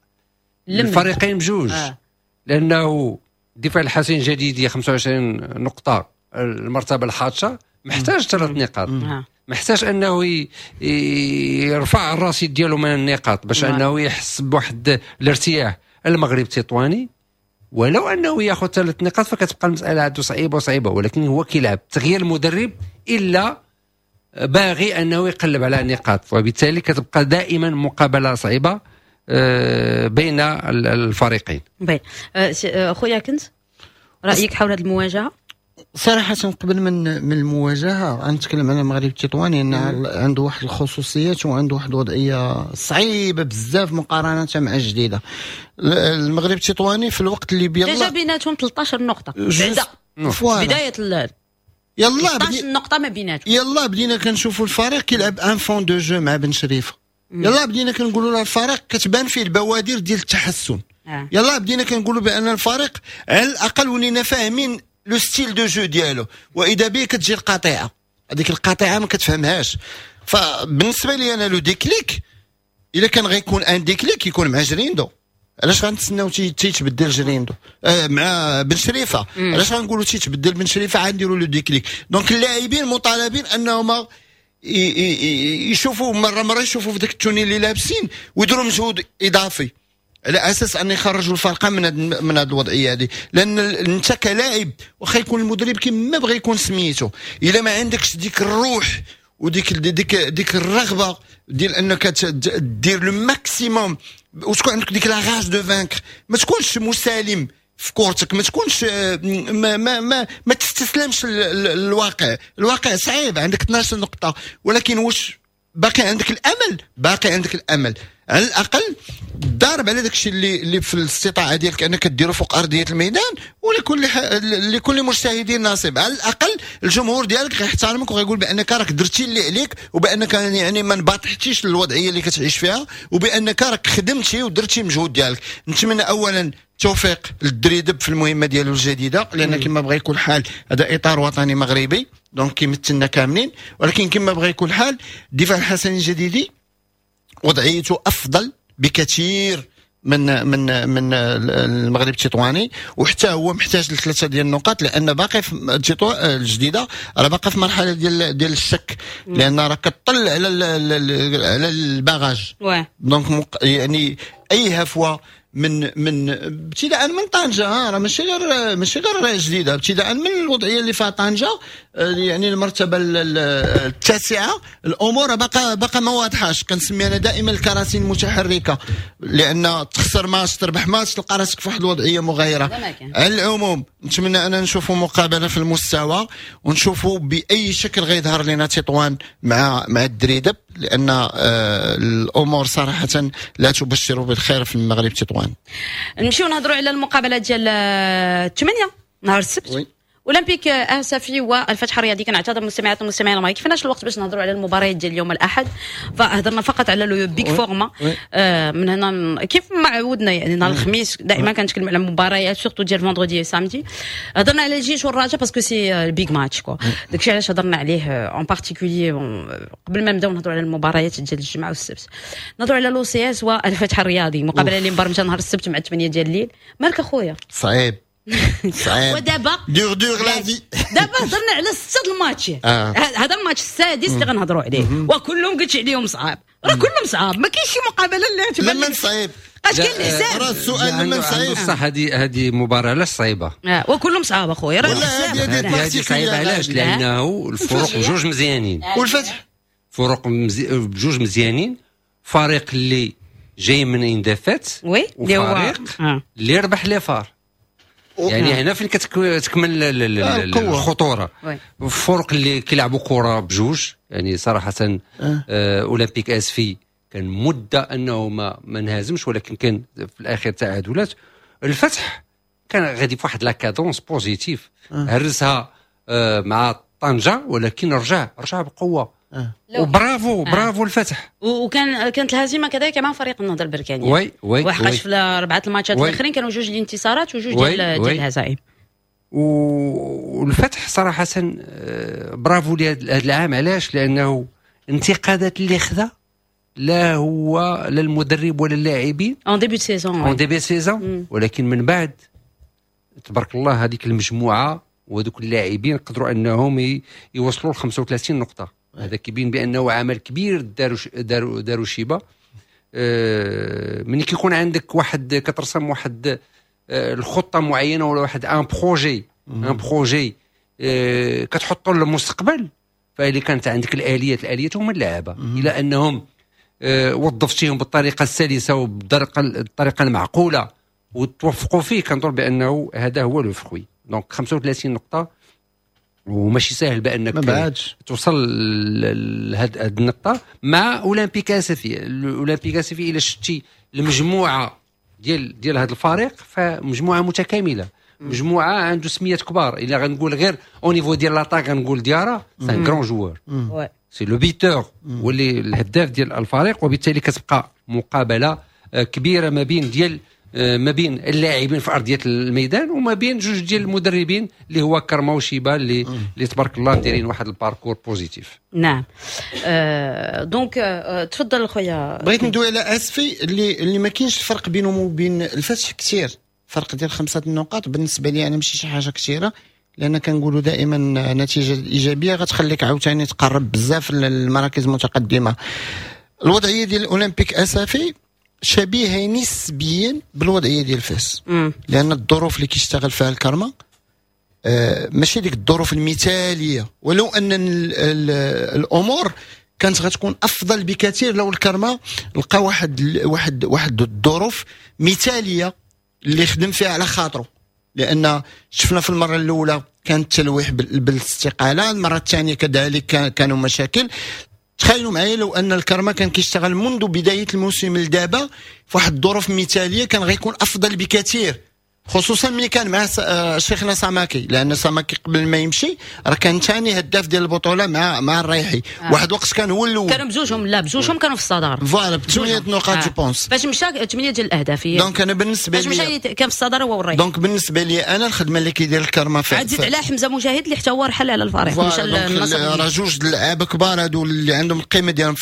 الفريقين بجوج، لانه الدفاع الحسين الجديدي 25 نقطه، المرتبة الحادشة، محتاج ثلاث نقاط، محتاج انه يرفع الرصيد ديالو من النقاط باش انه يحس بواحد الارتياح. المغرب التطواني ولو انه ياخذ ثلاث نقاط فكتبقى المسالة عنده صعيبة وصعيبه، ولكن هو كيلعب تغيير المدرب الا باغي انه يقلب على نقاط، وبالتالي كتبقى دائما مقابله صعيبة بين الفريقين. باهي، خويا كنت رايك حول هذه المواجهة؟ صراحة قبل من المواجهة غنتكلم على المغرب التطواني، ان عنده واحد الخصوصيات وعنده واحد الوضعية صعيبة بزاف مقارنة مع الجديدة. المغرب التطواني في الوقت اللي بيلا déjà بيناتهم 13 نقطة بعدا بداية يلا 13 نقطة ما بيناتهم. يلا بدينا كنشوفوا الفريق كيلعب un fond de jeu مع بن شريفة، يلا بدينا كنقولوا الفريق كتبان فيه البوادر ديال التحسن. يلا بدينا كنقولوا بان الفريق على الاقل ولينا فاهمين le style de jeu ديالو، واذا به كتجي القطيعة، هذيك القطيعة ما كتفهمهاش. فبالنسبه لي انا le déclic الا كان غيكون un déclic يكون مع جريندو. علاش غنتسناو تيتبدل جريندو مع بن شريفه؟ علاش غنقولوا تيتبدل بن شريفه عاد نديروا le déclic؟ donc اللاعبين مطالبين انهم يشوفوا مرة مرة، يشوفوا في ذاك ال tenue اللي لابسين ويديروا مجهود اضافي على اساس ان يخرجوا الفرقة من هاد الوضعية هذه. لان انت كلاعب واخا يكون المدرب كما بغى يكون سميتو، الا ما عندكش ديك الروح وديك ديك ديك الرغبة ديال انك دير le maximum وتكون عندك ديك la rage de vaincre، ما تكونش مسالم في كورتك، ما تكونش ما ما ما, ما تستسلمش للواقع. الواقع صعيب، عندك 12 نقطة، ولكن واش باقي عندك الامل؟ باقي عندك الامل. على الاقل ضارب على داك الشيء اللي في الاستطاعة ديالك انك ديرو فوق ارضية الميدان، ولكل مجتهدين نصيب. على الاقل الجمهور ديالك غيحترمك وغيقول بانك راك درتي اللي عليك، وبانك يعني ما انبطحتيش للوضعيه اللي كتعيش فيها، وبانك راك خدمتي ودرتي المجهود ديالك. نتمنى اولا التوفيق للدريدب في المهمة ديالو الجديده، لان كما بغى يكون الحال هذا اطار وطني مغربي، donc كيمثلنا كاملين. ولكن كما بغى يكون الحال الدفاع الحسني الجديدي وضعيته افضل بكثير من المغرب التطواني، وحتى هو محتاج لثلاثة ديال النقاط، لان باقي في الجديدة راه باقي في مرحلة ديال الشك، لان راه كطل على ال barrage. donc يعني اي هفوة من ابتداء من طنجه، راه ماشي غير جديدة، ابتداء من الوضعية اللي فيها طنجه، يعني المرتبة التاسعة، الامور باقا ما واضحاش. كنسمي انا دائما الكراسي المتحركة، لان تخسر ماتش تربح ماتش تلقى راسك في واحد الوضعية مغايرة. على العموم نتمنى انا نشوفوا مقابله في المستوى، ونشوفوا باي شكل غيظهر لنا تطوان مع الدريدب، لان الامور صراحة لا تبشر بالخير في المغرب تطوان. نمشيو نهضروا على المقابلة ديال 8 نهار السبت، اولمبيك اسفي والفتح الرياضي. كنعتذر المستمعات والمستمعين ما كفناش الوقت باش نهضروا على المباريات ديال اليوم الاحد، فهضرنا فقط على le big format. من هنا كيف ما عودنا يعني نهار الخميس دائما كنتكلم على مباريات surtout ديال vendredi samedi. هضرنا على الجيش والرجاء parce que c'est ال big match quoi، داكشي علاش هضرنا عليه en particulier قبل ما نبداو نهضروا على المباريات ديال الجمعة والسبت. نهضروا على l'OCS والفتح الرياضي، مقابله اللي مبرمجه نهار السبت مع 8 ديال الليل. مالك اخويا؟ صعيب صعيب. ودابا dure dure la vie. دابا هضرنا على 6 الماتشات، هذا الماتش السادس اللي غنهضروا عليه، وكلهم قلت عليهم صعاب، راه كلهم صعاب، ما كاينش شي مقابله اللي تبان لمن صعيب. اش كاين الحساب؟ راه السؤال لمن صعيب. صح، هذه مباراة علاش صعيبة؟ وكلهم صعاب اخويا، راه هذه صعيبة علاش؟ لانه الفرق بجوج مزيانين، والفتح فرق بجوج مزيانين، فريق اللي جاي من une défaite، وفريق اللي ربح les FAR. يعني هنا فين كتكمل الخطورة. الفرق اللي كيلعبوا كره بجوج، يعني صراحة اولمبيك اسفي كان مده انه ما انهزمش، ولكن كان في الاخير تعادلات. الفتح كان غادي في واحد la cadence positive، هرسها مع طنجه، ولكن رجع بقوة. وبرافو برافو الفتح. وكان كانت الهزيمة كذلك مع فريق النهضة البركانيه. oui oui، وحقاش في اربعة الماتشات الاخرين كانوا جوج الانتصارات وجوج ديال الهزائم. والفتح صراحة برافو لهذا العام. علاش؟ لانه انتقادات اللي خذا لا هو لا المدرب ولا اللاعبين en début saison، en début saison، ولكن من بعد تبارك الله هذيك المجموعة وهذوك اللاعبين قدروا انهم يوصلوا ل 35 نقطة. هذا كيبين بانه عمل كبير داروا شيبة. ملي كيكون عندك واحد كترسم واحد الخطة معينة ولا واحد un projet كتحطو للمستقبل، فاللي كانت عندك الاليات هما اللعابه، الى انهم وظفتيهم بالطريقة السلسه وبالطريقه المعقولة وتوفقوا فيه، كنظن بانه هذا هو le fruit. donc 35 نقطة وماشي ساهل بانك توصل لهاد النقطة مع اولمبيك اسفي. اولمبيك اسفي الى شتي المجموعة ديال هذا الفريق فمجموعه متكاملة، مجموعة عنده سميات كبار. الا غنقول غير au niveau ديال l'attaque غنقول ديارا c'est un grand joueur، c'est le buteur واللي الهداف ديال الفريق، وبالتالي كتبقى مقابله كبيرة ما بين ديال ما بين اللاعبين في ارضية الميدان وما بين جوج ديال المدربين اللي هو كرما وشيبة اللي تبارك الله دايرين واحد ال parcours positif. نعم، donc تفضل خويا. بغيت ندوي على اسفي اللي ما كاينش الفرق بينهم وبين الفتح كثير، فرق ديال 5 النقاط بالنسبة لي انا ماشي شي حاجة كثيرة، لان كنقولوا دائما النتيجة الايجابية غتخليك عاوتاني تقرب بزاف للمراكز المتقدمة. الوضعية ديال الاولمبيك اسفي شبيهه نسبيا بالوضعيه ديال فاس، لان الظروف اللي كيشتغل فيها الكرمة ماشي ديك الظروف المثالية، ولو ان الامور كانت غتكون افضل بكثير لو الكرمة لقى واحد واحد واحد الظروف مثاليه اللي خدم فيها على خاطره. لان شفنا في المرة الاولى كان التلويح بالاستقاله، المرة الثانية كذلك كانوا مشاكل. تخيلوا معايا لو ان الكرمة كان كيشتغل منذ بداية الموسم لدابا في واحد الظروف مثاليه كان غيكون افضل بكثير، خصوصا ملي كان مع شيخنا ساماكي، لان ساماكي قبل ما يمشي راه كان ثاني هداف ديال البطولة مع الريحي. واحد الوقت كان هو الاول، كانوا بجوجهم، لا بجوجهم كانوا في الصدارة voilà ب8 نقاط je pense فاش مشى 8 ديال الاهداف. donc انا بالنسبة لي فاش مشى كان في الصدارة هو والريحي. donc بالنسبة لي انا الخدمة اللي كيدير الكرمة عاد زيد على حمزة مجاهد اللي حتى هو رحل على الفريق، مشى للنصر. راه جوج اللعابه كبار هادو اللي عندهم القيمة ديالهم.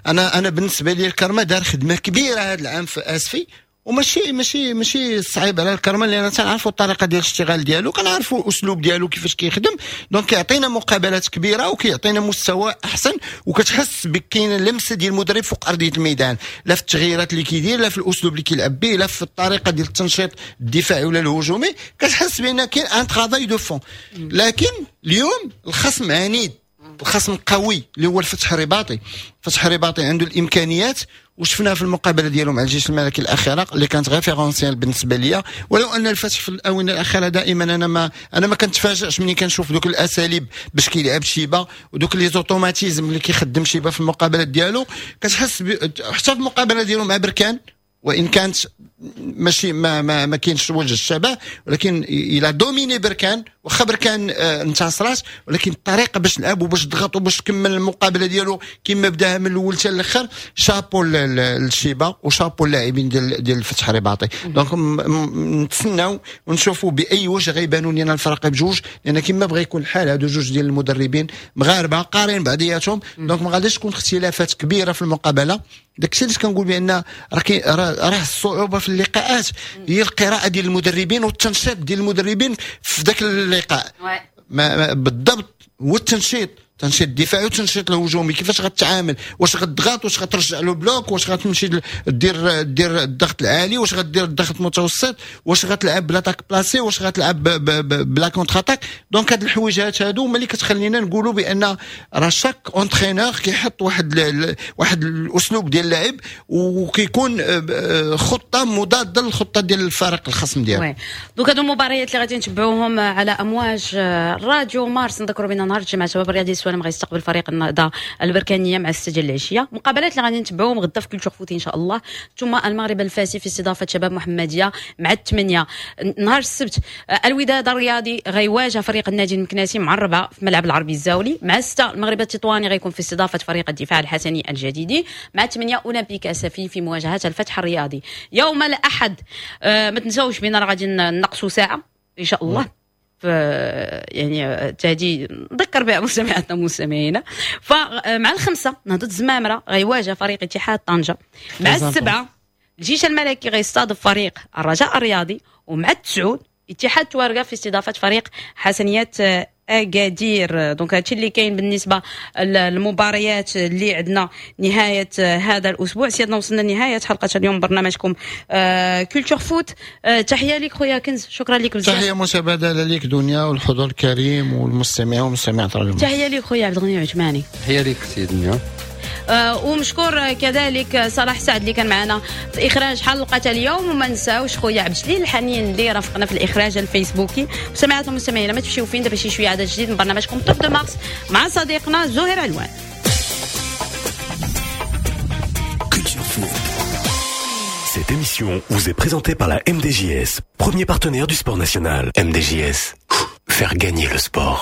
انا بالنسبة لي الكرمة دار خدمة كبيرة هذا العام في اسفي، وماشي ماشي ماشي صعيب على الكرمة، لان تنعرفوا الطريقة ديال الاشتغال ديالو، كنعرفوا الاسلوب ديالو كيفاش كيخدم. donc كيعطينا مقابلات كبيرة وكيعطينا مستوى احسن، وكتحس بكاين لمسه ديال المدرب فوق ارضية الميدان، لا في التغييرات اللي كيدير، لا في الاسلوب اللي كيلعب به، لا في الطريقة ديال التنشيط الدفاعي ولا الهجومي، كتحس بان كاين un travail de fond. لكن اليوم الخصم عنيد، الخصم قوي اللي هو الفتح الرباطي. الفتح الرباطي عنده الامكانيات، وشفناها في المقابلة ديالو مع الجيش الملكي الاخيرة اللي كانت référentielle بالنسبة ليا. ولو ان الفتح في الاونة الاخيرة دائما انا ما كنتفاجئش ملي كنشوف دوك الاساليب باش كيلعب شيبة ودوك les automatismes اللي كيخدم شيبة في المقابلات ديالو، كتحس حتى في المقابلة ديالو مع بركان، وان كانت ماشي ما ما, ما كاينش وجه الشبه، ولكن il a dominé بركان، واخا بركان انتصرات، ولكن الطريقة باش لعب وباش ضغط وباش كمل المقابلة ديالو كما بداها من الاول حتى الاخر، شابو للشيبه وشابو اللاعبين ديال الفتح الرباطي. donc نتسناو ونشوفوا باي وجه غيبانوا لنا الفرق بجوج، لان كما بغى يكون الحال هادو جوج ديال المدربين مغاربة قارين بعضياتهم، donc ما غاديش تكون اختلافات كبيرة في المقابلة. داكشي علاش كنقول بان راه الصعوبة في اللقاءات هي القراءة ديال المدربين والتنشيط ديال المدربين في ذاك اللقاء بالضبط، هو التنشيط، تنشيط الدفاعي والتنشيط الهجومي، كيفاش غتعامل، واش غتضغط، واش غترجع le bloc، واش غتمشي دير الضغط العالي، واش غدير الضغط المتوسط، واش غتلعب ب l'attaque placée، واش غتلعب ب la contre-attaque. donc هاد الحويجات هادو هما اللي كتخلينا نقولوا بان راه chaque entraîneur كيحط واحد الاسلوب ديال اللعب، وكيكون خطه مضادة للخطه ديال الفريق الخصم ديالو. donc هادو المباريات اللي غادي نتبعوهم على امواج راديو مارس. نذكروا بان نهار الجمعة شباب الرياضي السوالم غيستقبل فريق النهضة البركانيه مع 6 ديال العشية. مقابلات اللي غادي نتبعوهم غدا في Culture Foot ان شاء الله، ثم المغرب الفاسي في استضافة شباب محمديه مع 8. نهار السبت الوداد الرياضي غيواجه فريق النادي المكناسي مع 4 في ملعب العربي الزاولي. مع 6 المغرب التطواني غيكون في استضافة فريق الدفاع الحسني الجديدي. مع 8 اولمبيك اسفي في مواجهة الفتح الرياضي. يوم الاحد ما تنساوش بان راه غادي نقصوا ساعة ان شاء الله، يعني تهدي نذكر بها مستمعاتنا ومستمعينا. فمع 5 نهضة الزمامرة غيواجه فريق اتحاد طنجة. مع 7 الجيش الملكي غيستضيف فريق الرجاء الرياضي. ومع 9 اتحاد توارقة في استضافة فريق حسنيات اكادير. donc هادشي اللي كاين بالنسبة للمباريات اللي عندنا نهاية هذا الاسبوع. سيادنا وصلنا لنهاية حلقة اليوم برنامجكم Culture Foot. تحية لك خويا كنز، شكرا لك بزاف. تحية متبادلة لك دنيا والحضور الكريم والمستمعين والمستمعات. تحية لك خويا عبد الغني عثماني. تحية لك سي دنيا. ومشكور كذلك صلاح سعد اللي كان معنا في اخراج حلقة اليوم، وما نساوش خويا عبد الجليل الحنين اللي رافقنا في الاخراج الفيسبوكي. مستمعاتنا ومستمعينا ما تمشيو فين، دابا شي شوية عدد جديد من برنامجكم Top de Mars مع صديقنا زهير علوان. Cette émission vous est présentée par la MDJS, premier partenaire du sport national. MDJS, faire gagner le sport.